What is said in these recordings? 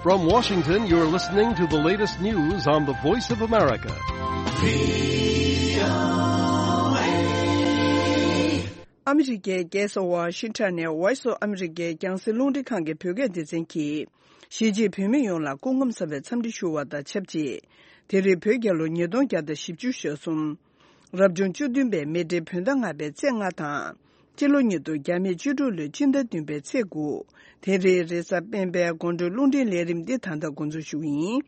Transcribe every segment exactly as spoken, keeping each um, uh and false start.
From Washington, you're listening to the latest news on the Voice of America. ཨ་མི་རི་ཀའི་རྒྱལ་ས་ཝ་ཤིང་ཊོན་ནས་Voice of America རྒྱང་སྲིང་རླུང་འཕྲིན་ཁང་གི་བོད་སྐད་སྡེ་ཚན་གྱིས། གཞིས་བྱེས་བོད་མི་ཡོངས་ལ་སྐུ་ཁམས་བཟང་བའི་འཚམས་འདྲི་ཞུ་བ་དང་ཆབས་ཅིག་དེ་རིང་བོད་རྒྱལ་ལོ་ཉིས་སྟོང་བརྒྱ་དང་བཞི་བཅུ་ཞེ་གསུམ། རབ་བྱུང་བཅུ་བདུན་པའི་མེ་སྤྲེལ་བོད་ཟླ་ལྔ་པའི་ཚེས་ལྔ་དང་། སྤྱི་ལོ་ཉིས་སྟོང་བརྒྱ་མེད་བཅུ་དྲུག་ལོའི་སྤྱི་ཟླ་བདུན་པའི་ཚེས་དགུ། དེ་རིང་རེས་གཟའ་སྤེན་པའི་དགོང་དྲོའི་རླུང་འཕྲིན་ལས་རིམ་འདི་ད་ལྟ་འགོ་འཛུགས་ཞུ་གི་ཡིན།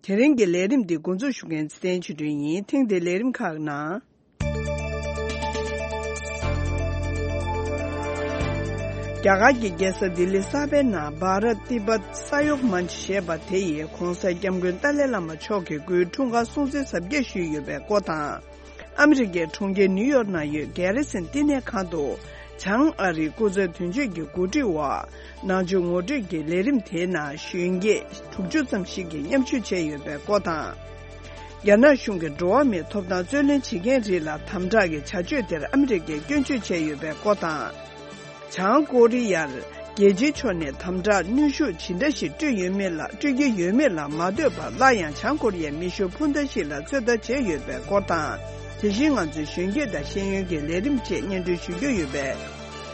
དེ་རིང་གི་ལས་རིམ་འདི་འགོ་འཛུགས་ཞུ་མཁན་ཚེ་བརྟན་ཆོས་སྒྲོན་ཡིན། ཐེངས་འདིའི་ལས་རིམ་ཁག་ནང་། རྒྱ་གར་གྱི་རྒྱལ་ས་ལྡི་ལི་གསར་པའི་ནང་Bharat Tibet Sahyog Manch ཞེས་པ་དེ་ཡིས་༧གོང་ས་༧སྐྱབས་མགོན་ཏཱ་ལའི་བླ་མ་མཆོག་གི་སྐུའི་འཁྲུངས་སྐར་སྲུང་བརྩི་གཟབ་རྒྱས་ཞུས་ཡོད་པའི་སྐོར་དང་། ཨ་མི་རི་ཀའི་གྲོང་ཁྱེར་ནིའུ་ཡོག་ནང་ཡོད་གྷེ་རི་སན་བསྟི་གནས་ཁང་དུ། བྱང་ཨ་རིའི་སྐུ་ཚབ་དོན་གཅོད་ཀྱི་གོ་སྒྲིག་འོག་ནང་ཆོས་ངོ་སྤྲོད་ཀྱི་ལས་རིམ་དེའི་ནང་གཞོན་སྐྱེས་དྲུག་ཅུ་ཙམ་ཞིག་གིས་མཉམ་ཞུགས་བྱས་ཡོད་པའི་སྐོར་དང་། རྒྱ་ནག་གཞུང་གིས་འགྲོ་བ་མིའི་ཐོབ་ཐང་རྩོད་ལེན་བྱེད་མཁན་རིགས་ལ་དམ་དྲག་གི་བྱ་སྤྱོད་དེར་ཨ་མི་རི་ཀས་སྐྱོན་བརྗོད་བྱས་ཡོད་པའི་སྐོར་དང་། བྱང་ཀོ་རི་ཡར་རྒྱལ་སྤྱིའི་ཕྱོགས་ནས་དམ་དྲག་གནོན་ཤུགས་ཇི་འདྲ་ཞིག་སྤྲོད་ཡོད་མེད་ལ་སྤྲོད་ཀྱི་ཡོད་མེད་ལ་མ་ལྟོས་པར་སླར་ཡང་བྱང་ཀོ་རི་ཡའི་མི་ཤོག་འཕུར་མདའ་ཞིག་ལ་ཚོད་ལྟ་བྱས་ཡོད་པའི་སྐོར་དང་། དེ་བཞིན་ང་ཚོའི་གཞོན་སྐྱེས་དང་ཤེས་ཡོན་གྱི་ལས་རིམ་བཅས་སྙན་སྒྲོན་ཞུ་རྒྱུ་ཡོད་པས།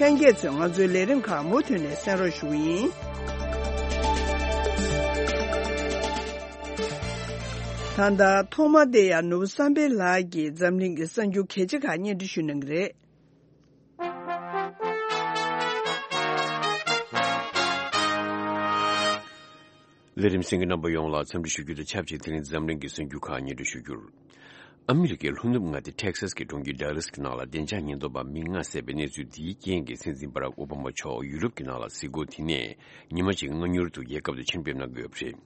ལྷན་རྒྱས་ཚོས་ང་ཚོའི་ལས་རིམ་ཁག་མུ་མཐུད་ནས་གསན་རོགས་ཞུ་གི་ཡིན། ད་ལྟ་ཐོག་མར་བསྟན་ཡར་ནོར་བུ་བསམ་འཕེལ་ལགས་ཀྱིས་འཛམ་གླིང་གི་གསར་འགྱུར་གལ་ཆེ་ཁག་སྙན་སྒྲོན་ཞུ་གནང་གི་རེད། ལས་རིམ་གསན་མཁན་རྣམ་པ་ཡོངས་ལ་འཚམས་འདྲི་ཞུ་རྒྱུ་དང་ཆབས་ཅིག་དེ་རིང་འཛམ་གླིང་གི་གསར་འགྱུར་ཁག་སྙན་སྒྲོན་ཞུ་རྒྱུར། ཨ་མི་རི་ཀའི་ལྷོ་ནུབ་མངའ་སྡེ་ཊེག་སཱས་ཀྱི་གྲོང་ཁྱེར་ཌལ་ལཱས་ཀྱི་ནང་ལ་བདེ་འཇགས་ཉེན་རྟོག་པ་མི་ལྔ་བསད་པའི་གནས་ཚུལ་འདིའི་རྐྱེན་གྱིས་སྲིད་འཛིན་བྷ་རག་ཨོ་བྷ་མ་མཆོག་ཡུ་རོབ་ཀྱི་ནང་ལ་གཟིགས་སྐོར་དེ་ནས་ཉི་མ་གཅིག་སྔ་མྱུར་དུ་རྒྱལ་ཁབ་ཏུ་ཕྱིར་ཕེབས་གནང་དགོས་པ་རེད།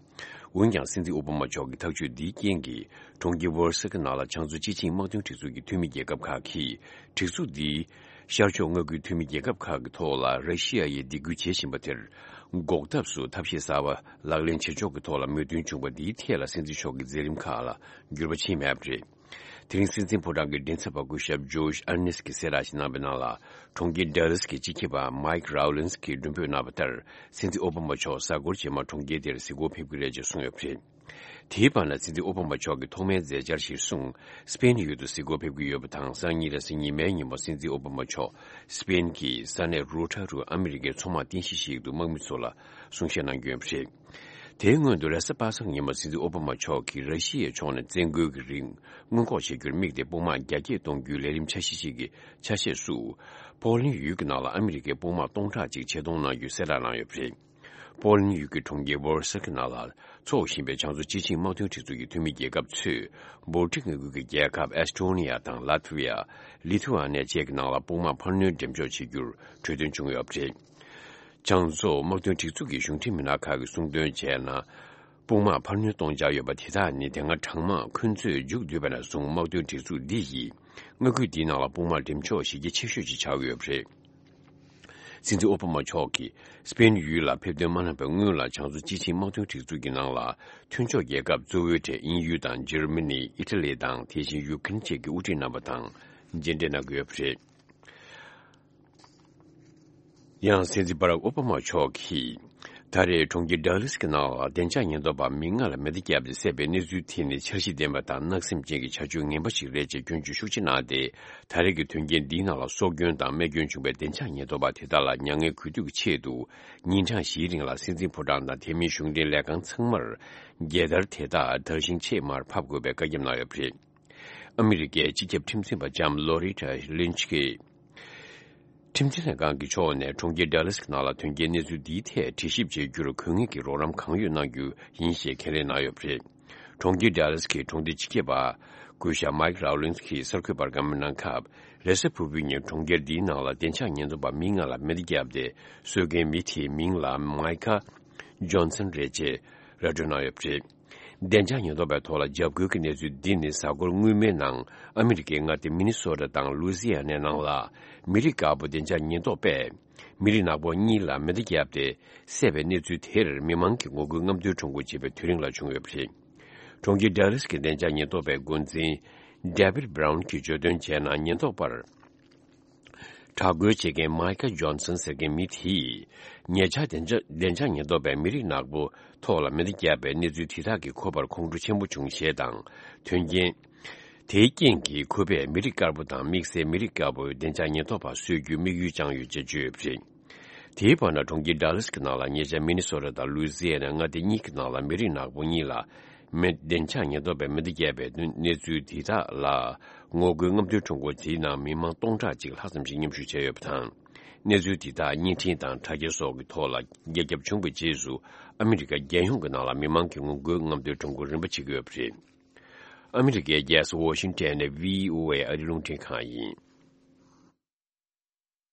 འོན་ཀྱང་སྲིད་འཛིན་ཨོ་བྷ་མ་མཆོག་གི་ཐག་གཅོད་འདིའི་རྐྱེན་གྱིས་གྲོང་ཁྱེར་ཝོར་སི་ཀི་ནང་ལ་བྱང་མཚོ་སྤྱི་ཆིངས་དམག་དོན་སྒྲིག་འཛུགས་ཀྱི་འཐུས་མི་རྒྱལ་ཁབ་ཁག་གིས་སྒྲིག་འཛུགས་འདིའི་ཤར་ཕྱོགས་མངའ་ཁུལ་འཐུས་མི་རྒྱལ་ཁབ་ཁག་གི་ཐོག་ལ་ར་ཤི་ཡ་ཡིས་སྡིགས་སྐུལ་བྱེད་བཞིན་པ་དེར་འགོག་ཐབས་སུ་ཐབས་ཤེས་གསར་པ་ལག་ལེན་བྱེད་ཕྱོགས་ཀྱི་ཐོག་ལ་མོས་མཐུན་བྱུང་བ་འདིའི་ཐད་ལ་སྲིད་འཛིན་མཆོག་གི་མཛད་རིམ་ཁག་ལ་འགྱུར་བ་ཕྱིན་མེད་པ་རེད། དེ་རིང་སྲིད་འཛིན་ཕོ་བྲང་གི་མགྲིན་ཚབ་པ་སྐུ་ཞབས་ཇོརྗ་ཨར་ནེས་ཀྱིས་གསལ་བསྒྲགས་ཤིག་གནང་བའི་ནང་ལ། གྲོང་ཁྱེར་ཌལ་ལཱས་ཀྱི་སྤྱི་ཁྱབ་པ་མཱིག་རའོ་ལིན་སི་གིས་མགྲོན་འབོད་གནང་བ་ལྟར། སྲིད་འཛིན་ཨོ་བྷ་མ་མཆོག་གཟའ་འཁོར་རྗེས་མ་གྲོང་ཁྱེར་དེར་གཟིགས་སྐོར་ཕེབས་ཀྱི་རེད་ཅེས་གསུངས་ཡོད་པ་རེད། དེའི་བར་ན་སྲིད་འཛིན་ཨོ་བྷ་མ་མཆོག་གི་ཐོག་མའི་མཛད་འཆར་གཞིར་བཟུང་། སི་པེན་ཡུལ་དུ་གཟིགས་སྐོར་ཕེབས་ཀྱི་ཡོད་པ་དང་། སང་ཉིན་རེས་གཟའ་ཉི་མའི་ཉིན་མོ་སྲིད་འཛིན་ཨོ་བྷ་མ་མཆོག་སི་པེན་གྱི་ས་གནས་རུ་ཊ་རུ་ཨ་མི་རི་ཀའི་མཚོ་དམག་རྟེན་གཞི་ཞིག་ཏུ་དམག་མི་ཚོ་ལ་གསུང་བཤད་གནང་རྒྱུ་ཡིན་པ་རེད། དེའི་སྔོན་དུ་རེས་གཟའ་པ་སངས་ཉིན་མོ་སྲིད་འཛིན་ཨོ་བྷ་མ་མཆོག་གིས་ར་ཤི་ཡའི་ཕྱོགས་ནས་བཙན་རྒོལ་གྱི་རིགས་སྔོན་འགོག་བྱེད་རྒྱུར་དམིགས་ཏེ་དཔུང་དམག་རྒྱ་སྐྱེད་གཏོང་རྒྱུའི་ལས་རིམ་འཆར་གཞི་ཞིག་གི་ཆ་ཤས་སུ། པོ་ལན་ཡུལ་གྱི་ནང་ལ་ཨ་མི་རི་ཀའི་དཔུང་དམག་སྟོང་ཕྲག་གཅིག་ཆེད་གཏོང་གནང་རྒྱུའི་གསལ་བསྒྲགས་གནང་ཡོད་པ་རེད། པོ་ལན་ཡུལ་གྱི་གྲོང་ཁྱེར་ཝོར་སི་ཀི་ནང་ལ་འཚོགས་བཞིན་པའི་བྱང་མཚོ་སྤྱི་ཆིངས་དམག་དོན་སྒྲིག་འཛུགས་ཀྱི་འཐུས་མི་རྒྱལ་ཁབ་ཚོས། བོལ་ཊིག་མངའ་ཁུལ་གྱི་རྒྱལ་ཁབ་ཨེ་སི་ཊོ་ནི་ཡ་དང་ལ་ཐི་ཝི་ཡ། ལི་ཐུ་ཨ་ནི་ཡ་བཅས་ཀྱི་ནང་ལ་དཔུང་དམག་འཕར་སྣོན་འགྲེམས་འཇོག་བྱེད་རྒྱུར་གྲོས་མཐུན་བྱུང་ཡོད་པ་རེད། བྱང་མཚོ་དམག་དོན་སྒྲིག་འཛུགས་ཀྱི་གཞུང་འབྲེལ་མི་སྣ་ཁག་གིས་གསུངས་དོན་བྱས་ན། དཔུང་དམག་འཕར་སྣོན་གཏོང་འཆར་ཡོད་པ་དེ་དག་ནི་དེ་སྔ་གྲང་དམག་ཁོན་ཚོས་མཇུག་བསྡུས་པ་ནས་བཟུང་དམག་དོན་སྒྲིག་འཛུགས་འདི་ཡིས་མངའ་ཁུལ་འདིའི་ནང་ལ་དཔུང་དམག་འགྲེམས་འཇོག་གཞི་རྒྱ་ཆེ་ཤོས་ཤིག་ཆགས་ཀྱི་ཡོད་པ་རེད། སྲིད་འཛིན་ཨོ་བྷ་མ་མཆོག་གིས་སི་པེན་ཡུལ་ལ་ཕེབས་ཐོན་མ་གནང་བའི་སྔོན་ལ་བྱང་མཚོ་སྤྱི་ཆིངས་དམག་དོན་སྒྲིག་འཛུགས་ཀྱི་ནང་ལ་མཐུན་ཕྱོགས་རྒྱལ་ཁབ་གཙོ་བོའི་གྲས་དབྱིན་ཡུལ་དང་འཇར་མ་ནི། ཨི་ཊ་ལི་དང་དེ་བཞིན་ཡུ་ཀེ་རེན་བཅས་ཀྱིས་དབུ་ཁྲིད་གནང་བ་དང་མཇལ་འཕྲད་གནང་གི་ཡོད་པ་རེད། ཡང་སྲིད་འཛིན་བྷ་རག་ཨོ་བྷ་མ་མཆོག་གིས། ད་རེས་གྲོང་ཁྱེར་ཌལ་ལཱས་ཀྱི་ནང་ལ་བདེ་འཇགས་ཉེན་རྟོག་པ་མི་ལྔ་ལ་མེ་མདའ་བརྒྱབ་སྟེ་བསད་པའི་གནས་ཚུལ་དེ་ནི་འཆར་གཞི་ལྡན་པ་དང་གནག་སེམས་ཅན་གྱི་བྱ་སྤྱོད་ངན་པ་ཞིག་རེད་ཅེས་སྐྱོན་བརྗོད་ཤུགས་ཆེ་གནང་སྟེ། ད་རེས་ཀྱི་དོན་རྐྱེན་འདིའི་ནང་ལ་སྲོག་སྐྱོན་དང་རྨས་སྐྱོན་བྱུང་བའི་བདེ་འཇགས་ཉེན་རྟོག་པ་དེ་དག་ལ་མྱ་ངན་གུས་འདུད་ཀྱི་ཆེད་དུ། ཉིན་གྲངས་བཞིའི་རིང་ལ་སྲིད་འཛིན་ཕོ་བྲང་དང་དེ་མིན་གཞུང་འབྲེལ་ལས་ཁང་ཚང་མར། རྒྱལ་དར་དེ་དག་དར་ཞིང་ཆེས་མར་ཕབ་དགོས་པའི་བཀའ་ཁྱབ་གནང་ཡོད་པ་རེད། ཨ་མི་རི་ཀའི་སྤྱི་ཁྱབ་ཁྲིམས་འཛིན་པ་ལྕམ་ལོ་རི་ཊ་ལིན་ཆི་གིས། ཁྲིམས་འཛིན་ལྷན་ཁང་གི་ཕྱོགས་ནས་གྲོང་ཁྱེར་ཌལ་ལཱས་ཀྱི་ནང་ལ་དོན་རྐྱེན་གནས་ཚུལ་འདིའི་ཐད་དྲི་ཞིབ་བྱེད་རྒྱུར་དགོས་ངེས་ཀྱི་རོགས་རམ་གང་ཡོད་གནང་རྒྱུ་ཡིན་ཞེས་ཁས་ལེན་གནང་ཡོད་པ་རེད། གྲོང་ཁྱེར་ཌལ་ལཱས་ཀྱི་གྲོང་སྡེ་སྤྱི་ཁྱབ་པ། སྐུ་ཞབས་མཱིག་རའོ་ལིན་སི་གིས་གསར་འགོད་པར་བཀའ་མོལ་གནང་སྐབས། རེས་གཟའ་ཕུར་བུའི་ཉིན་གྲོང་ཁྱེར་འདིའི་ནང་ལ་བདེ་འཇགས་ཉེན་རྟོག་པ་མི་ལྔ་ལ་མེ་མདའ་བརྒྱབ་སྟེ། གསོད་མཁན་མི་དེའི་མིང་ལ་མཱི་ཁ་ཇོན་སན་རེད་ཅེས་ར་སྤྲོད་གནང་ཡོད་པ་རེད། བདེ་འཇགས་ཉེན་རྟོག་པའི་ཐོག་ལ་འཇབ་རྒོལ་གྱི་གནས་ཚུལ་འདི་ནི་གཟའ་འཁོར་སྔོན་མའི་ནང་ཨ་མི་རི་ཀའི་མངའ་སྡེ་མི་ནི་སོ་ཊ་དང་ལུའི་ཟི་ཡ་ནའི་ནང་ལ་མི་རིགས་དཀར་པོ་བདེ་འཇགས་ཉེན་རྟོག་པས་མི་རིགས་ནག་པོ་གཉིས་ལ་མེ་མདའ་བརྒྱབ་སྟེ་བསད་པའི་གནས་ཚུལ་དེར་མི་མང་གིས་ངོ་རྒོལ་རྔམ་སྟོན་ཁྲོམ་སྐོར་བྱེད་པའི་དུས་རིང་ལ་བྱུང་ཡོད་པ་རེད། གྲོང་ཁྱེར་ཌལ་ལཱས་ཀྱི་བདེ་འཇགས་ཉེན་རྟོག་པའི་འགོ་འཛིན་ཌེ་བིད་བྷ་རའུན་གྱིས་བརྗོད་དོན་བྱས་ན། ཉེན་རྟོག་པར། དྲག་རྒོལ་བྱེད་མཁན་མའི་ཁལ་ཇོན་སན་ཟེར་མཁན་མི་དེས། ཉེ་ཆར་བདེ་འཇགས་བདེ་འཇགས་ཉེན་རྟོག་པས་མི་རིགས་ནག་པོ་ཐོག་ལ་མེ་མདའ་བརྒྱབ་པའི་གནས་ཚུལ་དེ་དག་གིས་ཁོ་པར་ཁོང་ཁྲོ་ཆེན་པོ་བྱུང་ཞེས་དང་། དོན་རྐྱེན་དེའི་རྐྱེན་གྱིས་ཁོ་པས་མི་རིགས་དཀར་པོ་དང་དམིགས་བསལ་མི་རིགས་དཀར་པོའི་བདེ་འཇགས་ཉེན་རྟོག་པ་གསོད་རྒྱུའི་དམིགས་ཡུལ་བཅངས་ཡོད་ཅེས་བརྗོད་ཡོད་པ་རེད། དེའི་བར་ན་གྲོང་ཁྱེར་ཌ་ལཱ་སི་ཀྱི་ནང་ལ་ཉེ་ཆར་མི་ནི་སོ་ཊ་དང་ལུའི་ཛི་ཡ་ན་མངའ་སྡེ་གཉིས་ཀྱི་ནང་ལ་མི་རིགས་ནག་པོ་གཉིས་ལ་མེ་བདེ་འཇགས་ཉེན་རྟོག་པས་མེ་མདའ་བརྒྱབ་པའི་གནས་ཚུལ་དེ་དག་ལ་ངོ་རྒོལ་རྔམ་སྟོན་ཁྲོམ་སྐོར་དེའི་ནང་མི་མང་སྟོང་ཕྲག་གཅིག་ལྷག་ཙམ་ཞིག་མཉམ་ཞུགས་བྱས་ཡོད་པ་དང་། གནས་ཚུལ་དེ་དག་བརྙན་འཕྲིན་དང་དྲ་རྒྱ་སོགས་ཀྱི་ཐོག་ལ་རྒྱ་ཁྱབ་བྱུང་བའི་རྗེས་སུ། ཨ་མི་རི་ཀ་རྒྱལ་ཡོངས་ཀྱི་ནང་ལ་མི་མང་གིས་ངོ་རྒོལ་རྔམ་སྟོན་ཁྲོམ་སྐོར་རིམ་པ་བྱེད་ཀྱི་ཡོད་པ་རེད། ཨ་མི་རི་ཀའི་རྒྱལ་ས་ཝ་ཤིང་ཊོན་ནས་བྷི་ཨོ་ཨེ་ཨ་རིའི་རླུང་འཕྲིན་ཁང་ཡིན།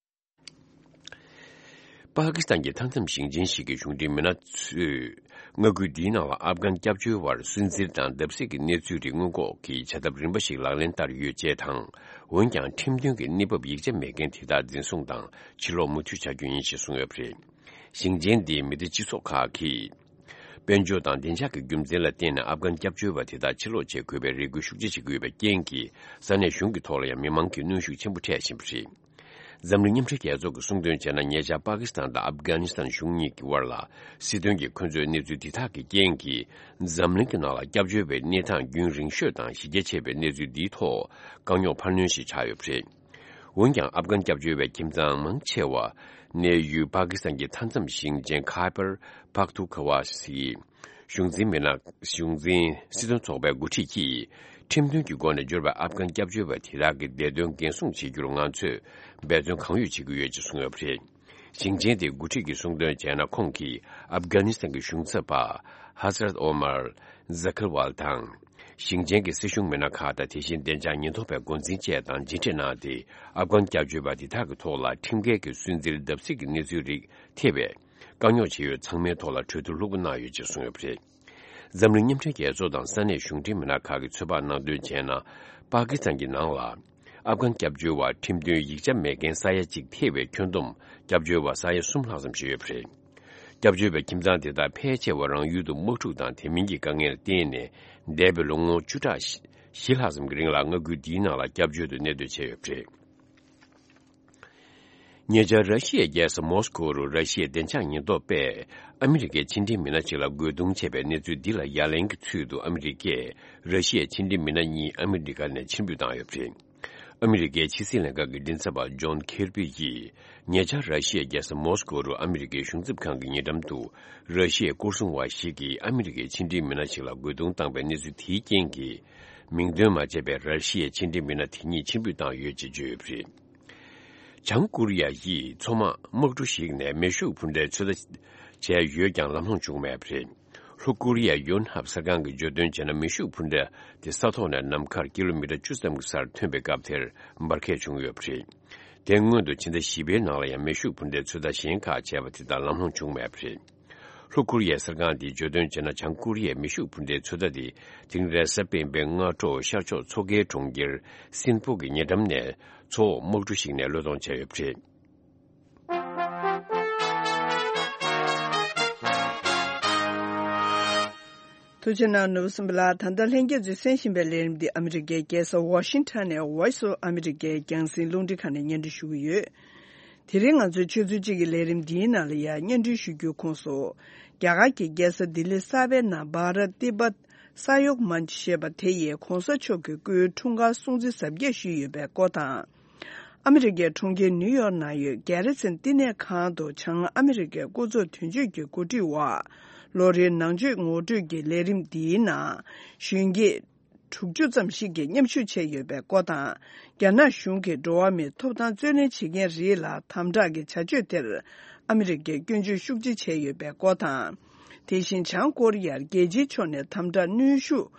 པ་ཀི་སི་ཐན་གྱི་མཐའ་མཚམས་ཞིང་ཆེན་ཞིག་གི་གཞུང་འབྲེལ་མི་སྣ་ཚོས། མངའ་ཁུལ་འདིའི་ནང་ལ་ཨབ་གྷན་སྐྱབས་བཅོལ་བར་སུན་གཙེར་དང་བརྡབ་གསིག་གི་གནས་ཚུལ་རིགས་སྔོན་འགོག་གི་བྱ་ཐབས་རིམ་པ་ཞིག་ལག་ལེན་བསྟར་ཡོད་ཅེས་དང་། འོན་ཀྱང་ཁྲིམས་མཐུན་གྱི་གནས་བབ་ཡིག་ཆ་མེད་མཁན་དེ་དག་འཛིན་བཟུང་དང་ཕྱིར་ལོག་མུ་མཐུད་བྱ་རྒྱུ་ཡིན་ཞེས་གསུངས་ཡོད་པ་རེད། ཞིང་ཆེན་འདིའི་མི་སྡེ་སྤྱི་ཚོགས་ཁག་གིས། དཔལ་འབྱོར་དང་བདེ་འཇགས་ཀྱི་རྒྱུ་མཚན་ལ་བརྟེན་ནས་ཨབ་གྷན་སྐྱབས་བཅོལ་བ་དེ་དག་ཕྱིར་ལོག་བྱེད་དགོས་པའི་རེ་སྐུལ་ཤུགས་ཆེ་བྱེད་ཀྱི་ཡོད་པའི་རྐྱེན་གྱིས། ས་གནས་གཞུང་གི་ཐོག་ལ་ཡང་མི་མང་གིས་གནོན་ཤུགས་ཆེན་པོ་འཕྲད་བཞིན་པ་རེད། འཛམ་གླིང་མཉམ་འབྲེལ་རྒྱལ་ཚོགས་ཀྱིས་གསུངས་དོན་བྱས་ན། ཉེ་ཆར་པ་ཀི་སི་ཐན་དང་ཨབ་གྷ་ནི་སི་ཐན་གཞུང་གཉིས་ཀྱི་དབར་ལ་སྲིད་དོན་གྱི་འཁོན་རྩོད་གནས་ཚུལ་འདི་དག་གི་རྐྱེན་གྱིས། འཛམ་གླིང་གི་ནང་ལ་སྐྱབས་བཅོལ་བའི་གནས་སྟངས་རྒྱུན་རིང་ཤོས་དང་གཞི་རྒྱ་ཆེ་བའི་གནས་ཚུལ་འདིའི་ཐོག་དཀའ་རྙོག་འཕར་སྣོན་ཞིག་ཆགས་ཡོད་པ་རེད། འོན་ཀྱང་། ཨབ་གྷན་སྐྱབས་བཅོལ་བའི་ཁྱིམ་ཚང་མང་ཆེ་བ་གནས་ཡུལ་པ་ཀི་སི་ཐན་གྱི་མཐའ་མཚམས་ཞིང་ཆེན་ཁ་པར་པག་ཐུ་ཁ་ཝ་སི། གཞུང་འཛིན་མི་སྣ། གཞུང་འཛིན་སྲིད་དོན་ཚོགས་པའི་འགོ་ཁྲིད་ཀྱིས། ཁྲིམས་མཐུན་གྱི་སྒོ་ནས་འབྱོར་བའི་ཨབ་གྷན་སྐྱབས་བཅོལ་བ་དེ་དག་གི་བདེ་དོན་འགན་སྲུང་བྱེད་རྒྱུར་ང་ཚོས་འབད་བརྩོན་གང་ཡོད་བྱེད་ཀྱི་ཡོད་ཅེས་གསུངས་ཡོད་པ་རེད། ཞིང་ཆེན་དེའི་འགོ་ཁྲིད་ཀྱིས་གསུངས་དོན་བྱས་ན། ཁོང་གིས་ཨབ་གྷ་ནི་སི་ཐན་གྱི་གཞུང་ཚབ་པ་ཧ་ཟ་རད་ཨོ་མར་ཛ་ཁིར་ཝལ་དང་། ཞིང་ཆེན་གྱི་སྲིད་གཞུང་མི་སྣ་ཁག་དང་། དེ་བཞིན་བདེ་འཇགས་ཉེན་རྟོག་པའི་འགོ་འཛིན་བཅས་དང་མཇལ་འཕྲད་གནང་སྟེ། ཨབ་གྷན་སྐྱབས་བཅོལ་བ་དེ་དག་གི་ཐོག་ལ་ཁྲིམས་འགལ་གྱི་སུན་གཙེར་བརྡབ་གསིག་གི་གནས་ཚུལ་རིགས་ཐེ་བའི་དཀའ་རྙོག་ཆེ་ཡོད་ཚང་མའི་ཐོག་ལ་གྲོས་བསྡུར་ལྷུག་པོ་གནང་ཡོད་ཅེས་གསུངས་ཡོད་པ་རེད། འཛམ་གླིང་མཉམ་འབྲེལ་རྒྱལ་ཚོགས་དང་ས་གནས་གཞུང་འབྲེལ་མི་སྣ་ཁག་གིས་ཚོད་དཔག་གནང་དོན་བྱས་ན། པ་ཀི་སི་ཐན་གྱི་ནང་ལ་ཨབ་གྷན་སྐྱབས་བཅོལ་བ་ཁྲིམས་མཐུན་ཡིག་ཆ་མེད་མཁན་ས་ཡ་གཅིག་ཐེ་བའི་ཁྱོན་བསྡོམས་སྐྱབས་བཅོལ་བ་ས་ཡ་གསུམ་ལྷག་ཙམ་ཞིག་ཡོད་པ་རེད། སྐྱབས་བཅོལ་བའི་ཁྱིམ་ཚང་དེ་དག་ཕལ་ཆེ་བ་རང་ཡུལ་དུ་དམག་འཁྲུག་དང་དེ་མིན་གྱི་དཀའ་ངལ་བརྟེན་ནས། འདས་པའི་ལོ་ངོ་བཅུ་ཕྲག་བཞི་ལྷག་ཙམ་གྱི་རིང་ལ་མངའ་ཁུལ་འདིའི་ནང་ལ་སྐྱབས་བཅོལ་དུ་གནས་སྡོད་བྱས་ཡོད་པ་རེད། ཉེ་ཆར་ར་ཤི་ཡའི་རྒྱལ་ས་མོ་སི་ཀོ་རུ་ར་ཤི་ཡའི་བདེ་འཇགས་ཉེན་རྟོག་པས་ཨ་མི་རི་ཀའི་ཕྱི་འབྲེལ་མི་སྣ་ཞིག་ལ་རྒོལ་རྡུང་བྱས་པའི་གནས་ཚུལ་འདི་ལ་ཡ་ལན་གྱི་ཚུལ་དུ། ཨ་མི་རི་ཀས་ར་ཤི་ཡའི་ཕྱི་འབྲེལ་མི་སྣ་གཉིས་ཨ་མི་རི་ཀ་ནས་ཕྱིར་འབུད་བཏང་ཡོད་པ་རེད། ཨ་མི་རི་ཀའི་ཕྱི་སྲིད་ལྷན་ཁང་གི་མགྲིན་ཚབ་པ་ཇོན་ཁེར་པི་ཡིས། ཉེ་ཆར་ར་ཤི་ཡའི་རྒྱལ་ས་མོ་སི་ཀོ་རུ་ཨ་མི་རི་ཀའི་གཞུང་ཚབ་ཁང་གི་ཉེ་འགྲམ་དུ། ར་ཤི་ཡའི་སྐོར་སྲུང་བ་ཞིག་གིས་ཨ་མི་རི་ཀའི་ཕྱི་འབྲེལ་མི་སྣ་ཞིག་ལ་རྒོལ་རྡུང་བཏང་པའི་གནས་ཚུལ་དེའི་རྐྱེན་གྱིས། མིང་འདོན་མ་བྱས་པའི་ར་ཤི་ཡའི་ཕྱི་འབྲེལ་མི་སྣ་དེ་གཉིས་ཕྱིར་འབུད་བཏང་ཡོད་ཅེས་བརྗོད་ཡོད་པ་རེད། བྱང་ཀོ་རི་ཡ་ཡིས་མཚོ་དམག་དམག་གྲུ་ཞིག་ནས་མེ་ཤུགས་འཕུར་མདའི་ཚོད་ལྟ་བྱས་ཡོད་ཀྱང་ལམ་ལྷོང་བྱུང་མེད་པ་རེད། ལྷོ་ཀོ་རི་ཡའི་ཡོན་ཧབ་གསར་ཁང་གིས་བརྗོད་དོན་བྱས་ན། མེ་ཤུགས་འཕུར་མདའ་དེ་ས་ཐོག་ནས་ནམ་མཁར་ཀི་ལོ་མི་ཊར་བཅུ་ཙམ་གྱི་སར་ཐོན་པའི་སྐབས་དེར་འབར་གས་བྱུང་ཡོད་པ་རེད། དེ་སྔོན་དུ་ཕྱི་ཟླ་བཞི་པའི་ནང་ལ་ཡང་མེ་ཤུགས་འཕུར་མདའི་ཚོད་ལྟ་གཞན་ཁག་བྱས་པ་དེ་དག་ལམ་ལྷོང་བྱུང་མེད་པ་རེད། ལྷོ་ཀོ་རི་ཡའི་གསར་ཁང་དེས་བརྗོད་དོན་བྱས་ན། བྱང་ཀོ་རི་ཡའི་མེ་ཤུགས་འཕུར་མདའི་ཚོད་ལྟ་དེ་དེ་རིང་རེས་གཟའ་སྤེན་པའི་སྔ་དྲོ་ཤར་ཕྱོགས་མཚོ་ཁའི་གྲོང་ཁྱེར་སིན་པོ་གི་ཉེ་འགྲམ་ནས་མཚོ་འོག་དམག་གྲུ་ཞིག་ནས་གློད་གཏོང་བྱས་ཡོད་པ་རེད། ཐུགས་རྗེ་གནང་། ནོར་བུ་སྲིན་པོ་ལགས། ད་ལྟ་ལྷན་རྒྱས་ཚོས་གསན་བཞིན་པའི་ལས་རིམ་འདི་ཨ་མི་རི་ཀའི་རྒྱལ་ས་ཝ་ཤིང་ཊོན་ནས་Voice of America རྒྱང་སྲིང་རླུང་འཕྲིན་ཁང་ནས་སྙན་སྒྲོན་ཞུ་གི་ཡོད། དེ་རིང་ང་ཚོའི་ཆུ་ཚོད་གཅིག་གི་ལས་རིམ་འདིའི་ནང་ལ་ཡང་སྙན་སྒྲོན་ཞུ་རྒྱུའི་ཁོངས་སུ། རྒྱ་གར་གྱི་རྒྱལ་ས་ལྡི་ལི་གསར་པའི་ནང་བྷ་ར་ཏི་བྷ་ས་ཡོག་མན་ཆི་ཞེས་པ་དེ་ཡིས་༧གོང་ས་མཆོག་གི་སྐུའི་འཁྲུངས་སྐར་སྲུང་བརྩི་གཟབ་རྒྱས་ཞུས་ཡོད་པའི་སྐོར་དང་། ཨ་མི་རི་ཀའི་གྲོང་ཁྱེར་ནིའུ་ཡོག་ནང་ཡོད་རྒྱལ་ར་ཚན་བསྟི་གནས་ཁང་དུ་བྱང་ཨ་མི་རི་ཀའི་སྐུ་ཚབ་དོན་གཅོད་ཀྱི་འགོ་ཁྲིད་འོག་ལོ་རེའི་ནང་ཆོས་ངོ་སྤྲོད་ཀྱི་ལས་རིམ་འདིའི་ནང་གཞོན་སྐྱེས་དྲུག་ཅུ་ཙམ་ཞིག་གིས་མཉམ་ཞུགས་བྱས་ཡོད་པའི་སྐོར་དང་། རྒྱ་ནག་གཞུང་གིས་འགྲོ་བ་མིའི་ཐོབ་ཐང་རྩོད་ལེན་བྱེད་མཁན་རིགས་ལ་དམ་དྲག་གི་བྱ་སྤྱོད་དེར་ཨ་མི་རི་ཀས་སྐྱོན་བརྗོད་ཤུགས་ཆེ་བྱས་ཡོད་པའི་སྐོར་དང་། དེ་བཞིན་བྱང་ཀོ་རི་ཡར་རྒྱལ་སྤྱིའི་ཕྱོགས་ནས་དམ་དྲག་གནོན་ཤུགས་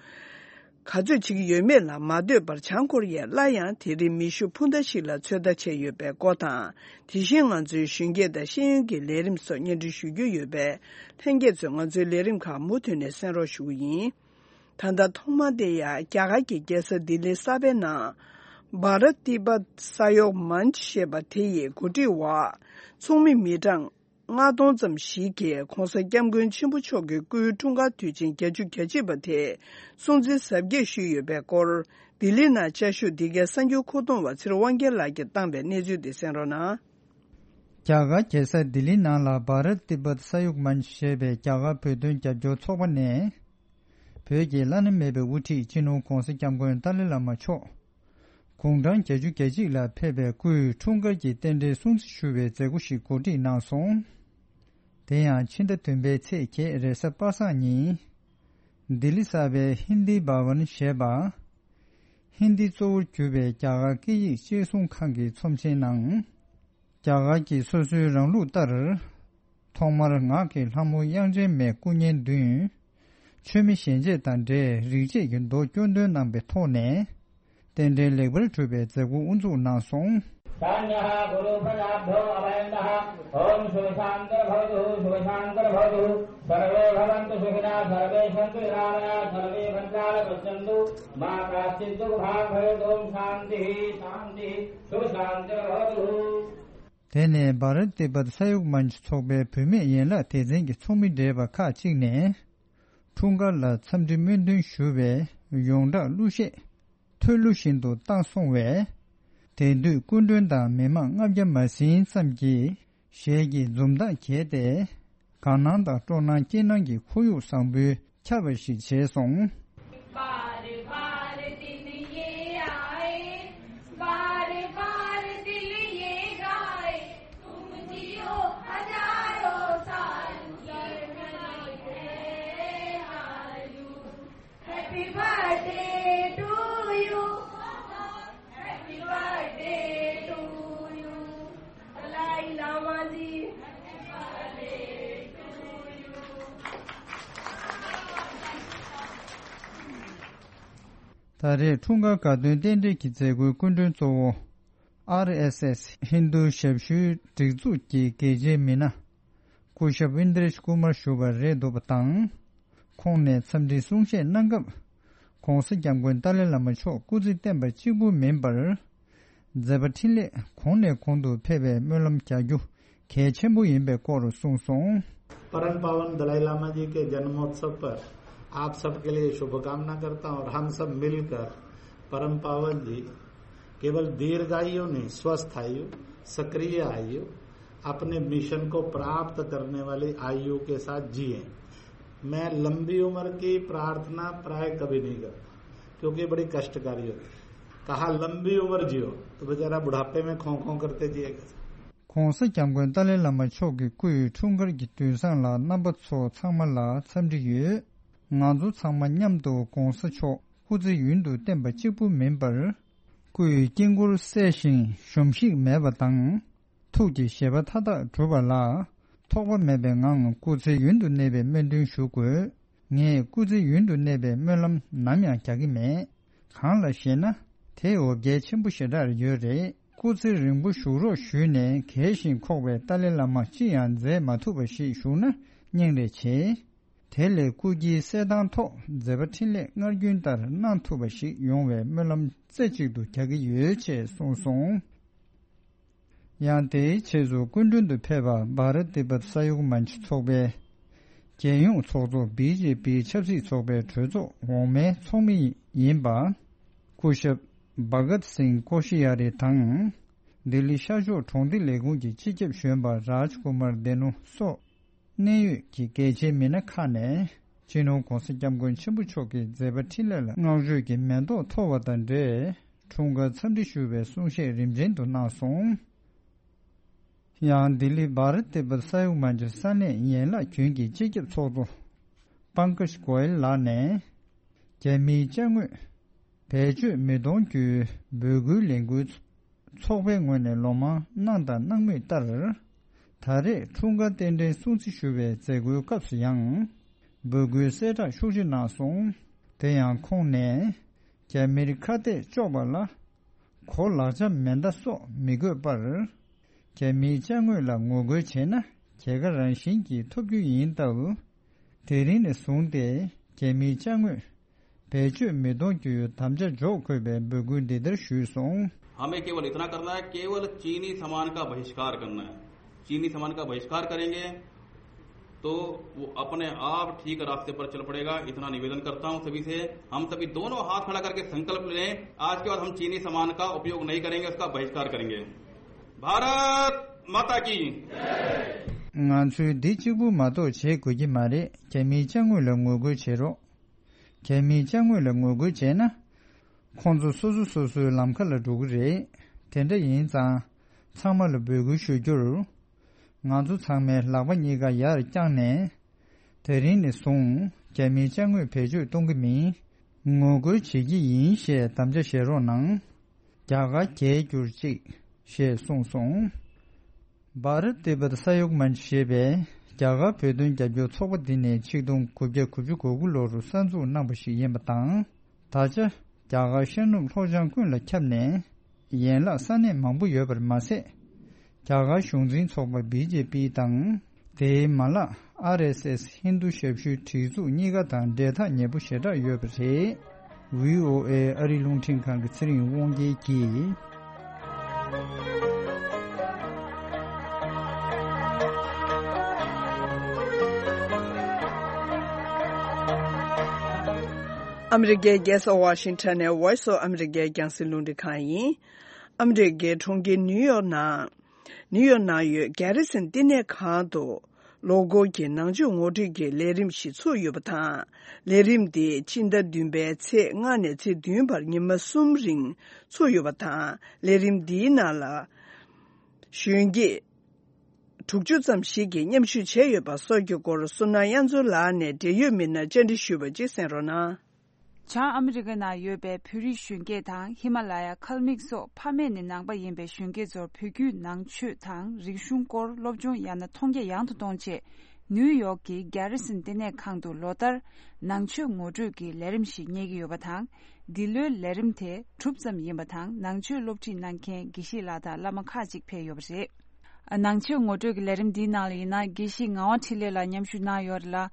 ག་ཚོད་བྱེད་ཀྱི་ཡོད་མེད་ལ་མ་ལྟོས་པར། བྱང་ཀོ་རི་ཡས་སླར་ཡང་དེ་རིང་མེ་ཤུགས་འཕུར་མདའ་ཞིག་ལ་ཚོད་ལྟ་བྱས་ཡོད་པའི་སྐོར་དང་། དེ་བཞིན་ང་ཚོའི་གཞོན་སྐྱེས་དང་ཤེས་ཡོན་གྱི་ལས་རིམ་སོགས་སྙན་སྒྲོན་ཞུ་རྒྱུ་ཡོད་པས། ལྷན་རྒྱས་ཚོས་ང་ཚོའི་ལས་རིམ་ཁག་མུ་མཐུད་ནས་གསན་རོགས་ཞུ་གི་ཡིན། ད་ལྟ་ཐོག་མ་དེ་ཡང་རྒྱ་གར་གྱི་རྒྱལ་ས་ལྡི་ལི་གསར་པའི་ནང་། བྷ་ར་ཏི་བྷ་ས་ཡོག་མན་ཆི་ཞེས་པ་དེ་ཡི་འགོ་ཁྲིད་འོག་ཚོགས་མི་མི་གྲངས་ལྔ་སྟོང་ཙམ་ཞིག་གིས་༧གོང་ས་༧སྐྱབས་མགོན་ཆེན་པོ་མཆོག་གི་སྐུའི་འཁྲུངས་སྐར་དུས་ཆེན་བརྒྱད་ཅུ་གྱ་གཅིག་པ་དེ་སྲུང་བརྩི་གཟབ་རྒྱས་ཞུས་ཡོད་པའི་སྐོར། ལྡི་ལི་ནང་བཅའ་བཞུགས་འདི་གའི་གསར་འགྱུར་མཁོ་གཏོང་བ་ཚེ་རིང་དབང་རྒྱལ་ལགས་ཀྱིས་བཏང་བའི་གནས་ཚུལ་དེ་གསན་རོགས་གནང་། རྒྱ་གར་རྒྱལ་ས་ལྡི་ལི་ནང་ལ་བྷ་རཏ་ཏི་བྷཏ་ས་ཡུག་མན་ཆ་ཞེས་པའི་རྒྱ་གར་བོད་དོན་རྒྱབ་སྐྱོར་ཚོགས་པ་ནས། བོད་ཀྱི་བླ་ན་མེད་པའི་དབུ་ཁྲིད་སྤྱི་ནོར་༧གོང་ས་༧སྐྱབས་མགོན་ཏཱ་ལའི་བླ་མ་མཆོག་དགུང་གྲངས་བརྒྱད་ཅུ་གྱ་གཅིག་ལ་ཕེབས་པའི་སྐུའི་འཁྲུངས་སྐར་གྱི་རྟེན་འབྲེལ་སྲུང་བརྩི་ཞུ་བའི་མཛད་སྒོ་ཞིག་གོ་སྒྲིག་གནང་སོང་། དེ་ཡང་ཕྱི་ཟླ་བདུན་པའི་ཚེས་བརྒྱད་རེས་གཟའ་པ་སངས་ཉིན། ལྡི་ལི་གསར་པའི་ཧིན་དི་བྷ་ཝན་ཞེས་པ། ཧིན་དི་གཙོ་བོར་གྱུར་པའི་རྒྱ་གར་སྐད་ཡིག་གཅེས་སྲུང་ཁང་གི་ཚོམས་ཆེན་ནང་། རྒྱ་གར་གྱི་སོ་སོའི་རང་ལུགས་ལྟར། ཐོག་མར་ངག་གི་ལྷ་མོ་དབྱངས་ཅན་མའི་སྐུ་བརྙན་བདུན། མཆོད་མེ་ཞལ་འབྱེད་དང་འབྲེལ་རིག་བྱེད་ཀྱི་མདོ་སྐྱོན་འདོན་གནང་པའི་ཐོག་ནས། རྟེན་འབྲེལ་ལེགས་པར་གྲུབ་པའི་མཛད་སྒོ་དབུ་འཛུགས་གནང་སོང་། དེ་ནས་བྷ་རཏ་ཏི་བྷཏ་ས་ཡུག་མན་ཆ་ཚོགས་པའི་བུད་མེད་ཡན་ལག་སྡེ་ཚན་གྱི་ཚོགས་མི་རེད་པ་ཁག་ཅིག་ནས། འཁྲུངས་སྐར་ལ་འཚམས་འདྲི་སྨོན་འདུན་ཞུ་བའི་ཡོངས་གྲགས་གླུ་གཞས་མཐོལ་གླུ་བཞིན་དུ་བཏང་སོང་བས། དེང་དུས་སྐུ་མགྲོན་དང་མི་མང་ལྔ་བརྒྱ་མ་ཟིན་ཙམ་གྱིས་གཞས་ཀྱི་འཛུམ་མདངས་བརྒྱས་ཏེ། དགའ་སྣང་དང་སྤྲོ་སྣང་སྐྱིད་སྣང་གི་ཁོར་ཡུག་བཟང་པོའི་ཁྱབ་པ་ཞིག་བྱས་སོང་། Happy birthday to you. Happy birthday to you. Dalai Lama ji. ད་རེས་འཁྲུངས་སྐར་དགའ་སྟོན་རྟེན་འབྲེལ་གྱི་མཛད་སྒོའི་སྐུ་མགྲོན་གཙོ་བོ། ཨར་ཨེས་ཨེས་ཧིན་རྡུ་ཞབས་ཞུའི་སྒྲིག་འཛུགས་ཀྱི་དགེ་ཆེའི་མི་སྣ། སྐུ་ཞབས་ཨིན་དྲེཤ་ཀུ་མར་ཞུ་བ་རེད་འདུག་པ་དང་། ཁོང་ནས་འཚམས་འདྲིའི་གསུང་བཤད་གནང་སྐབས། ྋགོང་ས་ྋསྐྱབས་མགོན་ཏཱ་ལའི་བླ་མ་མཆོག་སྐུ་ཚེ་བརྟན་པ་གཅིག་པུ་མིན་པར། མཛད་པ་འཕྲིན་ལས་གོང་ནས་གོང་དུ་འཕེལ་བའི་སྨོན་ལམ་རྒྱག་རྒྱུ་གལ་ཆེན་པོ་ཡིན་པའི་སྐོར་གསུངས་སོང་། परम पावन दलाई लामा जी के जन्मोत्सव पर आप सबके लिए शुभकामना करता हूं और हम सब मिलकर परम पावन जी केवल दीर्घायु नहीं, स्वस्थ आयु, सक्रिय आयु, अपने मिशन को प्राप्त करने वाली आयु के साथ जिए। मैं लंबी उम्र की प्रार्थना प्राय कभी नहीं करता, क्योंकि बड़ी कष्टकारी होती है। कहा लंबी उम्र जियो, तो बेचारा बुढ़ापे में खों खों करते जिएगा। ྋགོང་ས་ྋསྐྱབས་མགོན་ཏཱ་ལའི་བླ་མ་མཆོག་གི་སྐུའི་འཁྲུངས་སྐར་གྱི་དུས་བཟང་ལ་རྣམ་པ་ཚོ་ཚང་མ་ལ་འཚམས་འདྲི་ཡོད། ང་ཚོ་ཚང་མ་མཉམ་དུ་ྋགོང་ས་མཆོག་སྐུ་ཚེ་ཡུན་དུ་བརྟན་པ་གཅིག་པུ་མིན་པར། སྐུའི་དཀྱིལ་འཁོར་གསལ་ཞིང་གཞོམ་གཞིག་མེད་པ་དང་། ཐུགས་ཀྱི་བཞེད་པ་མཐའ་དག་འགྲུབ་པ་ལ། ཐོགས་པ་མེད་པའི་ངང་སྐུ་ཚེ་ཡུན་དུ་གནས་པའི་སྨོན་འདུན་ཞུ་དགོས། ངས་སྐུ་ཚེ་ཡུན་དུ་གནས་པའི་སྨོན་ལམ་ནམ་ཡང་རྒྱག་གི་མེད། གང་ལ་ཞེ་ན། དེ་འོ་བརྒྱལ་ཆེན་པོ་ཞེ་དྲག་ཡོད་རེད། སྐུ་ཚེ་རིང་པོ་བཞུགས་རོགས་ཞུས་ནས་གལ་ཞིང་ཁོག་པའི་ཏཱ་ལའི་བླ་མ་ཅི་ཡང་མཛད་མ་ཐུབ་པ་ཞིག་བཞུགས་ན་སྙིང་རེ་རྗེ། དེ་ལས་སྐུ་དཀྱིལ་གསལ་ཐང་ཐོག་མཛད་པ་འཕྲིན་ལས་སྔར་རྒྱུན་ལྟར་གནང་ཐུབ་པ་ཞིག་ཡོང་བའི་སྨོན་ལམ་རྩེ་གཅིག་ཏུ་རྒྱག་གི་ཡོད་ཅེས་གསུངས་སོང་། ཡང་དེའི་རྗེས་སུ་སྐུ་མགྲོན་དུ་ཕེབས་པ་བྷ་རཏ་ཏི་བྷཏ་ས་ཡུག་མན་ཆུ་ཚོགས་པའི་རྒྱལ་ཡོངས་ཚོགས་གཙོ་བི་ཇེ་པི་ཆབ་སྲིད་ཚོགས་པའི་གྲོས་ཚོགས་འོག་མའི་ཚོགས་མི་ཡིན་པ། སྐུ་ཞབས་བྷ་གཏ་སིང་ཀོ་ཤི་ཡ་རི་དང་། ལྡི་ལི་ཤར་ཕྱོགས་གྲོང་སྡེ་ལས་ཁུངས་ཀྱི་སྤྱི་ཁྱབ་གཞོན་པ་རཱཇ་ཀུ་མར་དེ་ནུ་སོགས། གནད་ཡོད་ཀྱི་གལ་ཆེའི་མི་སྣ་ཁག་ནས་སྤྱི་ནོར་༧གོང་ས་༧སྐྱབས་མགོན་ཆེན་པོ་མཆོག་གི་མཛད་པ་འཕྲིན་ལས་ལ་བསྔགས་བརྗོད་ཀྱི་མེ་ཏོག་འཐོར་བ་དང་འབྲེལ། འཁྲུངས་སྐར་འཚམས་འདྲི་ཞུ་བའི་གསུང་བཤད་རིམ་ཆེན་དུ་གནང་སོང་། ཡང་ལྡི་ལི་བྷ་རཏ་ཏི་བྷཏ་ས་ཡུག་མན་ཆུ་ས་གནས་ཡན་ལག་རྒྱུན་གྱི་སྤྱི་ཁྱབ་ཚོགས་གཙོ་པང་ཀ་ཤ་གོ་ཡལ་ལགས་ནས། རྒྱ་མིའི་ཅ་དངོས་བེད་སྤྱོད་མི་གཏོང་རྒྱུའི་འབོད་སྐུལ་ལས་འགུལ་ཚོགས་པའི་ངོས་ནས་ལོ་མང་གནང་དང་གནང་མུས་ལྟར། ད་རེས་འཁྲུངས་སྐར་རྟེན་འབྲེལ་སྲུང་བརྩི་ཞུ་བའི་མཛད་སྒོའི་སྐབས་སུ་ཡང་། འབོད་སྐུལ་གསལ་བསྒྲགས་ཤུགས་ཆེ་གནང་སོང་། དེ་ཡང་ཁོང་ནས། རྒྱ་མིར་ཁ་གཏད་གཅོག་པ་ལ། གོ་ལག་ཆ་མེ་མདའ་སོགས་མི་དགོས་པར། རྒྱ་མིའི་ཅ་དངོས་ལ་ངོ་རྒོལ་བྱས་ན་རྒྱལ་ཁ་རང་བཞིན་གྱིས་ཐོབ་རྒྱུ་ཡིན་སྟབས། དེ་རིང་ནས་བཟུང་སྟེ་རྒྱ་མིའི་ཅ་དངོས་བེད་སྤྱོད་མི་གཏོང་རྒྱུའི་དམ་བཅའ་འཇོག་དགོས་པའི་འབོད་སྐུལ་འདི་ལྟར་ཞུས་སོང་། हमें केवल इतना करना है, केवल चीनी सामान का बहिष्कार करना है। चीनी सामान का बहिष्कार करेंगे। तो वो अपने आप ठीक रास्ते पर चल पड़ेगा। इतना निवेदन करता हूं सभी से, हम सभी दोनों हाथ खड़ा करके संकल्प लें, आज के बाद हम चीनी सामान का उपयोग नहीं करेंगे, उसका बहिष्कार करेंगे। भारत माता की। ང་ཚོས་འདི་གཅིག་པུ་མ་གཏོགས་བྱེད་དགོས་ཀྱི་མ་རེད། རྒྱ་མིའི་ཅ་དངོས་ལ་ངོ་རྒོལ་བྱེད་རོགས། རྒྱ་མིའི་ཅ་དངོས་ལ་ངོ་རྒོལ་བྱས་ན། ཁོང་ཚོ་སོ་སོ་སོ་སོའི་ལམ་ཁ་ལ་འགྲོ་གི་རེད། དེ་འདྲ་ཡིན་ཙང་། ཚང་མ་ལ་འབོད་སྐུལ་ཞུ་རྒྱུར། ང་ཚོ་ཚང་མའི་ལག་པ་གཉིས་ཀ་ཡར་བརྐྱངས་ནས། དེ་རིང་ནས་བཟུང་རྒྱ་མིའི་ཅ་དངོས་བེད་སྤྱོད་གཏོང་གི་མིན། ངོ་རྒོལ་བྱེད་ཀྱི་ཡིན་ཞེས་དམ་བཅའ་བཞེས་རོགས་གནང་། རྒྱ་གར་རྒྱལ་གྱུར་ཅིག་ཞེས་གསུངས་སོང་། བྷ་རཏ་ཏི་བྷ་ཏ་ས་ཡོག་མན་ཆ་ཞེས་པའི་རྒྱ་གར་བོད་དོན་རྒྱབ་སྐྱོར་ཚོགས་པ་འདི་ནི་ཆིག་སྟོང་དགུ་བརྒྱ་དགུ་བཅུ་གོ་དགུ་ལོར་གསར་འཛུགས་གནང་པ་ཞིག་ཡིན་པ་དང་། ད་ཆ་རྒྱ་གར་ཤར་ནུབ་ལྷོ་བྱང་ཀུན་ལ་ཁྱབ་ནས། ཡན་ལག་ས་གནས་མང་པོ་ཡོད་པར་མ་ཟད། རྒྱ་གར་གཞུང་འཛིན་ཚོགས་པ་བི་ཇེ་པི་དང་། དེའི་མ་ལག་ཨར་ཨེས་ཨེས་ཧིན་རྡུ་ཞབས་ཞུའི་སྒྲིག་འཛུགས་གཉིས་ཀ་དང་འབྲེལ་ཐག་ཉེ་པོ་ཞེ་དྲག་ཡོད་པ་རེད། བྷི་ཨོ་ཨེ་ཨ་རིའི་རླུང་འཕྲིན་ཁང་གི་ཚེ་རིང་དབང་རྒྱལ་གྱིས། ཨ་མི་རི་ཀའི་རྒྱལ་ས་ཝ་ཤིང་ཊོན་ནས་Voice of America་རྒྱང་སྲིང་རླུང་འཕྲིན་ཁང་ཡིན། ཨ་མི་རི་ཀའི་གྲོང་ཁྱེར་ནིའུ་ཡོག་ནང་། ནིའུ་ཡོག་ནང་ཡོད་གྷེ་རི་སན་བསྟི་གནས་ཁང་དུ། ལོ་འཁོར་གྱི་ནང་ཆོས་ངོ་སྤྲོད་ཀྱི་ལས་རིམ་ཞིག་ཚུགས་ཡོད་པ་དང་། ལས་རིམ་འདི་སྤྱི་ཟླ་བདུན་པའི་ཚེས་ལྔ་ནས་ཚེས་བདུན་བར་ཉི་མ་གསུམ་རིང་ཚུགས་ཡོད་པ་དང་། ལས་རིམ་འདིའི་ནང་ལ། གཞོན་སྐྱེས་དྲུག་ཅུ་ཙམ་ཞིག་གིས་མཉམ་ཞུགས་བྱས་ཡོད་པ་སོགས་ཀྱི་སྐོར། བསོད་ནམས་དབྱངས་མཚོ་ལགས་ནས་འབྲེལ་ཡོད་མི་སྣར་བཅར་འདྲི་ཞུས་པ་ཅིག་གསན་རོགས་གནང་། བྱང་ཨ་མི་རི་ཀ་ནང་ཡོད་པའི་བོད་རིགས་གཞོན་སྐྱེས་དང་། ཧི་མ་ལ་ཡ་ཁལ་མིག་སོགས་ཕ་མེས་ནས་ནང་པ་ཡིན་པའི་གཞོན་སྐྱེས་ཚོར་བོད་བརྒྱུད་ནང་ཆོས་དང་རིག་གཞུང་སྐོར་སློབ་སྦྱོང་ཡང་ན་མཐོང་རྒྱ་ཡང་དུ་གཏོང་ཆེད། ནིའུ་ཡོག་གི་གྷེ་རི་སན་བསྟི་གནས་ཁང་དུ་ལོ་ལྟར་ནང་ཆོས་ངོ་སྤྲོད་ཀྱི་ལས་རིམ་ཞིག་གཉེར་གྱི་ཡོད་པ་དང་། འདི་ལོའི་ལས་རིམ་དེ་གྲུབ་ཙམ་ཡིན་པ་དང་། ནང་ཆོས་སློབ་ཁྲིད་གནང་མཁན་དགེ་བཤེས་ལགས་དང་བླ་མ་ཁག་ཅིག་ཕེབས་ཡོད་པ་རེད། ནང་ཆོས་ངོ་སྤྲོད་ཀྱི་ལས་རིམ་འདིའི་ནང་ལ་ཡིན་ན། དགེ་བཤེས་ངག་དབང་འཕྲིན་ལས་ལགས་མཉམ་ཞུགས་གནང་ཡོད་རེད་ལ།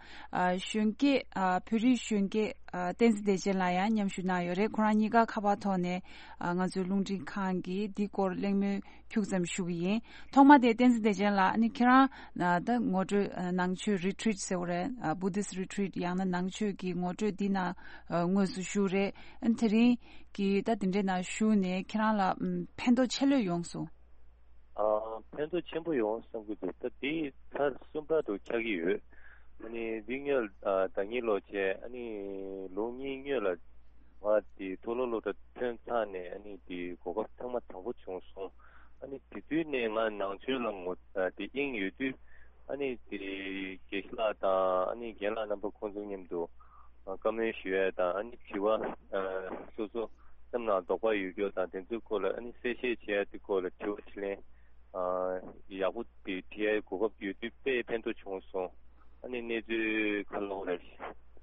གཞོན་སྐྱེས། བོད་རིགས་གཞོན་སྐྱེས། བསྟན་འཛིན་བདེ་ཆེན་ལགས་ཡང་མཉམ་ཞུགས་གནང་ཡོད་རེད། ཁོ་རང་གཉིས་ཀ་ཁ་པར་ཐོག་ནས་ང་ཚོའི་རླུང་འཕྲིན་ཁང་གིས་འདི་སྐོར་གླེང་མོལ་ཁྱུག་ཙམ་ཞུ་གི་ཡིན། ཐོག་མ་དེ་བསྟན་འཛིན་བདེ་ཆེན་ལགས། ཨ་ནི་ཁྱེད་རང་ད་ངོ་སྤྲོད། ནང་ཆོས་རི་ཊི་རིཊ་ཟེར་བ་རེད། བུ་དྷིསྚ་རི་ཊི་རིཊ་ཡང་ན་ནང་ཆོས་ཀྱི་ངོ་སྤྲོད་འདི་ནང་དངོས་སུ་ཞུགས་རེད། ཨ་ནི་དེ་རིང་གི་ད་དེ་འདྲའི་ནང་ཞུགས་ནས་ཁྱེད་རང་ལ་ཕན་ཐོགས་ཆེ་ལོས་ཡོང་སོང་། ཨ། ཕན་ཐོགས་ཆེན་པོ་ཡོང་བསམ་གྱི་འདུག་ད་འདི་ཚར་གསུམ་པ་དུ་ཆགས་ཀྱི་ཡོད། ཨ་ནི་འདི་སྔོན། ཨ། ཟླ་ཉིན་ལོ་བྱས། ཨ་ནི་ལོ་གཉིས་སྔོན་ལ་ང་འདི་མཐོ་སློབ་སློབ་གྲྭ་ཐོན་ཚར་ནས། ཨ་ནི་འདི་གོ་སྐབས་ཐེངས་མ་དང་པོ་བྱུང་སོང་། ཨ་ནི་དེ་དུས་ནས་ང་ནང་ཆོས་ལ་ངོ་། ཨ། འདི་དབྱིངས་ཡོད་དུས། ཨ་ནི་འདི་དགེ་བཤེས་ལགས་དང་། ཨ་ནི་རྒན་ལགས་རྣམ་པ་ཁོང་ཚོ་མཉམ་དུ། ཨ། བཀའ་མོལ་ཞུ་ཡ་དང་། ཨ་ནི་དྲི་བ། ཨ། སོ་སོ་སེམས་ནང་དོགས་པ་ཡོད་རྒྱུ་དང་། དེ་ཚོའི་སྐོར་ལ་ཨ་ནི་གསལ་བཤད་བྱེད་ཡ་དེ་སྐོར་ལ་དྲི་བ་དྲིས་ལན། ཨ། ཡག་པོ་དེ་དྲི་ཡ་གོ་སྐབས་ཡོད་དུས་དཔེ་ཕན་ཐོགས་བྱུང་སོང་། ཨ་ནི་གནས་ཚུལ་ཁ་ལོ་ལ་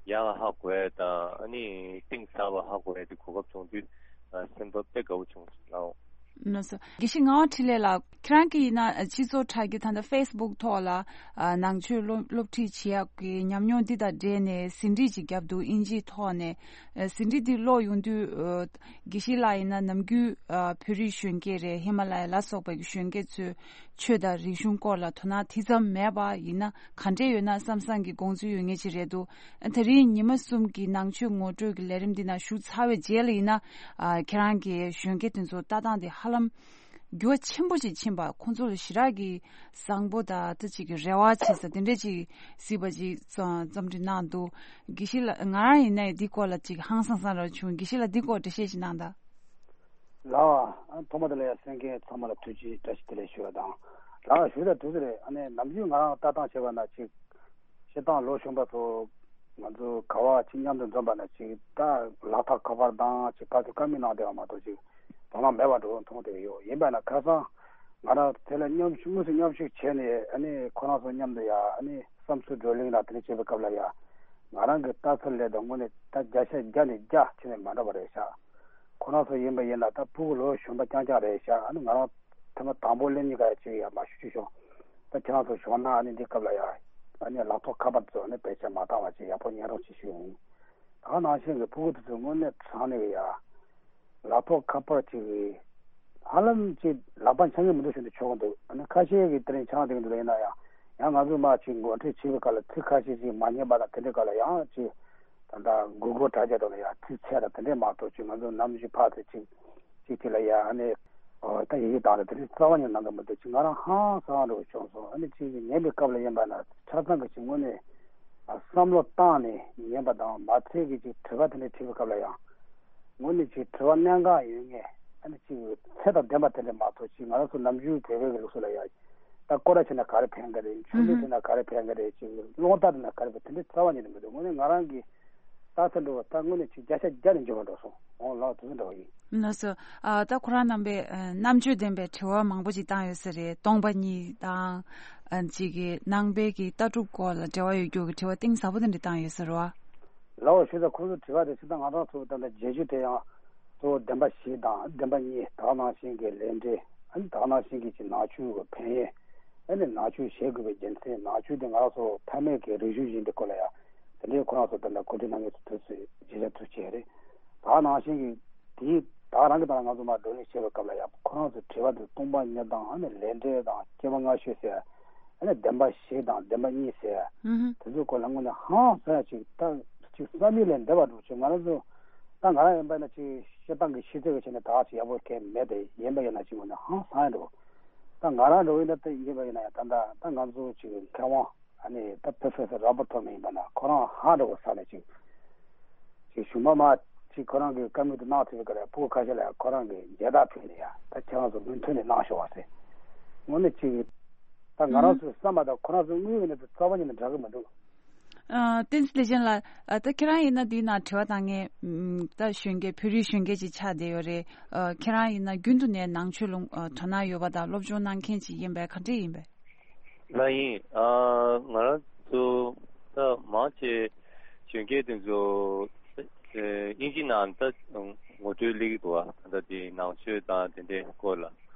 ཡག་ཧ་གོ་ཡ་དང་། ཨ་ནི་གཏིང་ཟབ་པ་ཧ་གོ་ཡ་དེ་གོ་སྐབས་བྱུང་དུས། ཨ། སེམས་པ་དཔེ་དགའ་བོ་བྱུང་སོང་ལགས། ལགས་སོ། དགེ་བཤེས་ངག་དབང་འཕྲིན་ལས་ལགས། ཁྱེད་རང་གིས་ཡིན་ན་སྤྱི་ཚོགས་དྲ་རྒྱ་ད་ལྟ་ཕེ་སི་བུག་ཐོག་ལ། ཨ། ནང་ཆོས་སློབ་སློབ་ཁྲིད་བྱེད་ཡག་གི་ཉམས་མྱོང་འདི་དང་འབྲེལ་ནས་ཟིན་བྲིས་ཅིག་བརྒྱབ་འདུག་ཨིན་ཇིའི་ཐོག་ནས། ཨ། ཟིན་བྲིས་འདི་ཀློག་ཡོང་དུས། ཨ། དགེ་བཤེས་ལགས་ཡིན་ན་ནམ་རྒྱུན། ཨ། བོད་རིགས་གཞོན་སྐྱེས་རེད། ཧི་མ་ལ་ཡ་ལ་སོགས་པའི་གཞོན་སྐྱེས་ཚོའི་ཆོས་དང་རིག་གཞུང་སྐོར་ལ་དོ་སྣང་དེ་ཙམ་མེད་པ་ཡིན་ན། ག་འདྲས་ཡོད་ན་བསམ་བསམ་གྱི་དགོངས་ཚུལ་ཡོད་མཁན་ཅིག་རེད་འདུག་ཨ། དེ་རིང་ཉི་མ་གསུམ་གྱི་ནང་ཆོས་ངོ་སྤྲོད་ཀྱི་ལས་རིམ་འདི་ནང་ཞུགས་ཚར་བའི་རྗེས་ལ་ཡིན་ན། ཨ། ཁྱེད་རང་གིས་གཞོན་སྐྱེས་དེ་ཚོ་ལྟ་སྟངས་དེ་ཧ་ལམ་འགྱུར་བ་ཆེན་པོ་ཞིག་ཕྱིན་པ། ཁོང་ཚོ་ལ་ཞེ་དྲག་གི་བཟང་པོ་དང་ད་ཅིག་གི་རེ་བ་བྱེད་ས་དེ་འདྲས་ཅིག་གཟིགས་པ་ཅིག་རྩོམ་འབྲི་གནང་འདུག་དགེ་བཤེས་ལགས། ང་རང་ཡིན་ན་ཡང་འདི་སྐོར་ལ་ཅིག་ཧང་སང་སང་རང་བྱུང་། དགེ་བཤེས་ལགས་འདི་སྐོར་འགྲེལ་བཤད་ཅིག་གནང་དང་། ལགས། ཨ། ཐོག་མ་དེ་ལ་ཡང་གསན་མཁན་ཚང་མ་ལ་ཐུགས་རྗེ་བཀྲ་ཤིས་བདེ་ལེགས་ཞུ་བ་དང་། ལགས། ཞུ་ད་དུས་ཚོད་རེད། ཨ་ནི་ནམ་རྒྱུན་ང་རང་ལྟ་སྟངས་བྱས་པ་ན་ཅིག་སྤྱིར་བཏང་ལོ་གཞོན་པ་ཚོ་ང་ཚོ་ག་བ་ཅིག་མཉམ་དུ་འཛོམས་པ་ན་ཅིག་ད་ལག་ཐོག་ཁ་པར་དང་ཅིག་བཀའ་ཐུག་བཀའ་མོལ་གནང་བསྡད་པ་མ་གཏོགས་ཅིག་དོ་སྣང་མེད་པ་འདྲ་བོ་མཐོང་བསྡད་ཀྱི་ཡོད། ཡིན་པ་ན་ཁ་སང་ང་རང་དེ་ལ་མཉམ་ཞུགས། དངོས་སུ་མཉམ་ཞུགས་བྱས་ནས། ཨ་ནི་ཁོ་རང་ཚོ་མཉམ་དུ་ཡ། ཨ་ནི་བསམ་ཚུལ་བགྲོ་གླེང་དང་དེ་འདྲ་བྱེད་པའི་སྐབས་ལ་ཡ། ང་རང་གི་ལྟ་ཚུལ་ལ་ད་དངོས་གནས་ད་བརྒྱ་ཆ་བརྒྱ་ནས་བརྒྱ་ཁྱོན་ནས་མ་འདྲ་བ་རེད་ཤག་ཁོ་རང་ཚོ་ཡིན་པ་ཡིན་ན་ད་ཕྲུ་གུ་ལོ་གཞོན་པ་རྐྱང་རྐྱང་རེད་ཤག་ཨ་ནི་ང་རང་ཐེངས་མ་དང་པོ་སླེབས་མྱི་ག་ཡ་ཅིག་ཡ་མ་ཞུ་ཅིག་ཤོག་ད་ཁྱེད་རང་ཚོ་ཞོགས་ན་ཨ་ནི་འདི་སྐབས་ལ་ཡ། ཨ་ནི་ལག་ཐོག་ཁ་པར་ཚོ་ཨ་ནི་བེད་སྤྱོད་མ་བཏང་བ་ཅིག་ཡག་པོ་ཉན་རོགས་ཅིག་ཞུ་ཡིན། ད་ག་ནང་བཞིན་གྱི་ཕྲུ་གུ་དེ་ཚོ་དངོས་གནས་དྲང་གནས་ཀྱི་ཡ། ལག་ཐོག་ཁ་པར་ཅིག་གིས་ཧ་ལམ་ཅིག་ལག་པ་འཆང་གི་མི་འདུག་ཞུ་འདི་ཆོག་གི་འདུག་ཨ་ནི་ཁ་ཤས་ཀྱིས་དེ་རིང་འཆང་བསྡད་ཀྱི་འདུག་ཡིན་ན་ཡང་། ཡང་ང་ཚོས་མར་ཅིག་འགོ་ཁྲིད་བྱེད་པའི་སྐབས་ལ་ཚིག་ཁ་ཤས་ཅིག་མ་ཉན་པ་དང་དེ་འདྲའི་སྐབས་ལ་ཡང་ཅིག་ད་ལྟ་མགོ་སྐོར་དྲག་རྒྱག་དང་ལ་ཡང་ཚིག་ཚད་དང་དེ་འདྲས་མ་གཏོགས་ཅིག་ང་ཚོ་ནམ་རྒྱུན་ཕར་ཚུར་ཅིག་ཅིག་དེ་ལ་ཡང་ཨ་ནི་ཨོ་ད་ཡི་གེ་དང་ལ་དེ་འདྲའི་རྩ་བ་ཉིད་ནང་གི་མི་འདུག་ཅིག་ང་རང་ཧང་སང་འགྲོ་བྱུང་སོང་། ཨ་ནི་ཅིག་ཉན་པའི་སྐབས་ལ་ཡིན་པ་ན་ཆ་ཚང་གི་ཅིག་དངོས་གནས་བསམ་བློ་བཏང་ནས་ཉན་པ་དང་མ་ཚད་ཀྱི་ཅིག་དྲི་བ་དེ་འདྲ་དྲིས་པའི་སྐབས་ལ་ཡང་དངོས་གནས་ཅིག་དྲི་བ་གནད་འགག་ཡོད་ངེས། ཨ་ནི་ཅིག་ཚད་དང་ལྡན་པ་དེ་འདྲ་མ་གཏོགས་ཅིག་ང་རང་ཚོ་ནམ་རྒྱུན་བོད་པའི་གི་ལུགས་སྲོལ་ལ་ཡང་ད་སྐོར་ར་བྱས་ན་ག་རེ་ཕན་གི་རེད། མཆོད་མེ་ཨུ་ཧུ། བྱས་ན་ག་རེ་ཕན་གི་རེད། ཅིག་རླུང་རྟ་བསྒྲིལ་ན་ག་རེ་ཕན། དེ་འདྲའི་རྩ་བ་ཉིད་ནས་མི་འདུག་དངོས་གནས་ང་རང་གི་ལྟ་ཚུལ་འདྲ་བོ་ད་དངོས་གནས་ཅིག་བརྒྱ་ཆ་བརྒྱ་ནས་འཇོག་པ་འགྲོ་སོང་། འོང་ལགས་དེ་ཚོ་འདྲ་བོ་ཡིན། ལགས་སོ། ཨ་ད་ཁོ་རང་རྣམ་པས་ཨ་རྣམ་དཔྱོད་ལྡན་པའི་དྲི་བ་མང་པོ་ཅིག་བཏང་ཡོད་ས་རེད། སྟོང་པ་ཉིད་དང་ཨ་ཅིག་གི་ནང་པའི་གི་ལྟ་གྲུབ་སྐོར་ལ་འབྲེལ་བ་ཡོད་རྒྱུ་གི་དྲི་བ་གཏིང་ཟབ་པོ་དེ་འདྲ་བཏང་ཡོད་ས་རེད་བ། ལའོ་ཞུ་ད་ཁོ་ཚོ་དྲི་བ་དེ་ཅི་ད་ང་རང་ཚོ་ད་ལྟ་བརྒྱད་ཅུ་དེ་ཡང་གཙོ་བོ་བདེན་པ་བཞི་དང་བདེན་པ་གཉིས། དག་ནང་བཞིན་གྱི་ལས་འབྲས། ཨ་ནི་དག་ནང་བཞིན་གྱི་ཅིག་ནང་ཆོས་ཀྱི་ཕན་ཡོན། ཨ་ནི་ནང་ཆོས་བཞེས་དགོས་པའི་རྒྱུ་མཚན། ནང་ཆོས་དེ་ང་རང་ཚོ་ཕ་མེས་ཀྱི་རིག་གཞུང་ཡིན་པའི་སྐོར་ལ་ཡང་དེ་འདྲའི་ཁོ་རང་ཚོ་ད་ལྟ་གོ་སྒྲིག་གནང་མཁན་ཚོ་དུས་ཚོད་བརྗེ་བྱ་ཐུགས་ཆེ་རེད། དག་ནང་བཞིན་གྱི་དེའི་དག་རང་གི་དང་ང་ཚོ་མ་བགྲོ་གླེང་བྱེད་པའི་སྐབས་ལ་ཡང་ཁོ་རང་ཚོའི་དྲི་བ་དེ་སྟོང་པ་ཉིད་དང་ཨ་ནི་ལས་འབྲས་དང་སྐྱེ་བ་སྔ་ཕྱི་ཟེར། ཨ་ནི་བདེན་པ་བཞི་དང་བདེན་པ་གཉིས་ཟེར། ཨུ་ཧུ། དེ་ཚོའི་སྐོར་ལ་དངོས་གནས་ཧང་སང་ཡ་ཅིག་ད་ཅིག་བསམ་ཡུལ་ལས་འདས་པ་འགྲོ་ཅིག་ང་རང་ཚོ་ད་ང་རང་ཡིན་པ་ན་ཅིག་བཤད་སྟངས་ཀྱི་ཤེས་ཚད་ཀྱི་ཆ་ནས་ད་ཅིག་ཡག་པོ་གང་མེད་དེ། ཡིན་པ་ཡིན་ན་ཅིག་དངོས་གནས་ཧང་སང་ཡ་འགྲོ། ད་ང་རང་འགྲོ་ཡིན་ན་ད་ཡིན་པ་ཡིན་ན་ཡང་ད་ད་ད་ང་ཚོ་ཅིག་མཁས་དབང་ཨ་ནི་ད་Professor Robert Thurman ཡིན་པ་ན་ཁོ་རང་ཧང་འགྲོ་བ་ས་ནས་ཅིག་ཅིག་གཞུང་མ་མ་ཅིག་ཁོ་རང་གི་བཀའ་མོལ་དུ་གནང་ཐུབ་པའི་སྐབས་ལ་ཕྲུ་གུ་ཁ་ཤས་ལ་ཁོ་རང་གི་མཇལ་དར་ཕུལ་ནས་ཡ་ད་ཁྱེད་རང་ཚོ་མུ་མཐུད་ནས་གནང་ཤོག་པ་ཟེར། དངོས་གནས་ཅིག་ད་ང་རང་ཚོའི་བསམ་པ་དང་ཁོ་རང་ཚོའི་དངོས་ཡོད་གནས་ཚུལ་རྩ་བ་ཉིད་ནས་འདྲ་གི་མི་འདུག་ཨ། བསྟན་འཛིན་ལེགས་བྱོན་ལགས། ཨ། ད་ཁྱེད་རང་ཡིན་ན་འདིའི་ནང་དྲི་བ་བཏང་མཁན་ད་གཞོན་སྐྱེས་བོད་རིགས་གཞོན་སྐྱེས་ཅིག་ཆགས་བསྡད་ཡོད་རེད། ཨ། ཁྱེད་རང་ཡིན་ན་རྒྱུན་དུ་ནས་ནང་ཆོས་ལ་ཨ་དོ་སྣང་ཡོད་པ་དང་སློབ་སྦྱོང་གནང་མཁན་ཅིག་ཡིན་པས་ག་འདྲས་ཡིན་པས། ལགས་ཡིན། ཨ། ང་རང་ཚོ་ད་མང་ཆེ་གཞོན་སྐྱེས་དེ་ཚོ་ཨ་དབྱིན་ཇི་ནང་ད་ངོ་སྤྲོད་སླེབས་ཀྱི་འདུག་བ། ད་ལྟ་དེ་ནང་ཆོས་དང་དེ་འདྲའི་སྐོར་ལ།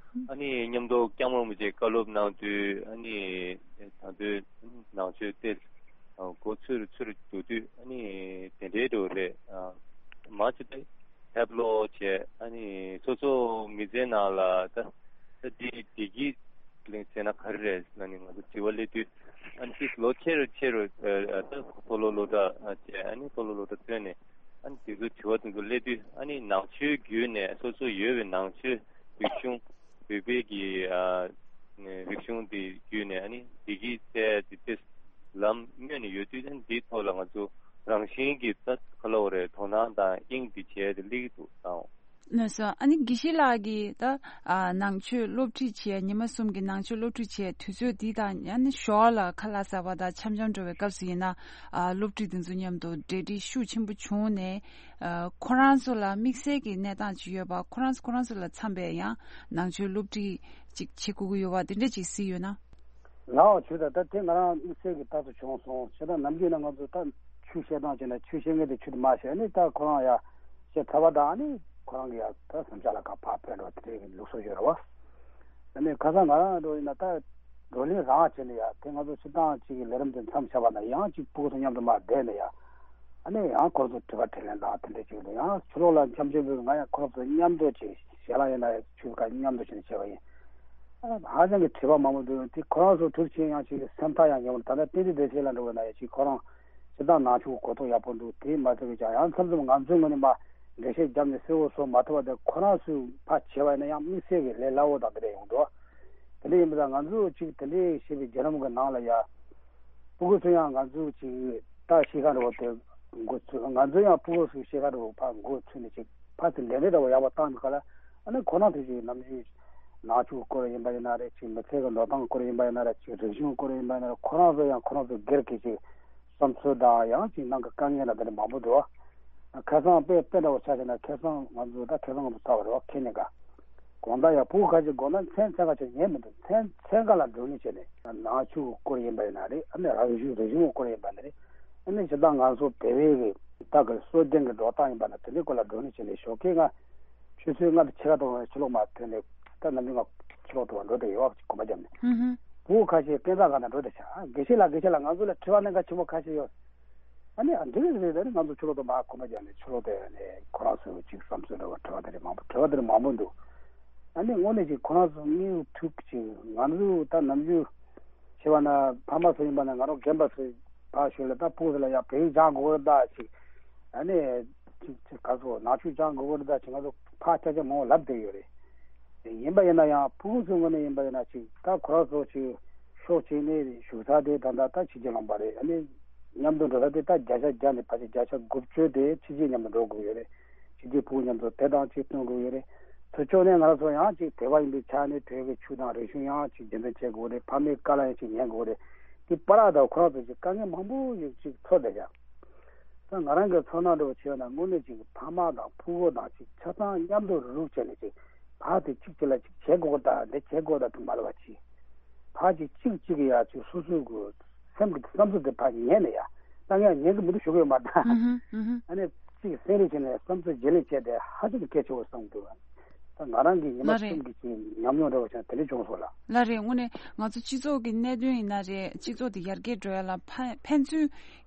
ཨ་ནི་མཉམ་དུ་སྐྱབས་མགོན་རིན་པོ་ཆེས་བཀའ་སློབ་གནང་དུས་ཨ་ནི་ད་དུང་ནང་ཆོས་དེ་མགོ་ཚོས་རུ་ཚོས་རུ་འགྲོ་དུས་ཨ་ནི་དེ་འདྲའི་འགྲོ་རེད། ཨ། མང་ཆེ་དེ་ཕེབས་ལོག་བྱས། ཨ་ནི་སོ་སོ་མི་ཚེའི་ནང་ལ་ད་ད་འདི་བདེ་སྐྱིད་གླེང་ཟེར་ན་ག་རེ་རེད་ཟེར་ན་ནི་ང་ཚོ་དྲི་བ་སླེབས་དུས། ཨ་ནི་ལོ་ཆེ་རུ་ཆེ་རུ་ཨ་ད་མཐོ་སློབ་སློབ་གྲྭ་བྱས། ཨ་ནི་མཐོ་སློབ་སློབ་གྲྭ་ཐོན་ནས་ཨ་ནི་དེ་ཚོ་དྲི་བ་དེ་ཚོ་སླེབས་དུས་ཨ་ནི་ནང་ཆོས་བརྒྱུད་ནས་སོ་སོ་ཡོད་པའི་ནང་ཆོས་རིག་གཞུང་བོད་པའི་གི་ཨ་རིག་གཞུང་དེ་བརྒྱུད་ནས་ཨ་ནི་བདེ་སྐྱིད་བཙལ་ཏེ་དེ་ལམ་སྨོས་ནས་ཡོད་དུས། ཨ་ནི་འདིའི་ཐོག་ལ་ང་ཚོ་རང་བཞིན་གྱིས་ད་ག་ལབ་དགོས་རེད། དོ་སྣང་དང་དབྱིངས་འདི་བྱས་ཏེ་སླེབས་ཀྱི་འདུག་ད། ལགས་སོ། ཨ་ནི་དགེ་བཤེས་ལགས་ཀྱིས་ད་ཨ་ནང་ཆོས་སློབ་ཁྲིད་བྱས། ཉི་མ་གསུམ་གྱི་ནང་ཆོས་སློབ་ཁྲིད་བྱས་དུས་ཚོད་འདི་དང་ཨ་ནི་ཞོར་ལ་ཁ་ལག་ཟ་བ་དང་འཆམ་འཆམ་འགྲོ་བའི་སྐབས་སུ་ཡིན་ན། ཨ་སློབ་ཁྲིད་འདི་ཚོ་མཉམ་དུ་འབྲེལ་འདྲིས་ཤུགས་ཆེན་པོ་བྱུང་ནས། ཨ་ཁོ་རང་ཚོ་ལ་དམིགས་བསལ་གྱི་གནས་སྟངས་ཅིག་ཡོད་པ། ཁོ་རང་ཚོ་ཁོ་རང་ཚོ་ལ་འཚམ་པའི་ཡང་ནང་ཆོས་སློབ་ཁྲིད་ཅིག་བྱེད་དགོས་ཀྱི་ཡོད་པ་དེ་འདྲ་ཅིག་གཟིགས་ཡོད་ན། ལའོ་ཆོས་ད་ལྟ་དེ་ང་རང་དམིགས་བསལ་གྱི་རྟག་ཏུ་བྱུང་སོང་། བྱས་ཙང་ནམ་རྒྱུན་ན་ང་ཚོ་ད་ཆོས་བཤད་སྟངས་བྱས་ན་ཆོས་བཤད་མཁན་དེ་ཆོས་དེ་མ་བཤད་ནས་ད་ཁོ་རང་ཡ་བཤད་ཚར་བ་དང་ཨ་ནི་ཁོ་རང་གི་ཡ་ད་སེམས་ཤ་ལ་ཁ་ཕར་ཕེབས་འགྲོ་དེ་འདྲའི་ལུགས་སྲོལ་ཡོད་རེད་བ། ཨ་ནི་ཁ་སང་ང་རང་འགྲོ་ཡིན་ན་ད་བགྲོ་གླེང་རང་བྱས་ནས་ཡ་དེ་ང་ཚོ་སྤྱིར་བཏང་གཅིག་གི་ལས་རིམ་དེ་མཚམས་བཞག་པ་ན་ཡང་གཅིག་ཕྲུ་གུ་ཚོ་མཉམ་དུ་མར་བསྡད་ནས་ཡ། ཨ་ནི་ཡང་ཁོ་རང་ཚོ་དྲི་བ་དྲིས་ལན་དང་དེ་འདྲ་བྱེད་ཀྱི་འདུག་ཡང་ཕྱི་ལོགས་ལ་འཆམ་འཆམ་པོས་ང་ཡང་ཁོ་རང་ཚོ་མཉམ་དུ་ཅིག་ཞལ་ལག་ཡིན་ན་ཆུ་ཁ་མཉམ་དུ་བྱས་ནས་བྱས་པ་ཡིན། ཨ་ཧ་ཅང་གི་དྲི་བ་མང་པོ་འདུག་དེ་ཁོ་རང་ཚོ་ཐུགས་ཆེ་ཡང་ཅིག་སེམས་ཐག་ཡང་ཉེ་བོ། ད་ལྟ་བསྟན་འཛིན་བདེ་ཆེན་ལགས་འགྲོ་བ་ན་ཡང་ཅིག་ཁོ་རང་སྤྱིར་བཏང་ནང་ཆོས་གོ་རྟོགས་ཡག་པོ་འདུག་དེ་མ་ཟད་པའི་ཀྱང་ཡང་མཚམས་མཚམས་ང་ཚོའི་ངོས་ནས་མར་འགྲེལ་བཤད་བརྒྱབ་ནས་གསལ་བོ་བཟོ་མ་ཐུབ་པ་དེ་ཁོ་རང་ཚོས་ཕར་བྱས་པ་ཡིན་ན་ཡང་དམིགས་བསལ་གྱི་ལས་སླ་བོ་དང་དེ་འདྲ་ཡོང་འདུག་དེ་འདྲ་ཡིན་པ་དང་ང་ཚོས་ཅིག་དེ་འདྲའི་བཤད་པའི་བརྒྱུད་རིམ་གྱི་ནང་ལ་ཡ། ཕྲུ་གུ་ཚོ་ཡང་ང་ཚོ་ཅིག་ད་ཤེས་ཁ་འདྲ་བོ་དེ་འགོ་ཚུགས། ང་ཚོ་ཡང་ཕྲུ་གུ་ཚོའི་ཤེས་ཁ་འདྲ་བོ་ཕར་འགོ་ཚུགས་ནས་ཅིག་ཕར་ཚུར་ལས་འབྲས་འདྲ་བོ་ཡག་པོ་བཏང་ནས་ག་ལ། ཨ་ནི་ཁོ་རང་ཚོས་ཅིག་ནམ་རྒྱུན་ནང་ཆོས་སྐོར་ཡིན་པ་ཡིན་ན་རེད། ཅིག་མི་ཚེ་གི་འགྲོ་སྟངས་སྐོར་ཡིན་པ་ཡིན་ན་རེད། ཅིག་རིག་གཞུང་སྐོར་ཡིན་པ་ཡིན་ན་རེད། ཁོ་རང་ཚོ་ཡང་ཁོ་རང་ཚོ་སྒེར་གྱི་ཅིག་བསམ་ཚུལ་དང་ཡང་ཅིག་ནང་གི་དཀའ་ངལ་ལ་དེ་འདྲ་མང་པོ་འདུག་ཁ་སང་དཔེ་དཔེ་འདྲ་བོ་ཆ་བཞག་ན་ཁ་སང་ང་ཚོ་ད་ཁ་སང་ང་ཚོ་ཚར་བ་རེད་བ། ཁེ་ནས་ག་དགོང་དག་ཡང་ཕྲུ་གུ་ཁ་ཤས་དགོང་དག་མཚན་མཚན་ག་ཅིག་ཉལ་མི་འདུག་མཚན་མཚན་ག་ལ་བགྲོ་གླེང་བྱས་ནས་ནང་ཆོས་སྐོར་ཡིན་པ་ཡིན་ན་རེད། ཨ་ནི་རང་གཞུང་རིག་གཞུང་སྐོར་ཡིན་པ་ཡིན་ན་རེད། ཨ་ནི་སྤྱིར་བཏང་ང་ཚོ་བོད་པའི་གི་ད་གི་སྲོལ་རྒྱུན་གྱི་འགྲོ་སྟངས་ཡིན་པ་ན་དེ་འདྲའི་སྐོར་ལ་བགྲོ་གླེང་བྱས་ནས་ཞོགས་ཀས་ང་ཆུ་ཚོད་ལྔ་དང་ཕྱེད་ཀ་ཐོག་ཕྱི་ལོགས་མར་ཐོན་ནས་ད་ནམ་རྒྱུན་ང་ཕྱི་ལོགས་དུ་བ་འགྲོ་བསྡད་ཡོད་བ། གོམ་པ་བརྒྱབ་ནས། ཧུམ་ཧུམ། ཕྲུ་གུ་ཁ་ཤས་སྐས་འཛེག་སྒང་ནས་འགྲོ་བསྡད་ཤག་དགེ་བཤེས་ལགས་དགེ་བཤེས་ལགས་ང་ཚོ་ལ་དྲི་བ་གནད་འགག་ཆེན་པོ་ཁ་ཤས་ཡོད། ཨ་ནི་ཨ་འདི་རེད་རེད་རེད། ང་ཚོ་ཕྱི་ལོགས་དུ་མར་གོམ་པ་བརྒྱབ་ནས་ཕྱི་ལོགས་དེ་ནས་ཁོ་རང་ཚོའི་ཅིག་བསམ་ཚུལ་འདྲ་བ་དྲི་བ་དེ་འདྲ་མང་པོ་དྲི་བ་དེ་འདྲ་མང་པོ་འདུག་ཨ་ནི་དངོས་གནས་ཅིག་ཁོ་རང་ཚོ་དངོས་ཐུག་ཅིག་ང་ཚོ་ད་ནམ་རྒྱུན་ དེ་བ་ན་ཕ་མ་ཚོ་ཡིན་པ་ན་ང་རང་རྒན་པ་ཚོ་ཕར་ཞོལ་ལ་ད་ཕྲུ་གུ་ཚོ་ལ་ཡ་བོད་ཡིག་སྦྱང་དགོས་རེད་ད་ཅིག་ཨ་ནི་ཅིག་ཅིག་ག་ཚོད་ནང་ཆོས་སྦྱང་དགོས་རེད་ད་ཅིག་ང་ཚོ་ཕར་སྐད་ཆ་མང་པོ་ལབ་བསྡད་ཡོད་རེད། ཡིན་པ་ཡིན་ན་ཡང་ཕྲུ་གུ་ཚོའི་ངོས་ནས་ཡིན་པ་ཡིན་ན་ཅིག་ད་ཁོ་རང་ཚོ་ཅིག་ཕྱོགས་གཅིག་ནས་བཞུགས་ས་དེ་ད་ད་ད་ཕྱི་རྒྱལ་ལུང་པ་རེད། ཨ་ནི་མཉམ་དུ་འགྲོ་ས་དེ་ད་བརྒྱ་ཆ་བརྒྱ་ནས་ཕལ་ཆེར་བརྒྱ་ཆ་དགུ་བཅུ་དེ་ཕྱི་རྒྱལ་མཉམ་དུ་འགྲོ་དགོས་ཡོད་རེད། ཕྱི་རྒྱལ་ཕྲུ་གུ་མཉམ་དུ་དེ་དང་གཅིག་སྟོན་དགོས་ཡོད་རེད། ཚུར་ཕྱོགས་ནས་ང་རང་ཚོ་ཡང་ཅིག་དད་པ་ཡིན་པའི་ཆ་ནས་བོད་ཀྱི་ཆོས་དང་རིག་གཞུང་ཡང་ཅིག་རྒྱུན་འཛིན་བྱེད་དགོས་རེད། ཕ་མའི་བཀའ་ལ་ཡང་ཅིག་ཉན་དགོས་རེད། དེ་བར་ལ་ད་ཁོ་རང་ཚོ་ཅིག་དཀའ་ངལ་མང་པོ་ཞིག་ཅིག་ཚོར་བསྡད་ཀྱང་། ད་ང་རང་གི་ཚོར་སྣང་འདྲ་བོ་བྱས་ན་དངོས་གནས་ཅིག་ཕ་མ་དང་ཕྲུ་གུ་དང་ཅིག་ཆ་ཚང་མཉམ་དུ་རུག་བྱས་ནས་ཅིག་ཕར་དེ་གཅིག་གཅིག་ལ་ཅིག་བྱེད་དགོས་ཀྱི་ད་འདི་བྱེད་དགོས་ད་དུ་མ་ལབ་པ་ཅིག་ཕར་ཅིག་གཅིག་གཅིག་གི་ཡ་ཅིག་སོ་སོའི་གི་སེམས་ཀྱི་བསམ་ཚུལ་དེ་ཕར་ཉན་ནས་ཡ་ད་ངས་ཉན་གི་མི་འདུག་ཞུ་གི་ཡོད་མ་ད། ཨ་ནི་ཅིག་སེམས་རེ་བྱས་ནས་བསམ་ཚུལ་བརྗེ་ལེན་བྱས་ཏེ་ཧ་ཅང་གི་གལ་ཆེ་བོ་བསམ་འདུག་ད་ང་རང་གི་ཉི་མ་ལ་རེད། གསུམ་གྱི་ཅིག་ཉམས་མྱོང་འདྲ་བོ་བྱས་ན་དེ་འདྲ་བྱུང་སོང་ལ། ལ་རེད། དངོས་གནས་ང་ཚོ་སྤྱི་ཚོགས་ཀྱི་གནད་དོན་ཡིན་ན་རེད། སྤྱི་ཚོགས་དེ་ཡར་རྒྱས་འགྲོ་ཡ་ལ་ཕན་ཕན་ཚུན་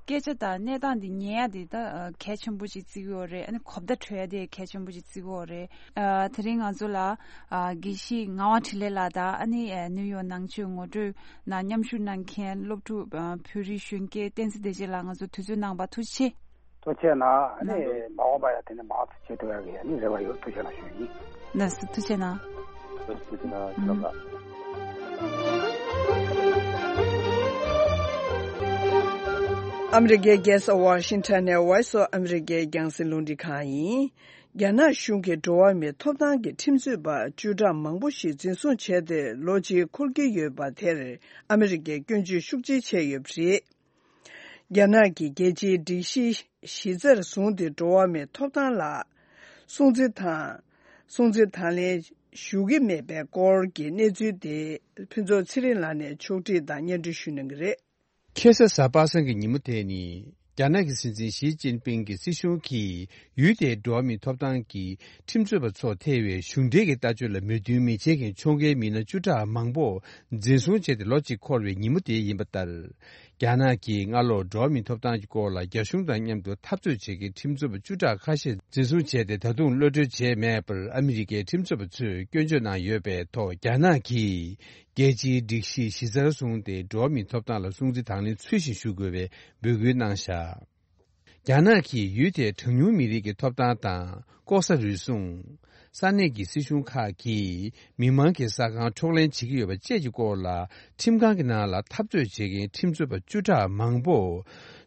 སྐད་ཆ་དང་གནས་སྟངས་དེ་ཉན་ཡ་དེ་ད་གལ་ཆེན་པོ་ཅིག་བརྩི་གི་ཡོད་རེད། ཨ་ནི་གོ་བརྡ་འཕྲོད་ཡ་དེ་གལ་ཆེན་པོ་ཅིག་བརྩི་གི་ཡོད་རེད། ཨ་དེ་རིང་ང་ཚོ་ལ་ཨ་དགེ་བཤེས་ངག་དབང་འཕྲིན་ལས་ལགས་དང་ཨ་ནི་ཨ་ནིའུ་ཡོག་ནང་ཆོས་ངོ་སྤྲོད་ནང་མཉམ་ཞུགས་གནང་མཁན་སློབ་ཕྲུག་ཨ་བོད་རིགས་གཞོན་སྐྱེས་བསྟན་འཛིན་བདེ་ཆེན་ལགས་ང་ཚོ་དུས་ཚོད་གནང་བ་ཐུགས་རྗེ་ཆེ། ཐུགས་རྗེ་གནང་། ཨ་ནི་མ་འོངས་པ་ཡང་དེ་ནས་མང་དུ་བྱེད་ཐུབ་ཡག་གི་ཨ་ནི་རེ་བ་ཡོད། ཐུགས་རྗེ་གནང་ཞུ་ཡིན། ལགས་སོ་ཐུགས་རྗེ་གནང་། ཐུགས་རྗེ་གནང་། ཨུམ། ཨ་མི་རི་ཀའི་རྒྱལ་ས་ཝ་ཤིང་ཊོན་ནས་Voice of America རྒྱང་སྲིང་རླུང་འཕྲིན་ཁང་ཡིན། རྒྱ་ནག་གཞུང་གིས་འགྲོ་བ་མིའི་ཐོབ་ཐང་གི་ཁྲིམས་རྩོད་པ་བཅུ་ཕྲག་མང་པོ་ཞིག་འཛིན་བཟུང་བྱས་ཏེ་ལོ་གཅིག་འཁོར་གྱི་ཡོད་པ་དེར་ཨ་མི་རི་ཀས་སྐྱོན་བརྗོད་ཤུགས་ཆེ་བྱས་ཡོད་པ་རེད། རྒྱ་ནག་གི་རྒྱལ་སྤྱིའི་སྒྲིག་གཞི་གཞི་རྩར་བཟུང་སྟེ་འགྲོ་བ་མིའི་ཐོབ་ཐང་ལ་སྲུང་བརྩི་དང་། སྲུང་བརྩི་དང་ལེན་ཞུ་གི་མེད་པའི་སྐོར་གྱི་གནས་ཚུལ་དེ་ཕུན་ཚོགས་ཚེ་རིང་ལགས་ནས་ཕྱོགས་སྒྲིག་དང་སྙན་སྒྲོན་ཞུ་གནང་གི་རེད། ཁ་སང་གཟའ་པ་སངས་ཀྱི་ཉིན་མོ་དེ་ནི་རྒྱ་ནག་གི་སྲིད་འཛིན་ཞི་ཅིན་ཕིང་གི་སྲིད་གཞུང་གིས་ཡུལ་དེའི་འགྲོ་བ་མིའི་ཐོབ་ཐང་གི་ཁྲིམས་རྩོད་པ་ཚོར་ཐེབས་པའི་གཞུང་འབྲེལ་གྱི་ལྟ་སྤྱོད་ལ་མོས་མཐུན་མི་བྱེད་མཁན་ཕྱོགས་འགལ་མི་སྣ་བཅུ་ཕྲག་མང་པོ་འཛིན་བཟུང་བྱས་ཏེ་ལོ་གཅིག་འཁོར་བའི་ཉིན་མོ་དེ་ཡིན་པ་ལྟར། རྒྱ་ནག་གིས་སྔ་ལོར་འགྲོ་བ་མིའི་ཐོབ་ཐང་གི་སྐོར་ལ་རྒྱ་གཞུང་དང་མཉམ་དུ་འཐབ་རྩོད་བྱེད་མཁན་ཁྲིམས་རྩོད་པ་བཅུ་ཕྲག་ཁ་ཤས་འཛིན་བཟུང་བྱས་ཏེ་ད་དུང་གློད་གྲོལ་བྱས་མེད་པར་ཨ་མི་རི་ཀའི་ཁྲིམས་རྩོད་པ་ཚོས་སྐྱོན་བརྗོད་གནང་ཡོད་པའི་ཐོག་རྒྱ་ནག་གིས་རྒྱལ་སྤྱིའི་སྒྲིག་གཞི་གཞི་རྩར་བཟུང་སྟེ་འགྲོ་བ་མིའི་ཐོབ་ཐང་ལ་སྲུང་བརྩི་དང་ལེན་ཚུལ་བཞིན་ཞུ་དགོས་པའི་འབོད་སྐུལ་གནང་བཞག་རྒྱ་ནག་གིས་ཡུལ་དེའི་གྲངས་ཉུང་མི་རིགས་ཀྱི་ཐོབ་ཐང་དང་ལྐོག་ཟ་རུལ་སུངས། ས་གནས་ཀྱི་སྲིད་གཞུང་ཁག་གིས་མི་མང་གི་ས་ཁང་འཕྲོག་ལེན་བྱེད་ཀྱི་ཡོད་པ་བཅས་ཀྱི་སྐོར་ལ་ཁྲིམས་ཁང་གི་ནང་ལ་འཐབ་རྩོད་བྱེད་མཁན་ཁྲིམས་རྩོད་པ་བཅུ་ཕྲག་མང་པོ་